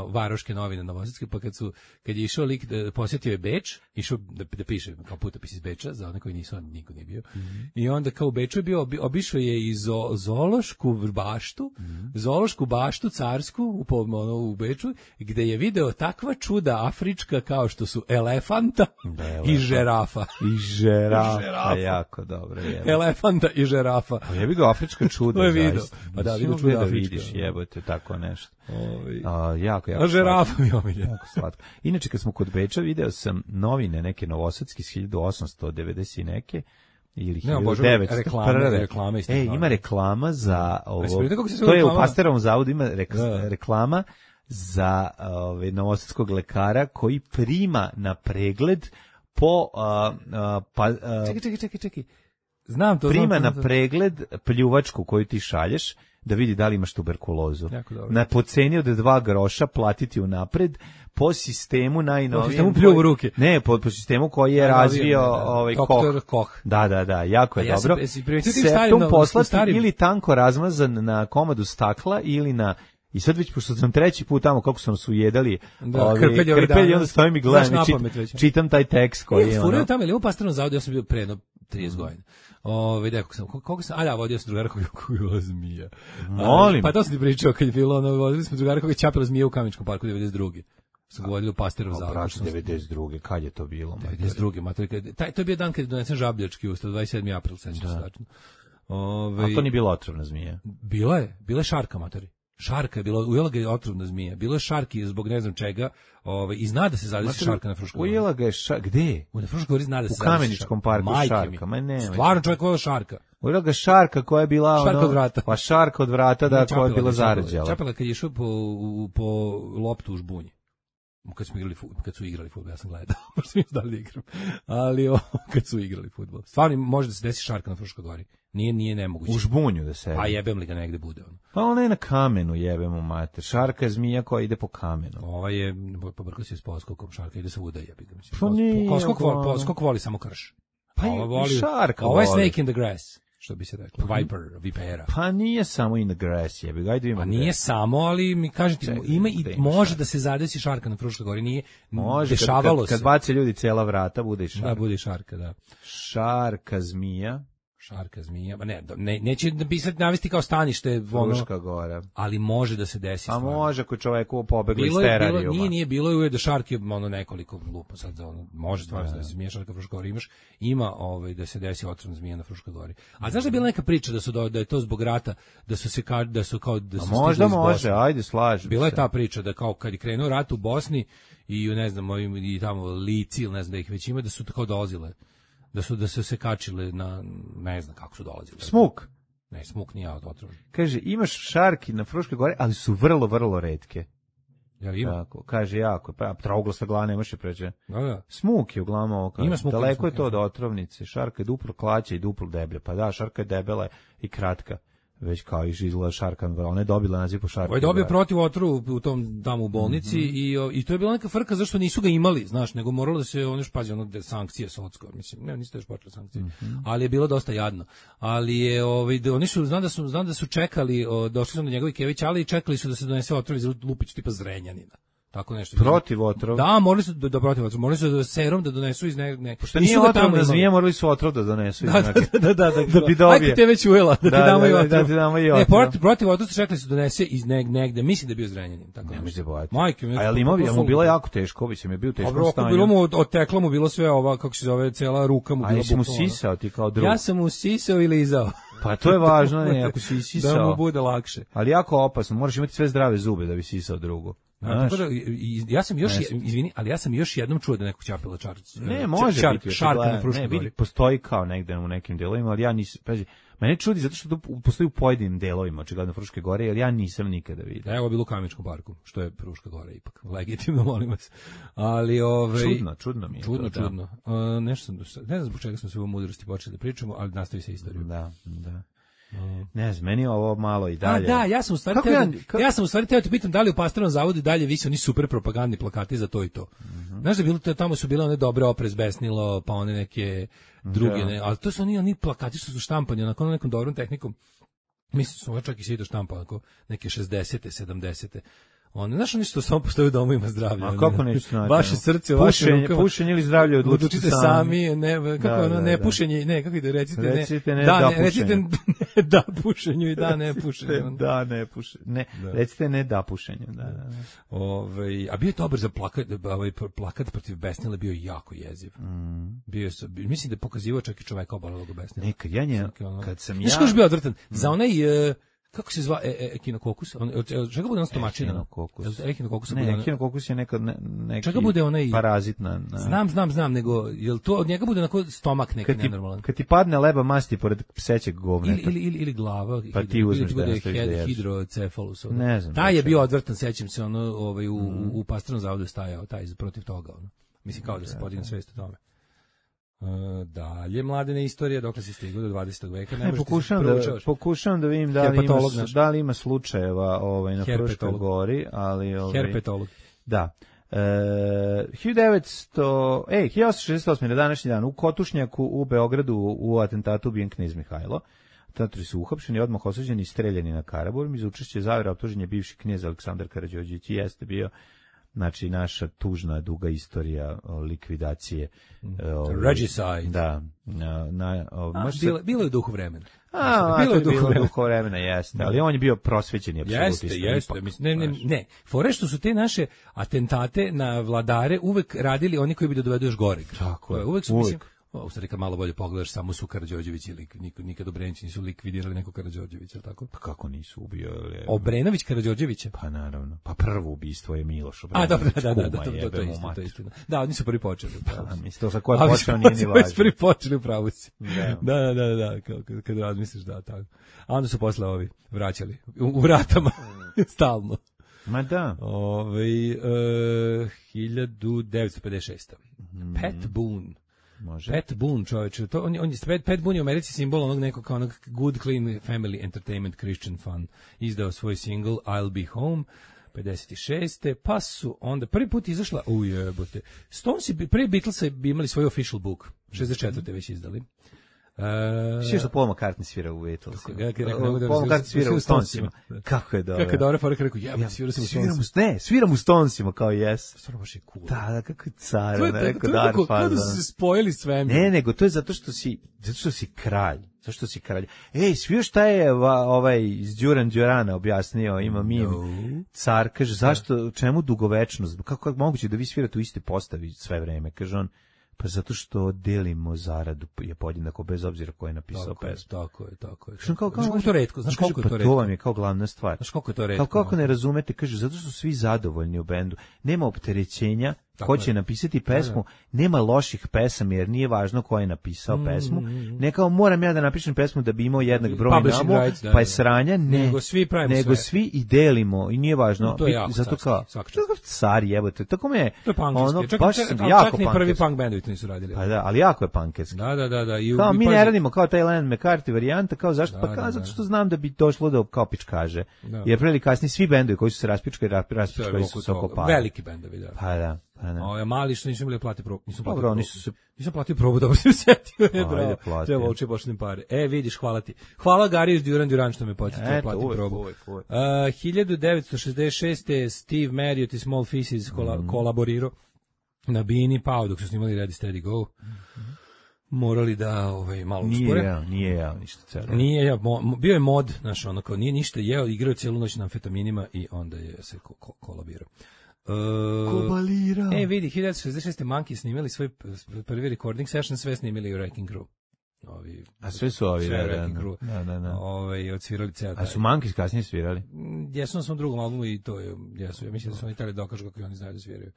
varoške novine novosadske, pa kad je išao lik posjetio je Beč, išao da piše kao putopis iz Beča za one koji nisu, niko nije bio. I onda kao u Beču je bio, obišao je i zoološku baštu, zoološku baštu carsku u Beču, gde je video takva čuda afrička kao što su elefanta i žirafa. I žirafa, jako dobro. Elefanta i žirafa. Pa jebi ga afrička čuda, zaista. Pa da, vidio čuda afrička. Vidiš, jebote, tako nešto. Jako žirafa mi omilje. Jako slatko. Inače, kad smo kod Beča, video sam novine neke novosadske iz 1890 neke, ili 1900. Reklame. Ima reklama za ovo. To je u Pasterovom zavodu, ima reklama za novosadskog lekara koji prima na pregled po... Čekaj. Znam to. Prima na pregled pljuvačku koju ti šalješ, da vidi da li imaš tuberkulozu. Na po ceni od 2 groša platiti unapred po sistemu najnovijem. Po sistemu pljuvu ruke. Ne, po sistemu koji je razvio Koch. Da, jako je dobro. Septum poslati ili tanko razmazan na komadu stakla ili na... I sad već, pošto sam treći put tamo, kako sam su jedali krpelji, onda stavim i gledam i čitam taj tekst koji je... Furaju tamo, ili u Pasterovom zavodu, ja sam bio pre 30 godina. Koliko sam, vodio sam drugara koji je bila zmija. Molim. Pa to sam ti pričao kad je bilo, vodili smo drugara koji je čapila zmija u Kameničkom parku 92. Su ga vodili u Pasterovom zavodu. Braći, 92. Kad je to bilo? 92. To je bio dan kad je donesen žabljački ustav, 27. april, sećam se tačno. A to nije bila otrovna zmija? Bila je šarka, matori. Šarka je bila, ujela ga je otrovna zmija. Bilo je šarki zbog ne znam čega, i zna da se zadesi šarka na Fruškoj gori. Ujela ga je gde? Na Fruškoj gori zna da se zadesi šarka. U Kameničkom parku šarka, ma ne. Stvarno čovjek ujela šarka. Ujela ga šarka koja je bila šarka od vrata. Pa šarka od vrata, da, koja je bila zarađala. Čapela kad je išao po loptu u žbunji. Kad su igrali fudbal, ja sam gledao, možda mi da li igram, ali kad su igrali fudbal. Stvarno može da se desi šarka na Fruškoj gori. Nije nemoguće. U žbunju da se. A jebem li ga negde bude ono. Pa ona je na kamenu, jebemo mater. Šarka je zmija koja ide po kamenu. Ova je, pobrkao se s poskokom, šarka ide svuda, jebi ga. Pa nije. Poskok voli samo krš. Pa i šarka voli. Ovo je snake in the grass, što bi se reklo. Vipera. Pa nije samo in the grass, jebi ga. Pa nije samo, ali mi kažete, ima i može da se zadesi šarka na Fruškoj gori, nije dešavalo se. Kad bace ljudi cela vrata, bude i šarka. Da, bude i šarka, da. Šarka zmija. Šarka zmija, neće da bi sad navesti kao stanište Fruška gora. Ali može da se desi. A može ako čoveku pobegli iz terarijuma. Nije bilo uvijek da šarke nekoliko lupa sad može stvarno da se zmija šarka Fruška gori ima da se desi otrovna zmija na Fruškoj gori. A znaš da je bila neka priča da je to zbog rata da su možda može, ajde slažem. Bila je ta priča da kao kad je krenuo rat u Bosni i ne znam i tamo Lici ili ne znam da ih već ima, da su tako dolazile. Da su se kačile na, ne znam kako su dolazili. Smuk? Ne, smuk nije otrovan. Kaže, imaš šarki na Fruškoj gori, ali su vrlo, vrlo retke. Ja ima? Tako, kaže, jako, pa trouglasta glava nemaš je pređe. Da. Smuk je uglavnom ovo. Ima smuk. Daleko je to od otrovnice. Šarka je duplo klaća i duplo deblja. Pa da, šarka je debela i kratka. već kao izgleda šarkan, ona je dobila naziv po šarkan. Ovo je dobio protiv otru u tom tamo u bolnici i to je bila neka frka zašto nisu ga imali, znaš, nego moralo da se ono pazi ono sankcije sodsko, mislim, ne, niste još počeli sankcije. Ali je bilo dosta jadno. Ali je oni su znam da su čekali, došli su do njegovih Kević, ali čekali su da se donese otrov iz Lupić tipa Zrenjanina. Tako nešto. Protiv otrov? Da, morali su da protiv otrov, morali su da serum da donesu iz Pošto nije otrov da zmije, morali su otrov da donesu iz da bi dobio. Ajde te već ujela, da ti damo i otrov. Da ti damo i otrov. Ne, protiv otrov su čekali su donese iz negde, mislim da je bio Zrenjanin. Tako ne mislim bojati. Majke, a je li mu bilo jako teško, mislim je bio teško stanje. Bilo mu oteklo mu bilo sve ova, kako se zove, cela ruka mu bila bukvalno. A jesi mu sisao ti kao drug? Ja sam mu sisao i lizao. Pa to je važno, ne, ako si sisao. Da mu bude lakše. Ali jako opasno, moraš imati sve zdrave zube da bi sisao drugu. Ja sam još, izvini, ali ja sam još jednom čuo da neko ćapila čarčić. Ne, može biti. Šarka na Fruškoj gori. Postoji kao negde u nekim delovima, ali ja nisam, pazi, mene čudi zato što to postoji u pojedinim delovima, očigledno Fruške gore, jer ja nisam nikada vidio. Evo je bilo u Kameničkom parku, što je Fruška gora ipak, legitimno, molim vas. Ali čudno mi je. Čudno. Nešto sam, ne znam zbog čega smo se u mudrosti počeli da pričamo, ali nastavi se istoriju. Da. Ne znam, meni je ovo malo i dalje. Da, ja sam u stvari teo te pitam da li u Pastrnom zavodu i dalje visi oni super propagandni plakati za to i to. Znaš da bilo tamo su bile one dobre Oprez besnilo, pa one neke druge, ne, ali to su oni plakati što su štampani onako nekom dobrom tehnikom. Mislim su ovo čak i svi štampa onako neke 60-te, 70-te. Znaš oni što samo postoje u domovima zdravlja. A kako neću znati? Vaše srce, vaše rukama. Pušenje ili zdravlje odlučite sami. Ne pušenje, ne, kako ide, recite ne da pušenju i da ne pušenju. Da, ne pušenju. Ne, recite ne da pušenju. A bio je dobar za plakat protiv besnile, bio jako jeziv. Mislim da je pokazivao čak i čoveka obolelog besnila. Nekad kad sam ja... Znaš ko je bio odvrtan? Za onaj... Kako se zva ekinokokus? Čega bude on stomačina? Ekinokokus. Ne, ekinokokus je neki čega bude onaj parazit Znam, nego jel to od njega bude onako stomak neki nenormalan? Kad ti padne leba masti pored psećeg govneta. Ili glava, pa ti uzmeš da bude hidrocefalus. Ne znam. Taj je bio odvrtan, sećam se, u Pastrnom zavodu stajao taj protiv toga. Mislim kao da se podigne svest o tome. Dalje, Mladene, istorija, dokle si stigao do 20. veka. Pokušavam da vidim da li ima slučajeva na Fruškoj gori, ali... Herpetolog. Da. 1868. na današnji dan u Kotušnjaku u Beogradu u atentatu ubijen knez Mihajlo. Atentatori su uhapšeni, odmah osuđeni i streljani na Karaburmi. Za učešće zavera optužen je bivši knez Aleksandar Karađorđević i jeste bio znači naša tužna duga istorija likvidacije regicide. Da. Bilo je u duhu vremena. Bilo je u duhu vremena, jeste. Ali on je bio prosvećeni apsolutista. Jeste. Ne. Fore što su te naše atentate na vladare uvek radili oni koji bi da dovedu još gore. Tako je. Uvek su, mislim, u stvari kad malo bolje pogledaš, samo su Karađorđević i nikad Obrenović nisu likvidirali nekog Karađorđevića, tako? Pa kako nisu ubio? Obrenović Karađorđevića? Pa naravno. Pa prvo ubistvo je Miloš Obrenović. To je istina. Da, oni su prvi počeli. Mislim, to sa koje počeo nije ni važno. Prvi počeli u pravu si. Da, kad razmisliš, da, tako. A onda su posle ovi vraćali u vratama, stalno. Ma da. 1956. Pat Boone. Može. Pat Boone, čovječe, Pat Boone je u Americi simbol onog nekog kao onog good, clean family entertainment Christian fun. Izdao svoj single I'll Be Home 56. Pa su onda prvi put izašla, ujebote, Stones, prvi Beatles bi imali svoj official book, 64. već izdali. Sve što Paul McCartney svira u Beatlesima. Paul McCartney svira u Stonesima. Kako je dobro. Kako je dobro, Faruk rekao, svira sam u Stonesima. Ne, sviram u Stonesima, kao yes. Stvarno baš je cool. Da, kako je car, rekao Dar Fazan. Kako da su se spojili svemir. Ne, nego to je zato što si kralj. Zašto si kralj? Svi šta je iz Đurana objasnio, ima car, kaže, zašto, čemu dugovečnost? Kako je moguće da vi svirate u iste postavi sve vreme? Kaže on, pa zato što delimo zaradu je podjednako bez obzira ko je napisao pesmu. Tako je. Znaš koliko je to retko? Znaš koliko je to retko? To vam je kao glavna stvar. Znaš koliko je to retko? Kako ne razumete, kaže, zato što su svi zadovoljni u bendu. Nema opterećenja ko će napisati pesmu, nema loših pesama jer nije važno ko je napisao pesmu. Ne kao moram ja da napišem pesmu da bi imao jednak broj namo, pa je sranja, ne. Nego svi i delimo i nije važno. Zato kao car jebote, tako me je. Ono baš jako ni prvi punk bendovi to nisu radili. Pa da, ali jako je punkerski. Da. Kao mi ne radimo kao taj Lennon McCarthy varijanta, kao zašto? Pa kao zato što znam da bi došlo do kao pičkaže. Jer pre ili kasnije svi bendovi koji su se raspičkali su se oko para. Veliki bendovi, da. Pa da. Mali što nisu imali plati probu. Nisam platio probu, dobro se setio. Treba ući pošlim pare. Vidiš, hvala ti. Hvala Gari iz Duran što me podsjetio plati probu. 1966. Steve Marriott i Small Faces kolaborirao na Bini Pao dok su snimali Ready Steady Go. Morali da malo uspore. Nije jeo ništa celo. Nije jeo, bio je mod, znaš, ono kao nije ništa jeo, igrao cijelu noć na amfetaminima i onda je se kolabirao. Kobalira. Vidi, 1966. Monkey snimali svoj prvi recording session, sve snimili u Wrecking Crew. A sve su ovi, da. Odsvirali ceo taj. A su Monkeys kasnije svirali? Jesu na svom drugom albumu i to je, jesu. Ja mislim da su oni tali dokažu kako oni znaju da sviraju.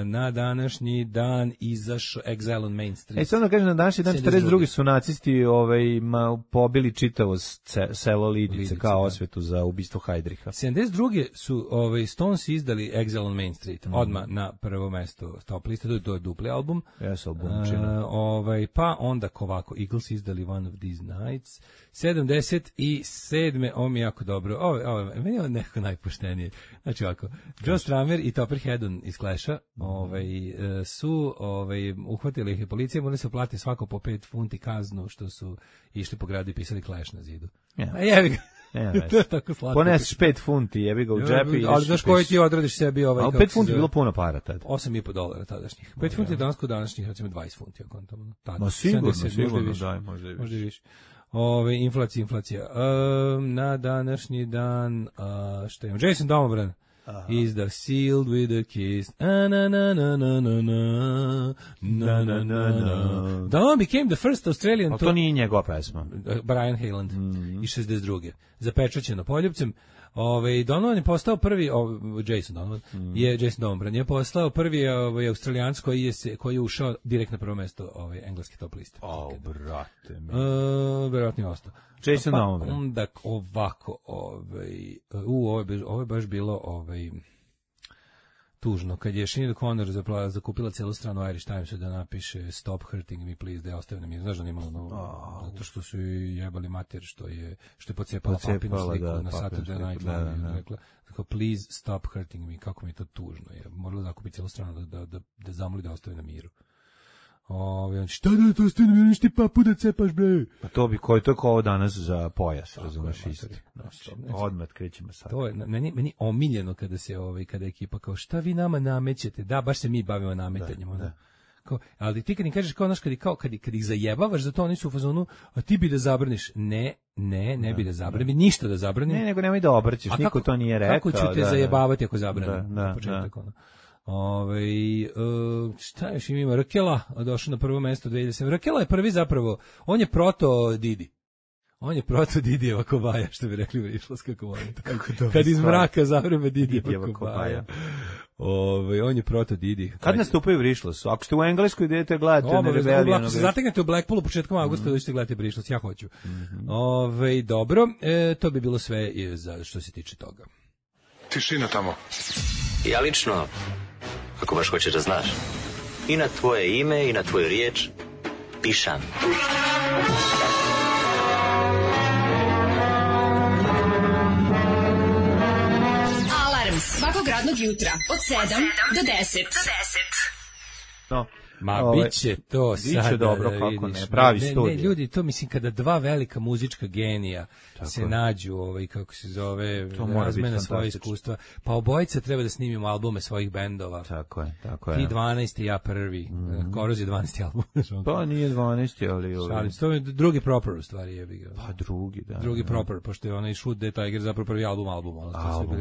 Na današnji dan izašao Exile on Main Street. Sad da kažem, na današnji dan 42. su nacisti pobili čitavo selo Lidice kao osvetu za ubistvo Heidricha. 72. su Stones izdali Exile on Main Street, odmah na prvo mesto top liste, to je dupli album. Jesu albumčina. Pa onda ovako, Eagles izdali One of These Nights. 77. Ovo mi je jako dobro. Meni je ovo nekako najpoštenije. Znači ovako, Joe Strummer i Topper Headon iz Clash-a su uhvatili ih je policija, morali se plati svako po 5 funti kaznu što su išli po gradu i pisali Clash na zidu. A jebi ga. To je tako slatko. Poneseš 5 funti, jebi ga u džep i... Ali znaš koji ti odradiš sebi Ali 5 funti je bilo puno para tad. $8,5 tadašnjih. 5 funti je danas kod današnjih, recimo 20 funti. Ma sigurno, daj, možda i više. Inflacija. Na današnji dan, šta imam? Jason Domobran. Is the sealed with a kiss. Dawn became the first Australian... Ali to nije njegova pesma. Brian Hayland iz 62. Zapečaćeno Poljupcem. Donovan je postao prvi, Jason Donovan je postao prvi Australijanac koji je ušao direkt na prvo mesto engleske top liste. Brate. Verovatno je ostao. Jason Donovan. Onda ovako, ovo je baš bilo tužno, kad je Sinead O'Connor zakupila cijelu stranu Irish Timesu da napiše Stop hurting me please, da je ostavio na mir. Znaš da nimalo zato što su jebali mater što je pocepala papinu sliku na Saturday Night Live. Rekla, please stop hurting me, kako mi je to tužno. Je morala zakupiti cijelu stranu da zamoli da ostavi na miru. Šta da to ostavi na miru, ništa papu da cepaš, bre? Pa to bi, to je ovo danas za pojas, razumeš isto. Odmah krećemo sad. To je meni omiljeno kada se kada ekipa kao šta vi nama namećete, da baš se mi bavimo nametanjem, ali ti kad im kažeš kao naš kad ih zajebavaš za to, oni su u fazonu, a ti bi da zabraniš. Ne bi da zabranim, ništa da zabranim. Ne, nego nemoj da obrćeš, niko to nije rekao. Kako ću te zajebavati ako zabranim? Početak šta još ima? Rakela došao na prvo mesto 2007. Rakela je prvi zapravo, on je proto Didi. On je proto Didijeva kobaja, što bi rekli u Rišlovska kobaja. Kad iz mraka zavreme Didijeva kobaja. On je proto Didi. Kad nastupaju u Rišlosu? Ako ste u Engleskoj, idete gledati Rebellion. Ako se zategnete u Blackpoolu početkom avgusta, dođete gledati Rišlos, ja hoću. Dobro, to bi bilo sve što se tiče toga. Tišina tamo. Ja lično, ako baš hoćeš da znaš, i na tvoje ime i na tvoju riječ pišam. Alarm svakog radnog jutra od 7 do 10. No. Biće to sad. Biće dobro, kako ne, pravi studij. Ne, ljudi, to mislim kada dva velika muzička genija se nađu, kako se zove, razmene svoje iskustva, pa obojica treba da snimimo albume svojih bendova. Tako je. Ti 12. ja prvi. Koroz je 12. album. Pa nije 12. ali... Šalim, to je drugi proper u stvari je. Pa drugi, da. Drugi proper, pošto je onaj Shoot the Tiger zapravo prvi album. Album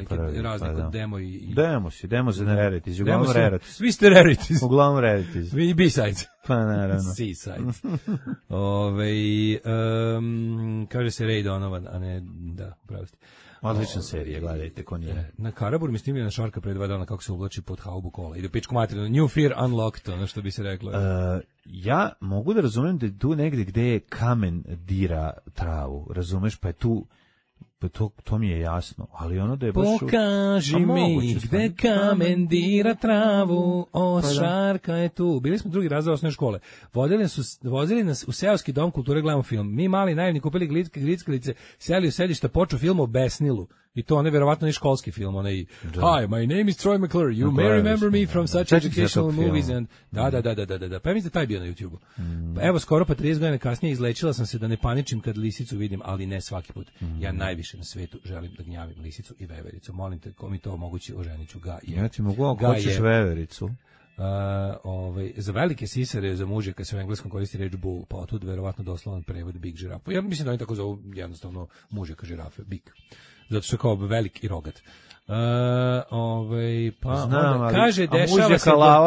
prvi, razne demo i... Demo za Rarities, uglavnom Rarities. Vi ste Rarities. Uglavnom Rarities. I B-sides. Pa naravno. C-sides. Kaže se Ray Donovan, a ne, da, pravo ste. Odlična serija, gledajte, ko nije. Na Karabur mi snimljena šarka pre 2 dana kako se uvlači pod haubu kola. Ide pičku materinu, New Fear Unlocked, ono što bi se reklo. Ja mogu da razumem da je tu negde gde je kamen dira travu, razumeš, pa je tu, pa to mi je jasno, ali ono da je baš... Pokaži mi gde kamen dira travu, šarka je tu. Bili smo drugi razred osnovne škole. Vozili nas u seoski dom kulture, gledamo film. Mi mali naivni kupili glickalice, seli u sedišta, počeo film o Besnilu. I to on je verovatno i školski film, onaj Hi, my name is Troy McClure, you may remember me from such educational movies and... Da. Pa ja mislim da taj bio na YouTube-u. Evo, skoro pa 30 godina kasnije izlečila sam se da ne paničim kad lisicu vidim, ali ne svaki put. Ja najviše na svetu želim da gnjavim lisicu i vevericu. Molim te, ko mi to omogući, oženiću ga. Ja ti mogu, ako hoćeš vevericu. Za velike sisare, za muže, kad se u engleskom koristi reč bull, pa otud verovatno doslovan prevod big žirafa. Ja mislim da oni tako zovu jednostavno mužeka žirafe, big. Zato što je kao velik i rogat. Pa znam, onda kaže, dešava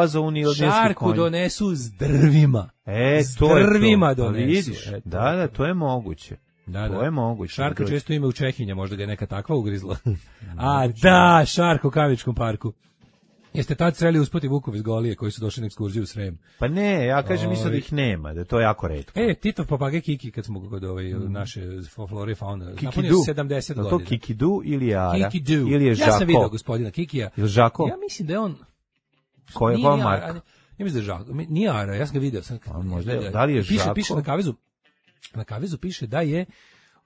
se šarku donesu s drvima. S drvima donesu. Da, to je moguće. To je moguće. Šarka često ima u Čehinja, možda ga je neka takva ugrizla. Da, šarka u Kavičkom parku. Jeste tad sreli uspoti vukov iz Golije koji su došli na ekskurziju u Srem? Pa ne, ja kažem mislim da ih nema, da je to jako retko. Titov papagaj Kiki, kad smo kod naše flore i fauna, napunio 70 godina. To Kikidu ili Ara? Kikidu. Ili je Žako? Ja sam vidio gospodina Kikija. Ili Žako? Ja mislim da je on... Koja marka? Ja mislim da je Žako. Nije Ara, ja sam ga vidio. Da li je Žako? Piše na kavezu piše da je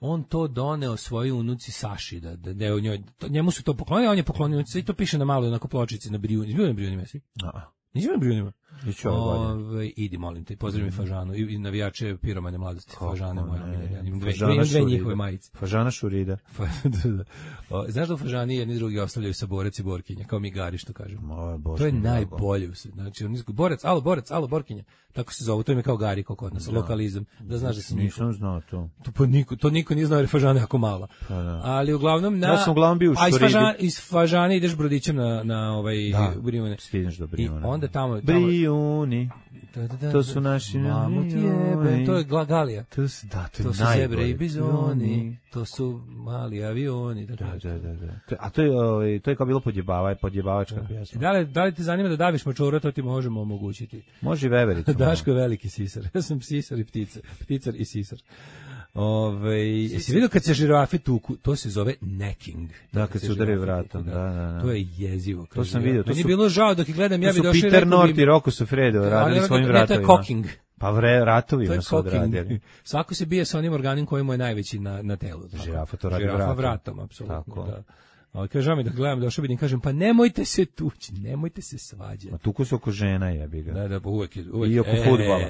on to doneo svojoj unuci Saši, da je o njoj, njemu su to poklonili, a on je poklonio unuci, i to piše na maloj onako pločici na Brijuni. Izbio na Brijuni, mesi? Nisi bio na Brijunima? Idi, molim te, pozdravim mi Fažanu i navijače piromane mladosti. Fažane moje omiljene. Imam dve njihove majice. Fažana Šurida. Znaš da u Fažani jedni drugi ostavljaju saborac i borkinja, kao mi gari što kažem. To je najbolje. Znači, borac, alo, borkinja. Tako se zove, to je kao gari, kao kod nas, lokalizam. Da znaš da sam nisam znao to. To niko nije znao jer je Fažana jako mala. Ali uglavnom ja sam uglavnom bio u Šuridi. Iz Fažane ideš brodićem na Brijune. Stigneš do Brijune. Onda tamo Brijuni. To su naši to je Galija. To su zebre i bizoni, to su mali avioni. Da. A to je kao bilo podjebavačka pjesma. Da li ti zanima da daviš mačora, to ti možemo omogućiti. Može i vevericu. Daško je veliki sisar. Ja sam sisar i pticar i sisar. Jesi vidio kad se žirafe tuku, to se zove necking. Da, kad se udari vratom. Da. To je jezivo. To sam vidio. Meni je bilo žao dok ih gledam, ja bi došao i Peter North i Rocco Siffredi radili svojim vratovima. To je cocking. Pa ratovima su odradili. Svako se bije sa onim organim koji mu je najveći na telu. Žirafa to radi vratom. Žirafa vratom, apsolutno, da. Ali kažem mi da gledam, došao bi im kažem, pa nemojte se tući, nemojte se svađati. A tuku se oko žena, jebi ga. Da, uvek. I oko fudbala.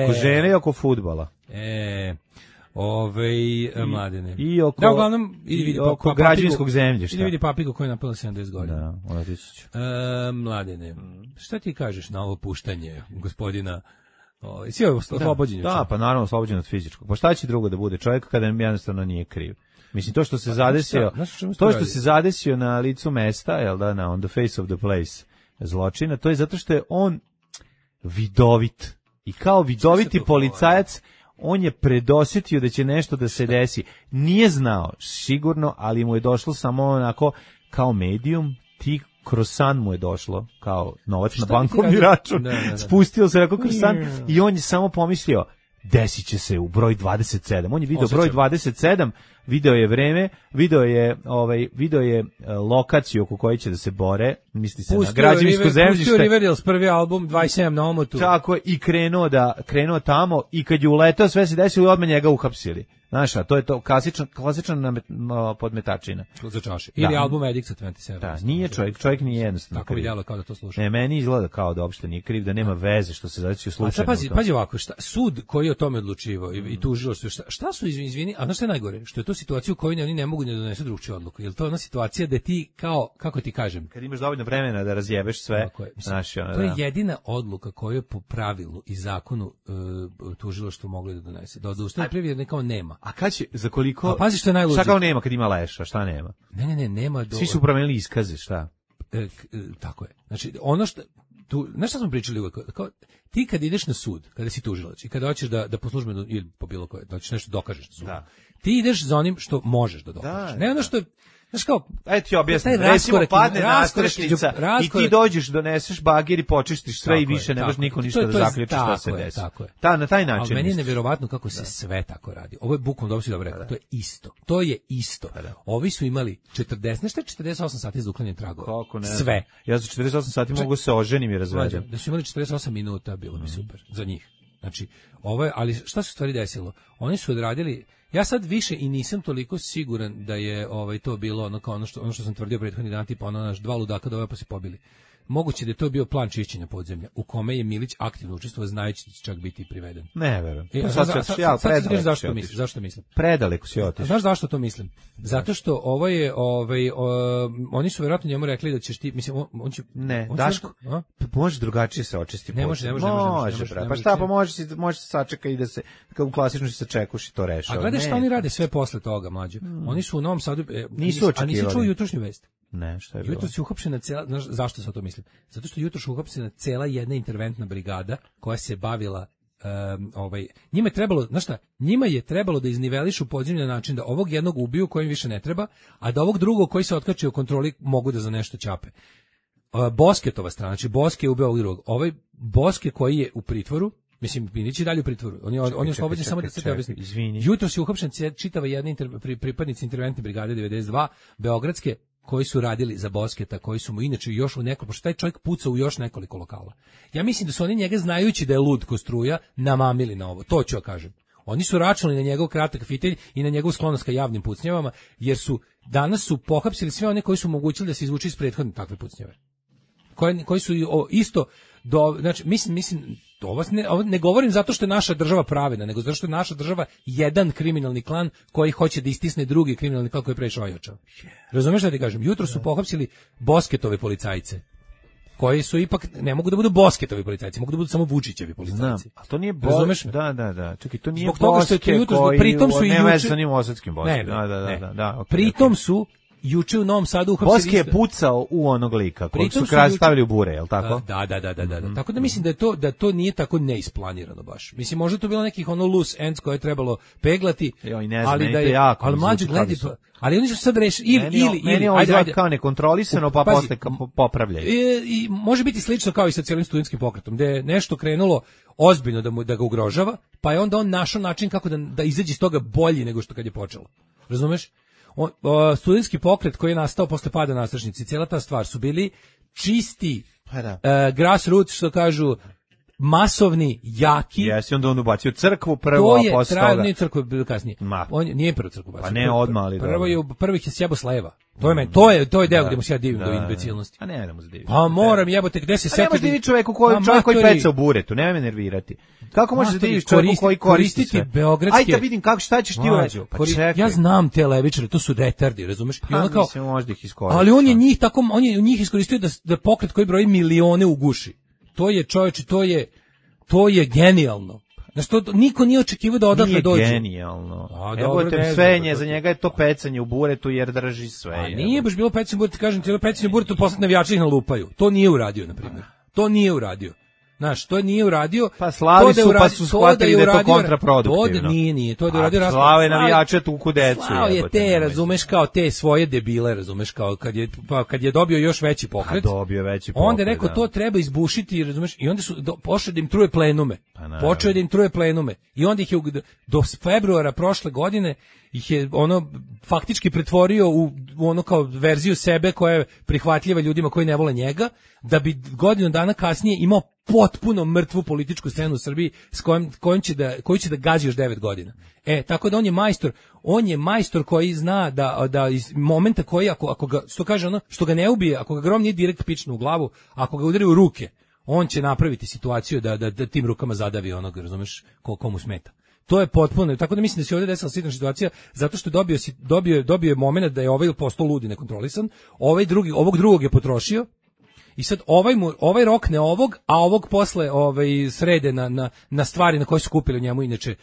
Oko žene i oko fudbala. Mladene. I oko, da, uglavnom, oko građevinskog zemljišta. Ili vidi papiku koji je napala 70 godina. Da, Latičić. Mladene, šta ti kažeš na ovo puštanje gospodina? Si ovo oslobođenje? Da, pa naravno oslobođen od fizičkog. Pa šta će drugo da bude čovjek kada jednostavno nije kriv? Mislim, to što se zadesio na licu mesta, jel da, on the face of the place zločina, to je zato što je on vidovit. I kao vidoviti policajac, on je predosjetio da će nešto da se desi. Nije znao, sigurno, ali mu je došlo samo onako kao medium, kroz san mu je došlo, kao novac na bankovni račun. Da. Spustio se rekao kroz san i on je samo pomislio, desit će se u broj 27. On je video broj 27, video je vreme, video je lokaciju oko koje će da se bore, misli se na građevinsko zemljište. Pustio Riverdales prvi album 27 na omotu. Tako, i krenuo tamo i kad je uletao sve se desilo i odmah njega uhapsili. Znaš, a to je to klasična podmetačina. Za čaše. Ili album Edict sa 27. Da, nije čovjek nije jednostavno. Tako vidjelo kao da to sluša. Ne, meni izgleda kao da uopšte nije kriv, da nema veze što se zadesio slučajno. A pazi ovako, sud koji je o tome odlučivao i tužilaštvo, šta su izvini, a znaš šta je najgore? Što je to situacija u kojoj oni ne mogu da donesu drugčiju odluku. Jel to je ona situacija da ti kao, kako ti kažem, kad imaš dovoljno vremena da razjebeš sve, to je jedina odluka koju je po pravilu i zakonu tužilaštvo moglo da donese. Da odustane prvi kao nema. A kad će, za koliko? A pazi što je najluđe. Šta kao nema kad ima leša, šta nema? Ne, nema. Svi su promenili iskaze, šta? Tako je. Znači, ono što tu, znaš šta smo pričali uvek, kao, ti kad ideš na sud, kada si tužilac i kada hoćeš da po službenu ili po bilo koje, da ćeš nešto dokažeš na sudu, ti ideš za onim što možeš da dokažeš. Ne ono što, znaš kao, ajde ti objasnim, recimo padne nastrešnica i ti dođeš, doneseš bagir i počistiš sve i više ne može niko ništa da zaključi šta se desi. Na taj način. Ali meni je nevjerovatno kako se sve tako radi. Ovo je bukvalno, dobro si dobro rekao, to je isto. To je isto. Ovi su imali 48 sati za uklanjanje tragova. Sve. Ja za 48 sati mogu se oženim i razvedim. Da su imali 48 minuta, bilo bi super za njih. Znači, ovo je, ali šta se u stvari desilo? Oni su odradili. Ja sad više i nisam toliko siguran da je to bilo ono što sam tvrdio prethodni dan, tipa naš dva ludaka doveo pa se pobili. Moguće da je to bio plan čišćenja podzemlja, u kome je Milić aktivno učestvovao, znajući da će čak biti priveden. Ne verujem. Zašto mislim? Predaleko si otišao. Znaš zašto to mislim? Zato što ovo je, oni su vjerovatno njemu rekli da ćeš ti, mislim, on će... Ne, Daško, može drugačije se očisti podzemlje. Ne može. Pa šta, pa može se sačeka i da se, kao u klasičnom se čekuš i to rešava. A gledaj šta oni rade sve posle toga, mlađe. Oni su u Novom Sadu, nisu očekivali. A nisi čuo jutrošnju vest? Ne, šta je bilo? Jutros je uhapšena cela, znaš zašto sam to mislim? Zato što jutros je uhapšena cela jedna interventna brigada koja se bavila njima je trebalo, znaš šta, njima je trebalo da iznivelišu podzemlje na način da ovog jednog ubiju kojim više ne treba, a da ovog drugog koji se otkači u kontroli mogu da za nešto ćape. Bosketova strana, znači Boske je ubio ovog drugog. Ovaj Boske koji je u pritvoru, mislim, Milić je dalje u pritvoru. On je oslobođen samo da se te objasnim. Jutros je uhapšen čitava jedna pripadnici interventne brigade 92 beogradske koji su radili za Bosketa, koji su mu inače još u nekoliko, pošto taj čovjek pucao u još nekoliko lokala. Ja mislim da su oni njega, znajući da je lud ko struja, namamili na ovo. To ću ja kažem. Oni su računali na njegov kratak fitelj i na njegov sklonost ka javnim pucnjavama, jer danas su pohapsili sve one koji su omogućili da se izvuče iz prethodne takve pucnjave. Koji su isto znači mislim ovo ne govorim zato što je naša država pravedna, nego zato što je naša država jedan kriminalni klan koji hoće da istisne drugi kriminalni klan koji je prešao ojačao. Razumeš šta ti kažem? Jutro su pohapsili Bosketove policajce, koji su ipak, ne mogu da budu Bosketovi policajci, mogu da budu samo Vučićevi policajci. A to nije Da. Čekaj, to nije Boske koji pritom su nema veze sa njim osadskim Boskom. Da. Pritom su juče u Novom Sadu uhapsili. Boske je pucao u onog lika kojeg su stavili u bure, je li tako? Da. Tako da mislim da to nije tako neisplanirano baš. Mislim, možda to bilo nekih loose ends koje je trebalo peglati, ali da je, ali mlađi gledi, ali oni su sad rešili ili ajde kao nekontrolisano pa posle popravljaju. I može biti slično kao i sa cijelim studentskim pokretom, gde je nešto krenulo ozbiljno da ga ugrožava, pa je onda on našao način kako da izađe iz toga bolji nego što kad je počelo. Razumeš? Studentski pokret koji je nastao posle pada nastrešnice, cijela ta stvar su bili čisti grassroots, što kažu, masovni, jaki. Jesi, onda on ubacio crkvu prvo, a posle toga. Nije crkvu bilo kasnije. On nije prvo crkvu bacio. Pa ne odmah, ali prvih je sjebo s leva. To je deo gde mu se ja divim do imbecilnosti. A ne da mu se divim. Pa moram, jebote, gde se setiti. Ne možeš diviti čovjek koji peca u buretu, nemoj me nervirati. Kako možeš da diviš čovjeku koji koristi beogradske... Ajde da vidim šta ćeš ti uraditi. Pa čekaj. Ja znam te levičare, to su retardi, razumeš? I ono kao, možda ih iskoristiti. Ali on je njih iskoristio da pokret koji broji milione uguši. To je, čovječe, to je genijalno. Znači, to niko nije očekivao da odatle dođe. Nije genijalno. Evo te sve, za njega je to pecanje u buretu jer drži sve. A nije baš bilo pecanje u buretu, kažem ti, pecanje u buretu posle navijači ih nalupaju. To nije uradio, na primjer. To nije uradio. Znaš, to nije uradio. Pa slavi su, pa su shvatili da je to kontraproduktivno. Nije, to da je uradio Raspad. Slave navijače tuku decu. Slao je te, razumeš, kao te svoje debile, razumeš, kao kad je dobio još veći pokret. Onda je rekao, to treba izbušiti, razumeš, i onda su počeli da im truje plenume. I onda ih je do februara prošle godine ih je faktički pretvorio u ono kao verziju sebe koja je prihvatljiva ljudima koji ne vole njega, da bi godinu dana kasnije imao potpuno mrtvu političku scenu u Srbiji s koju će da gazi još 9 godina. Tako da on je majstor koji zna da iz momenta koji ako ga, što kaže što ga ne ubije, ako ga grom nije direkt pičnu u glavu, ako ga udari u ruke, on će napraviti situaciju da tim rukama zadavi onog, razumeš, komu smeta. To je potpuno, tako da mislim da se ovdje desila slična situacija, zato što dobio je moment da je ovaj postao lud i nekontrolisan, ovog drugog je potrošio I sad ovaj rokne ovog, a ovog posle srede na stvari na koje su kupili njemu inače.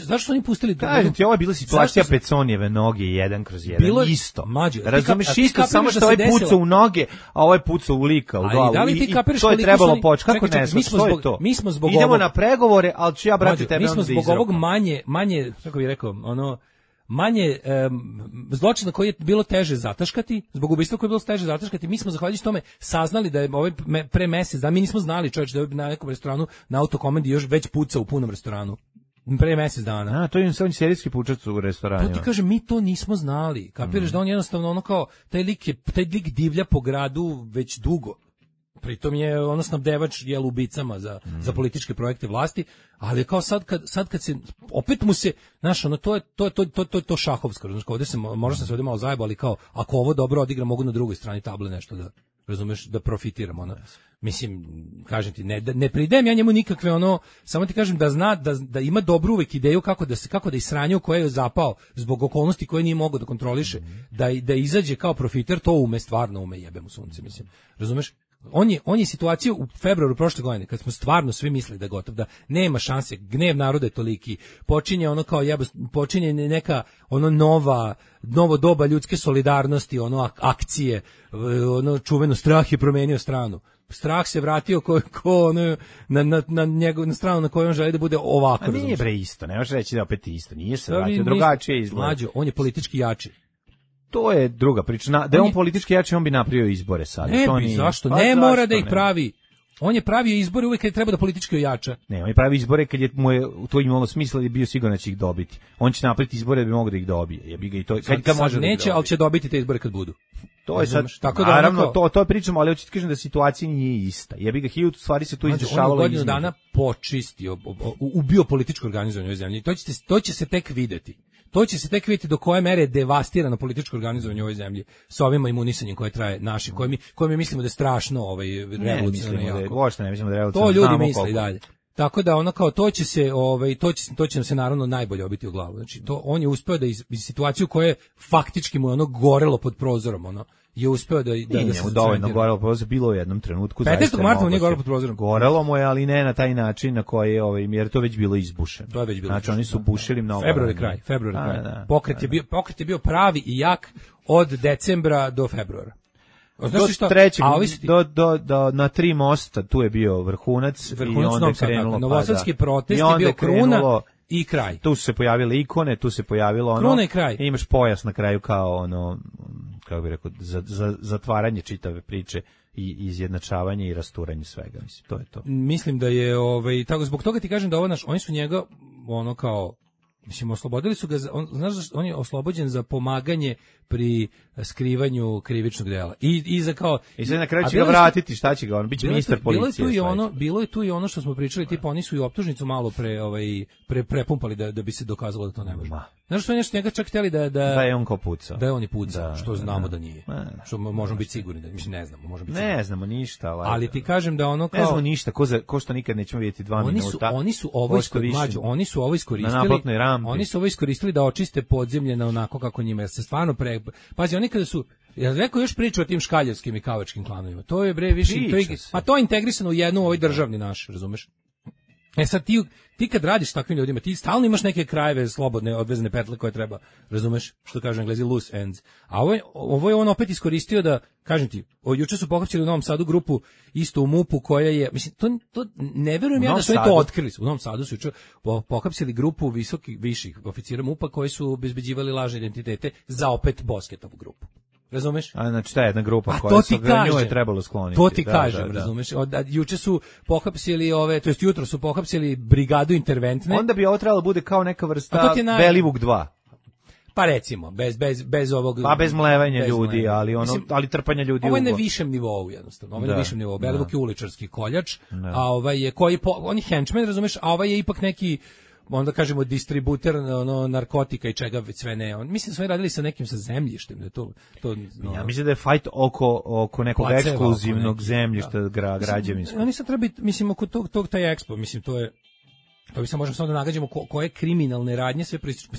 Zašto su oni pustili? Kažem ti, ovo je bila situacija Peconijeve noge 1/1. Bilo isto. Razumeš, isto, samo što ovaj pucao u noge, a ovaj pucao u lika, u glavu. Da li ti kapiraš to je trebalo početi. Kako ne znam, što je to? Mi smo zbog idemo na pregovore, ali ću ja brati tebe. Mi smo zbog ovog manje, kako bih rekao, manje zločina koji je bilo teže zataškati, zbog ubistva koje je bilo teže zataškati, mi smo zahvaljujući tome saznali da je pre mesec, da mi nismo znali čovječ da je na nekom restoranu na autokomandi još već puca u punom restoranu. Pre mesec dana. To je on serijski pučac u restoranima. To ti kažem, mi to nismo znali. Kapiraš da on jednostavno ono kao, taj lik divlja po gradu već dugo. Pritom je ono snabdevač ubicama za političke projekte vlasti, ali kao sad kad se opet mu se, znaš, ono to šahovsko, znači ovde se možda se ovde malo zajebao, ali kao ako ovo dobro odigra, mogu na drugoj strani table nešto da, razumeš, da profitiram, ono. Mislim, kažem ti, ne pridajem ja njemu nikakve samo ti kažem da zna da ima dobru uvek ideju kako da isranju koje je zapao zbog okolnosti koje nije mogao da kontroliše, da izađe kao profiter, to stvarno ume, jebe mu sunce, mislim. Razumeš? On je situaciju u februaru prošle godine, kad smo stvarno svi mislili da je gotov, da nema šanse, gnev naroda je toliki, počinje neka novo doba ljudske solidarnosti, akcije, čuveno strah je promenio stranu. Strah se vratio na stranu na kojoj on želi da bude ovako. A nije bre isto, ne možeš reći da opet isto, nije se vratio, drugačije izgleda. Mlađo, on je politički jači. To je druga priča. Da je on politički jači, on bi napravio izbore sad. Zašto? Ne mora da ih pravi. On je pravio izbore uvek kad treba da politički ojača. Ne, on je pravio izbore kad je to imalo smisla i bio siguran da će ih dobiti. On će napraviti izbore da bi mogao da ih dobije. Jebi ga i to. Kad može neće, ali će dobiti te izbore kad budu. To je sad, tako da naravno, to pričamo, ali hoćete kažem da situacija nije ista. Jebi ga, 1000 stvari se tu izdešavalo. On je godinu dana počistio, ubio političko organizovanje u ovoj zemlji. To će se tek videti. To će se tek vidjeti do koje mere je devastirano političko organizovanje u ovoj zemlji sa ovim imunisanjem koje traje našim, koje mi mislimo da je strašno revolucionarno jako. Ne mislimo da je revolucionarno. To ljudi misle i dalje. Tako da to će se to će nam se naravno najbolje obiti u glavu. Znači on je uspeo da iz situaciju koja je faktički mu gorelo pod prozorom, je uspeo da se dovoljno gorelo pod prozorom, bilo u jednom trenutku. 15. marta mu nije gorelo pod prozorom. Gorelo mu je, ali ne na taj način na koji jer to već bilo izbušeno. To je već bilo. Znači oni su bušili mnogo. Februar kraj. Pokret je bio pravi i jak od decembra do februara. Znači do trećeg, na 3 mosta tu je bio vrhunac i onda je krenulo. Novosadski protest je bio kruna i kraj. Tu su se pojavile ikone, tu se pojavilo kruna i kraj. I imaš pojas na kraju kao kako bih rekao, za zatvaranje čitave priče i izjednačavanje i rasturanje svega, mislim, to je to. Mislim da je tako zbog toga ti kažem da oni su njega kao mislim, oslobodili su ga, znaš, on je oslobođen za pomaganje pri skrivanju krivičnog dela. I za kao... I sad na kraju će ga vratiti, šta će ga, on biće ministar policije. Bilo je tu i ono što smo pričali, tipa oni su i optužnicu malo prepumpali da bi se dokazalo da to ne može. Znaš što je nešto njega čak htjeli da je on kao pucao. Da je on i pucao, što znamo da nije. Što možemo biti sigurni da, mislim, ne znamo, možemo biti sigurni. Ne znamo ništa, ali ti kažem da ono kao... Ne znamo ništa, ko što nikad nećemo vidjeti 2 minuta. Oni su ovo iskoristili. Oni su ovo iskoristili da očiste podzemlje na onako kako njima, jer se stvarno pazi, oni kada su, ja rekao još priču o tim škaljevskim i kavačkim klanovima, to je bre više, to je integrisano u jednu ovoj državni naš, razumeš? Sad ti kad radiš takvim ljudima, ti stalno imaš neke krajeve slobodne, odvezane petle koje treba, razumeš, što kaže Englezi, loose ends. A ovo je on opet iskoristio da, kažem ti, juče su pohapsili u Novom Sadu grupu, isto u MUP-u, koja je, mislim, to ne verujem ja da su to otkrili. U Novom Sadu su juče pohapsili grupu viših oficira MUP-a koji su obezbeđivali lažne identitete za opet Bosketovu grupu. Razumeš? A znači ta jedna grupa koja se nju je trebalo skloniti. To ti kažem, razumeš? Juče su pohapsili jutro su pohapsili brigadu interventne. Onda bi ovo trebalo bude kao neka vrsta Belivuk 2. Pa recimo, bez ovog... Pa bez mlevanja ljudi, ali trpanja ljudi. Ovo je na višem nivou jednostavno. Ovo je na višem nivou. Belivuk je uličarski koljač, a on je henchman, razumeš? A ovaj je ipak neki, onda kažemo, distributer narkotika i čega sve ne. Mislim, sve radili sa nekim sa zemljištem. Ja mislim da je fight oko nekog ekskluzivnog zemljišta građevinskog. Oni sad treba biti, mislim, oko tog taj ekspo, mislim, to bi se možemo samo da nagađamo koje kriminalne radnje sve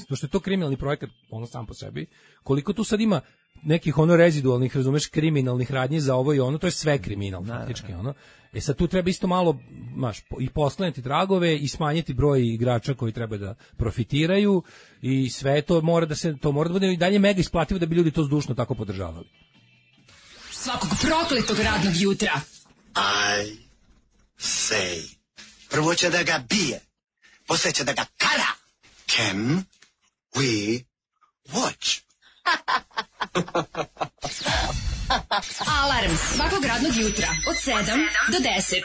pošto je to kriminalni projekat, ono sam po sebi, koliko tu sad ima, nekih ono rezidualnih, razumeš, kriminalnih radnji za ovo i ono, to je sve kriminal faktički, ono. Sad tu treba isto malo, i poslanjati tragove i smanjiti broj igrača koji treba da profitiraju i sve to mora da bude i dalje mega isplativo da bi ljudi to zdušno tako podržavali. Svakog prokletog radnog jutra. I say. Prvo će da ga bije, posle će da ga kara. Can we watch? Alarm svakog radnog jutra od 7 do 10.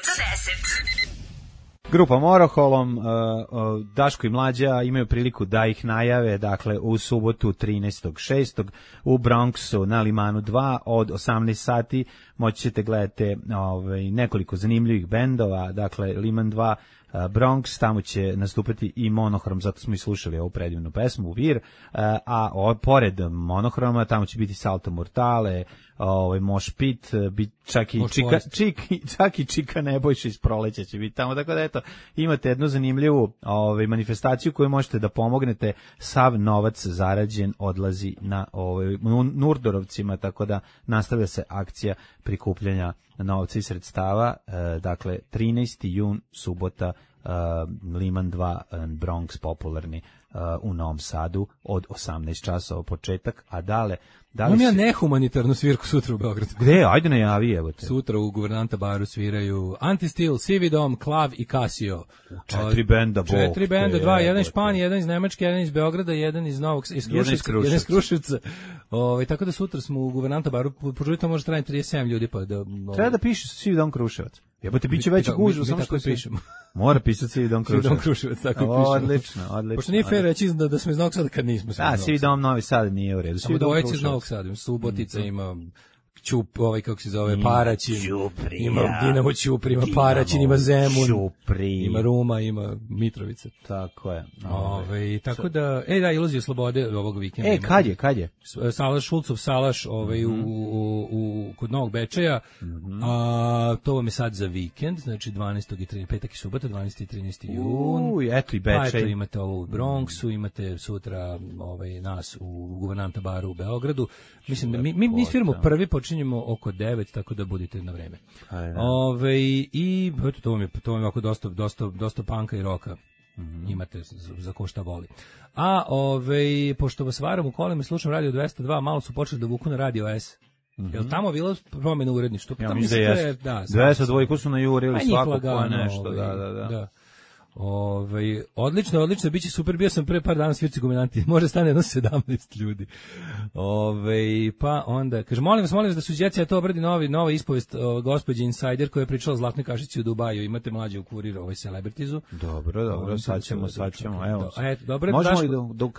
Grupa Moroholom, Daško i Mlađa imaju priliku da ih najave, dakle u subotu 13.6. u Bronxu na Limanu 2 od 18 sati moći ćete gledati nekoliko zanimljivih bendova, dakle Liman 2, Bronx, tamo će nastupati i Monohrom, zato smo i slušali ovu predivnu pesmu Vir, a pored Monohroma tamo će biti Salto Mortale, Mosh Pit, čak i Čika Nebojša iz Proleća će biti tamo, tako da eto, imate jednu zanimljivu manifestaciju koju možete da pomognete, sav novac zarađen odlazi na Nurdorovcima, tako da nastavlja se akcija prikupljanja novca i sredstava, dakle 13. jun, subota, Liman 2, Bronx popularni u Novom Sadu od 18 časova početak, a dale imam ja nehumanitarnu svirku sutra u Beogradu. Gde? Ajde najavi, evo te. Sutra u Guvernanta baru sviraju Antistil, Sividom, Klav i Casio. 4 benda, bok. 4 benda, 2, jedan iz Španije, jedan iz Nemačke, jedan iz Beograda, jedan iz jedan iz Kruševca. Tako da sutra smo u Guvernanta baru, požurite može trajati 37 ljudi. Pa da, treba da piše Sividom Kruševac. Jebote, biće veći gužva, samo što pišemo. Mora pisati Sividom Kruševac. Sividom Kruševac, tako pišemo. Odlično. Pošto nije fair reći da smo iz Novog Sada kad nismo. Sividom Novi Sad nije u redu. Samo dvojice iz Novog Sada. Subotica ima Ćup, kako se zove, Paraćin, ima Dinamo Ćupri, ima Paraćin, ima Zemun, ima Ruma, ima Mitrovica. Tako je. Tako da, iluzija slobode ovog vikenda. Kad je? Salaš, Šulcov Salaš, kod Novog Bečeja, to vam je sad za vikend, znači 12. i 13. petak i subota, 12. i 13. jun. Eto i Bečej. Pa eto imate ovo u Bronxu, imate sutra nas u Guvernanta baru u Beogradu. Mislim da mi sviramo prvi, počinjemo oko 9, tako da budite na vreme. I eto, to vam je ovako dosta panka i roka. Imate za ko šta voli. A pošto vas varam u kolima i slušam Radio 202, malo su počeli da vuku na Radio S. Jel tamo bilo promjena u uredništvu? Ja mislim da je 202 su najurili svako ko nešto. Da. Odlično, biće super, bio sam pre par dana svirci Gumenanti, može stane jedno 17 ljudi. Pa onda, kaže, molim vas da suđecija to obradi nova ispovest gospođe Insider koja je pričala o Zlatnoj kašici u Dubaju, imate mlađe u kuriru Celebritizu. Dobro, sad ćemo, evo.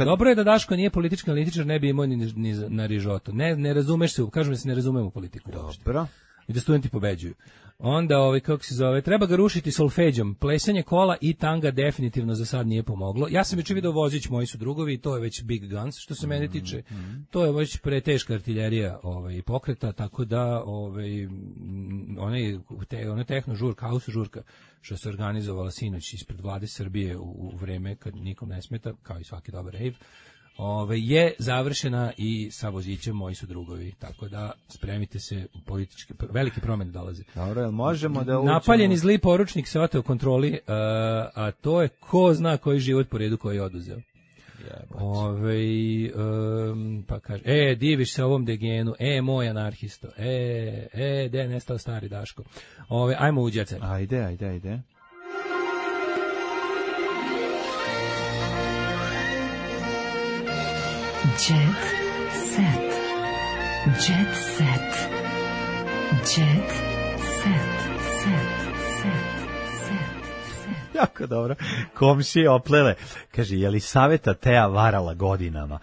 Dobro je da Daško nije politički analitičar, ne bi imao ni na rižotu. Ne razumeš se, kažem da se ne razumemo u politiku. Dobro. I da studenti pobeđuju. Onda, kako se zove, treba ga rušiti solfeđom. Plesanje kola i tanga definitivno za sad nije pomoglo. Ja sam već vidio Vozić, moji su drugovi, to je već big guns, što se mene tiče. To je već preteška artiljerija pokreta, tako da ona tehno žurka, house žurka, što se organizovala sinoć ispred vlade Srbije u vreme kad nikom ne smeta, kao i svaki dobar rave, je završena i sa Vozićem moji su drugovi, tako da spremite se, političke velike promjene dolaze. Dobro, možemo da učimo. Napaljeni zli poručnik se oteo kontroli, a to je ko zna koji život po redu koji je oduzeo. Pa kaže, diviš se ovom degenu, moj anarhisto, gde je nestao stari Daško. Ajmo u djece. Ajde. Jet set. Jet set. Jet set. Jako dobro. Komšije oplele. Kaže, je li Saveta Teja varala godinama?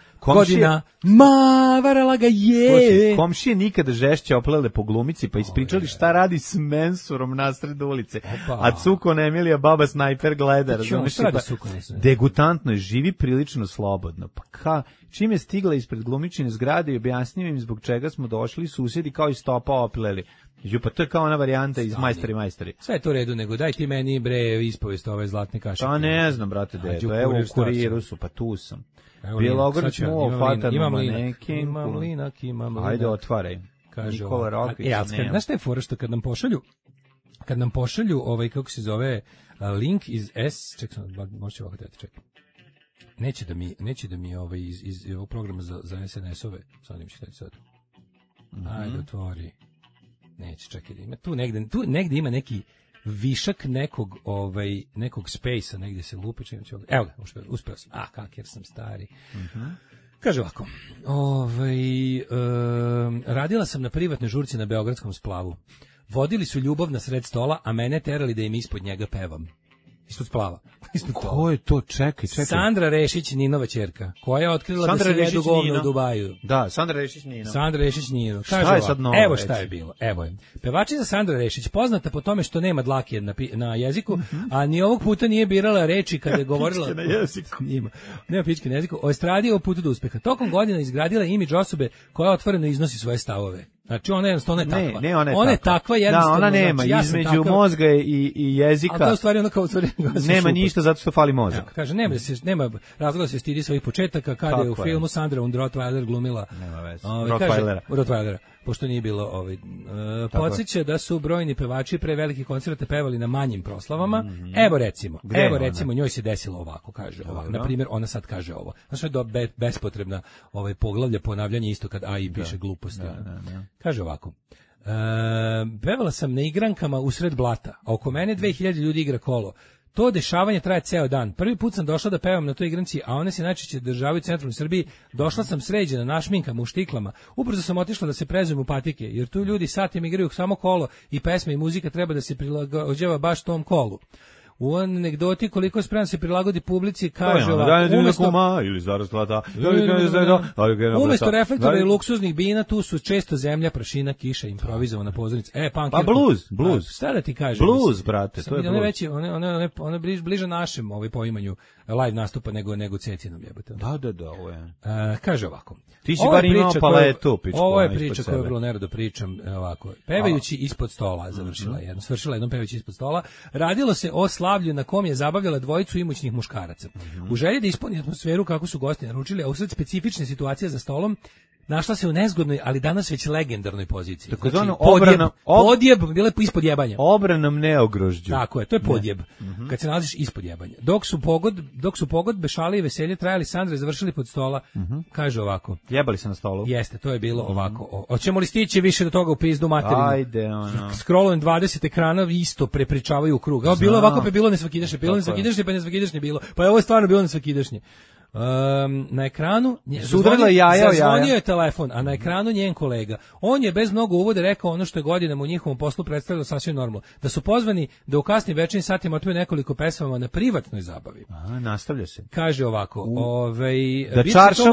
Varala ga je. Komšije nikada žešće oplele po glumici, pa ispričali šta radi s mensurom nasred ulice. A Cukon Emilija, baba snajper, gleda. Degutantno je, živi prilično slobodno. Pa čim je stigla ispred glumičine zgrade i objasnio im zbog čega smo došli, susjedi kao i stopa opleli. Pa to je kao ona varijanta iz Majstori. Sve je to u redu, nego daj ti meni ispovest ove Zlatne kašike. Pa ne znam, brate, evo u Kuriru su, pa tu sam. Bjelogrlić mu ofata na manekin. Imam linak. Ajde, otvaraj. Kaže Nikola Rokvić. Znaš šta je fora što kad nam pošalju kako se zove link iz čekaj, možete ovako dati, čekaj. Neće da mi iz ovog programa za SNS-ove, sad im ćete sad. Ajde, otvori. Neće, čekaj, ima tu negde ima neki višak nekog space-a, negde se lupi, evo ga, uspeo sam. Kak, jer sam stari. Kaže ovako, radila sam na privatnoj žurci na Beogradskom splavu. Vodili su ljubav na sred stola, a mene terali da im ispod njega pevam. Ispod splava. Ko je to? Čekaj. Sandra Rešić, Ninova ćerka, koja je otkrila da se jedu govno u Dubaju. Da, Sandra Rešić Nino. Šta je sad novo? Evo šta je bilo. Evo je. Pevačica Sandra Rešić, poznata po tome što nema dlake na jeziku, a ni ovog puta nije birala reči kada je govorila... Pičke na jeziku. Nema pičke na jeziku. O estradi o putu do uspeha. Tokom godina izgradila imidž osobe koja otvoreno iznosi svoje stavove. Znači ona je takva. Ne, ona je takva jednostavno. Da, ona nema između mozga i jezika. A to u stvari ona kao nema ništa zato što fali mozak. Evo, kaže, nema razloga da se stidi svojih početaka kada je u filmu Sandra und Rottweiler glumila. Nema veze. Rottweilera. Pošto nije bilo podsjeća da su brojni pevači pre velikih koncerta pevali na manjim proslavama. Evo recimo, njoj se desilo ovako, kaže ovako. Na primjer, ona sad kaže ovo. Znači da bespotrebna poglavlja ponavljanje isto kad AI piše gluposti. Kaže ovako. Pevala sam na igrankama usred blata, a oko mene 2000 ljudi igra kolo. To dešavanje traje ceo dan. Prvi put sam došla da pevam na toj igranci, a one se najčešće državaju u centralnoj Srbiji. Došla sam sređena, našminkama, u štiklama. Ubrzo sam otišla da se prezujem u patike, jer tu ljudi satima igraju samo kolo i pesme i muzika treba da se prilagođava baš tom kolu. U anegdoti koliko je spreman se prilagodi publici, kaže umesto reflektora i luksuznih bina, tu su često zemlja, prašina, kiša, improvizovana pozornica. Pa blues. Šta da ti kažem? Blues, brate, to je blues. Ona je bliže našem poimanju live nastupa nego Cecinom jebote. Da, ovo je. Kaže ovako. Ti si bar imao paletu, pičko. Ovo je priča koju vrlo nerado pričam, ovako. Pevajući ispod stola, svršila jednom pevajući ispod stola. Radilo se o slavlju na kom je zabavljala dvojicu imućnih muškaraca. U želji da ispuni atmosferu kako su gosti naručili, a usred specifične situacije za stolom, našla se u nezgodnoj, ali danas već legendarnoj poziciji. Tako znači, podjeb, bile ispod jebanja. Obranom neogrožđu. Tako je, to je podjeb. Kad se nalaziš ispod jebanja. Dok su pogodbe, šale i veselje trajali, Sandra je završili pod stola, kaže ovako. Jebali se na stolu. Jeste, to je bilo ovako. Hoćemo li stići više do toga u pizdu materinu? Ajde, Scrollujem 20 ekrana, isto prepričavaju u krug. Bilo ovako, pa bilo nesvakidašnje, pa nesvakidašnje bilo. Pa je ovo stvarno bilo nesvakidašnje. Na ekranu zazvonio je telefon, a na ekranu njen kolega. On je bez mnogo uvode rekao ono što je godinama u njihovom poslu predstavljalo sasvim normalno. Da su pozvani da u kasnim večernjim satima otpevaju nekoliko pesama na privatnoj zabavi. Nastavlja se. Kaže ovako, da čaršav,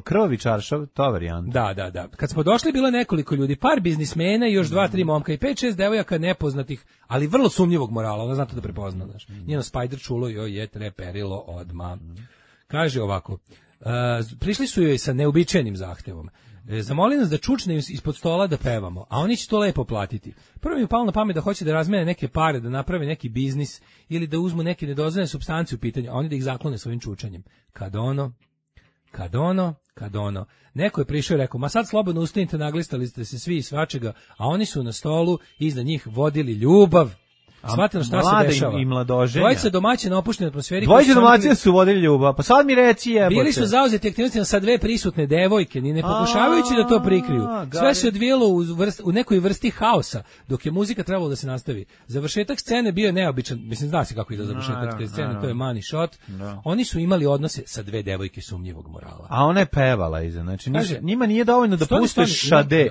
krvavi čaršav, to varijanta. Da. Kad smo došli bilo nekoliko ljudi, par biznismena i još 2-3 momka i 5-6 devojaka nepoznatih, ali vrlo sumnjivog morala, ona zna to da prepozna, znaš. Njeno Spider čulo joj je treperilo odma. Kaže ovako, prišli su joj sa neobičajnim zahtevom. Zamoli nas da čučne ispod stola da pevamo, a oni će to lepo platiti. Prvo mi je palo na pamet da hoće da razmene neke pare, da naprave neki biznis ili da uzmu neke nedozvoljene supstance u pitanju, a oni da ih zaklone svojim čučanjem. Kad ono. Neko je prišao i rekao, ma sad slobodno ustanite, naglistali ste se svi i svačega, a oni su na stolu iznad njih vodili ljubav. Shvatilo šta se dešava. I mladoženja. Dvojica domaće na opuštenoj atmosferi. Dvojica domaćina su vodili ljubav. Pa sad mi reci jebote. Bili su zauzeti aktivnostima sa dve prisutne devojke, ni ne pokušavajući da to prikriju. Sve se odvijelo u nekoj vrsti haosa, dok je muzika trebala da se nastavi. Završetak scene bio je neobičan. Mislim, zna se kako ide završetak te scene, to je money shot. Oni su imali odnose sa dve devojke sumnjivog morala. A ona je pevala iza. Znači, njima nije dovoljno da puste šade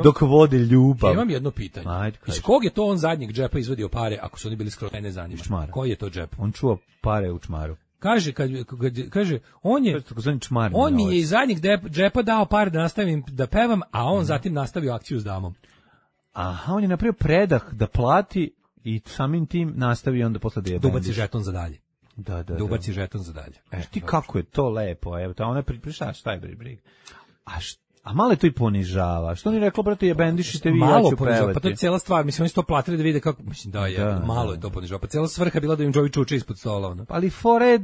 dok vode ljubav. Imam jedno pitanje. Iz kog je to on zadnjeg džepa izvadio pare? Ako su oni bili skoro, ne zanima. Čmar. Koji je to džep? On čuva pare u čmaru. Kaže, on mi je iz zadnjeg džepa dao pare da nastavim da pevam, a on zatim nastavio akciju s damom. Aha, on je napravio predah da plati i samim tim nastavio onda posle da je bendiš. Dubaci žeton za dalje. Da. Dubaci žeton za dalje. Ti kako je to lepo, evo, ona je šta je briga. A malo je to i ponižava. Što ni rekla, brate, je bendišite vi, ja ću pevati. Pa to je cijela stvar. Mislim, oni su to platili da vide kako... Mislim, malo je to ponižava. Pa cijela svrha bila da im Jovi čuče ispod stola. Ono. Ali fore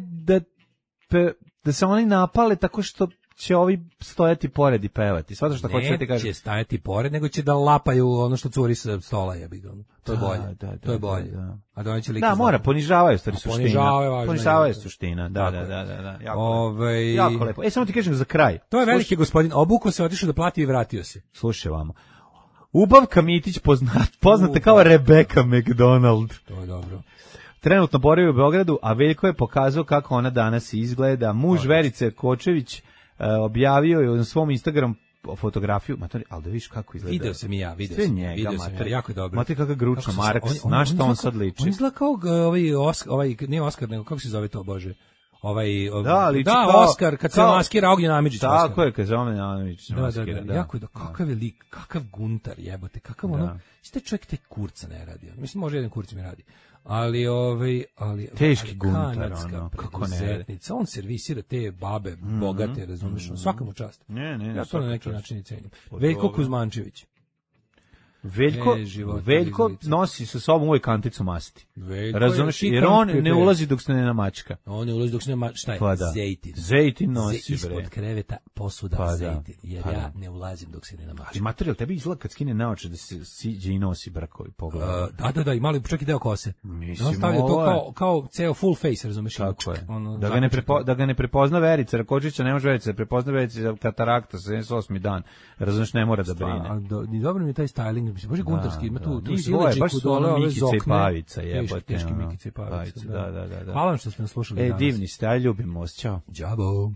da da se oni napale tako što će ovi stojati pored i pevati. Svato što hoće da ti kažem. Neće stajati pored, nego će da lapaju ono što curi sa stola, jebi ga. To je bolje. To je bolje. A da će da, mora, ponižavaju stvari suština. Ponižavaju suština. Suština. Da. Jako lepo. Samo ti kažem za kraj. To je veliki gospodin. Obuko se, otišao da plati i vratio se. Slušaj vamo. Ubavka Mitić poznata kao Rebecca McDonald. To je dobro. Trenutno boravi u Beogradu, a Veljko je pokazao kako ona danas izgleda. Muž Verice Kočević objavio je na svom Instagram fotografiju, ali da vidiš kako izgleda. Video sam i ja, video sam jako je dobro. Matri kakav gručna Marks, znaš što on sad liči. On izgleda kao nije Oskar, nego kako se zove to, Bože? Oskar, kad se maskira Ognjen Amidžić. Tako je, kad se Ognjen Amidžić maskira. Da. Jako je kakav je lik, kakav guntar jebote, kakav ono, ste čovjek te kurca ne radi. Mislim, može jedan kurc mi radi. Ali teški guntar, ono, kako ne. On servisira te babe, bogate, razumiješ, svaka mu čast. Ne, ja to na neki način i cenim. Veljko Kuzmančević. Veljko nosi sa sobom uvijek kanticu masti. Razumeš, jer on ne ulazi dok se ne namačka. On ne ulazi dok se ne namačka. Šta je? Pa da. Zejtin nosi, bre. Ispod kreveta posuda zejtin. Jer ja ne ulazim dok se ne namačka. Ali materijal, tebi izgleda kad skine naoče da se siđe i nosi brakovi pogled. Da, i malo čak i deo kose. On stavlja to kao ceo full face, razumeš? Tako je. Da ga ne prepozna Verica Rakočića, ne može Verica da prepozna Verica katarakta, 78. dan. Razumeš, ne mora da brine. Dobro mi je taj styling. Bože guntarski, ima tu silečiku dole, ove zokne. Pavica, jebote. Teški Mikica i Pavica. Da. Hvala vam što ste nas slušali danas. Divni ste, aj ljubim vas, čao. Đabo.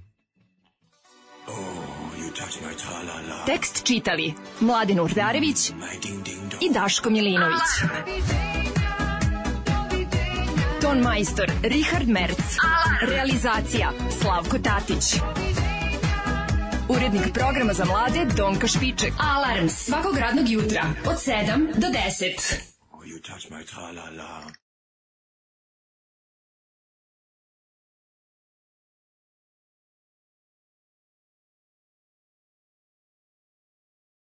Tekst čitali Mladin Urdarević i Daško Milinović. Ton majstor Richard Merc. Realizacija Slavko Tatić. Urednik programa za mlade Donka Špiček. Alarms svakog radnog jutra od 7 do 10.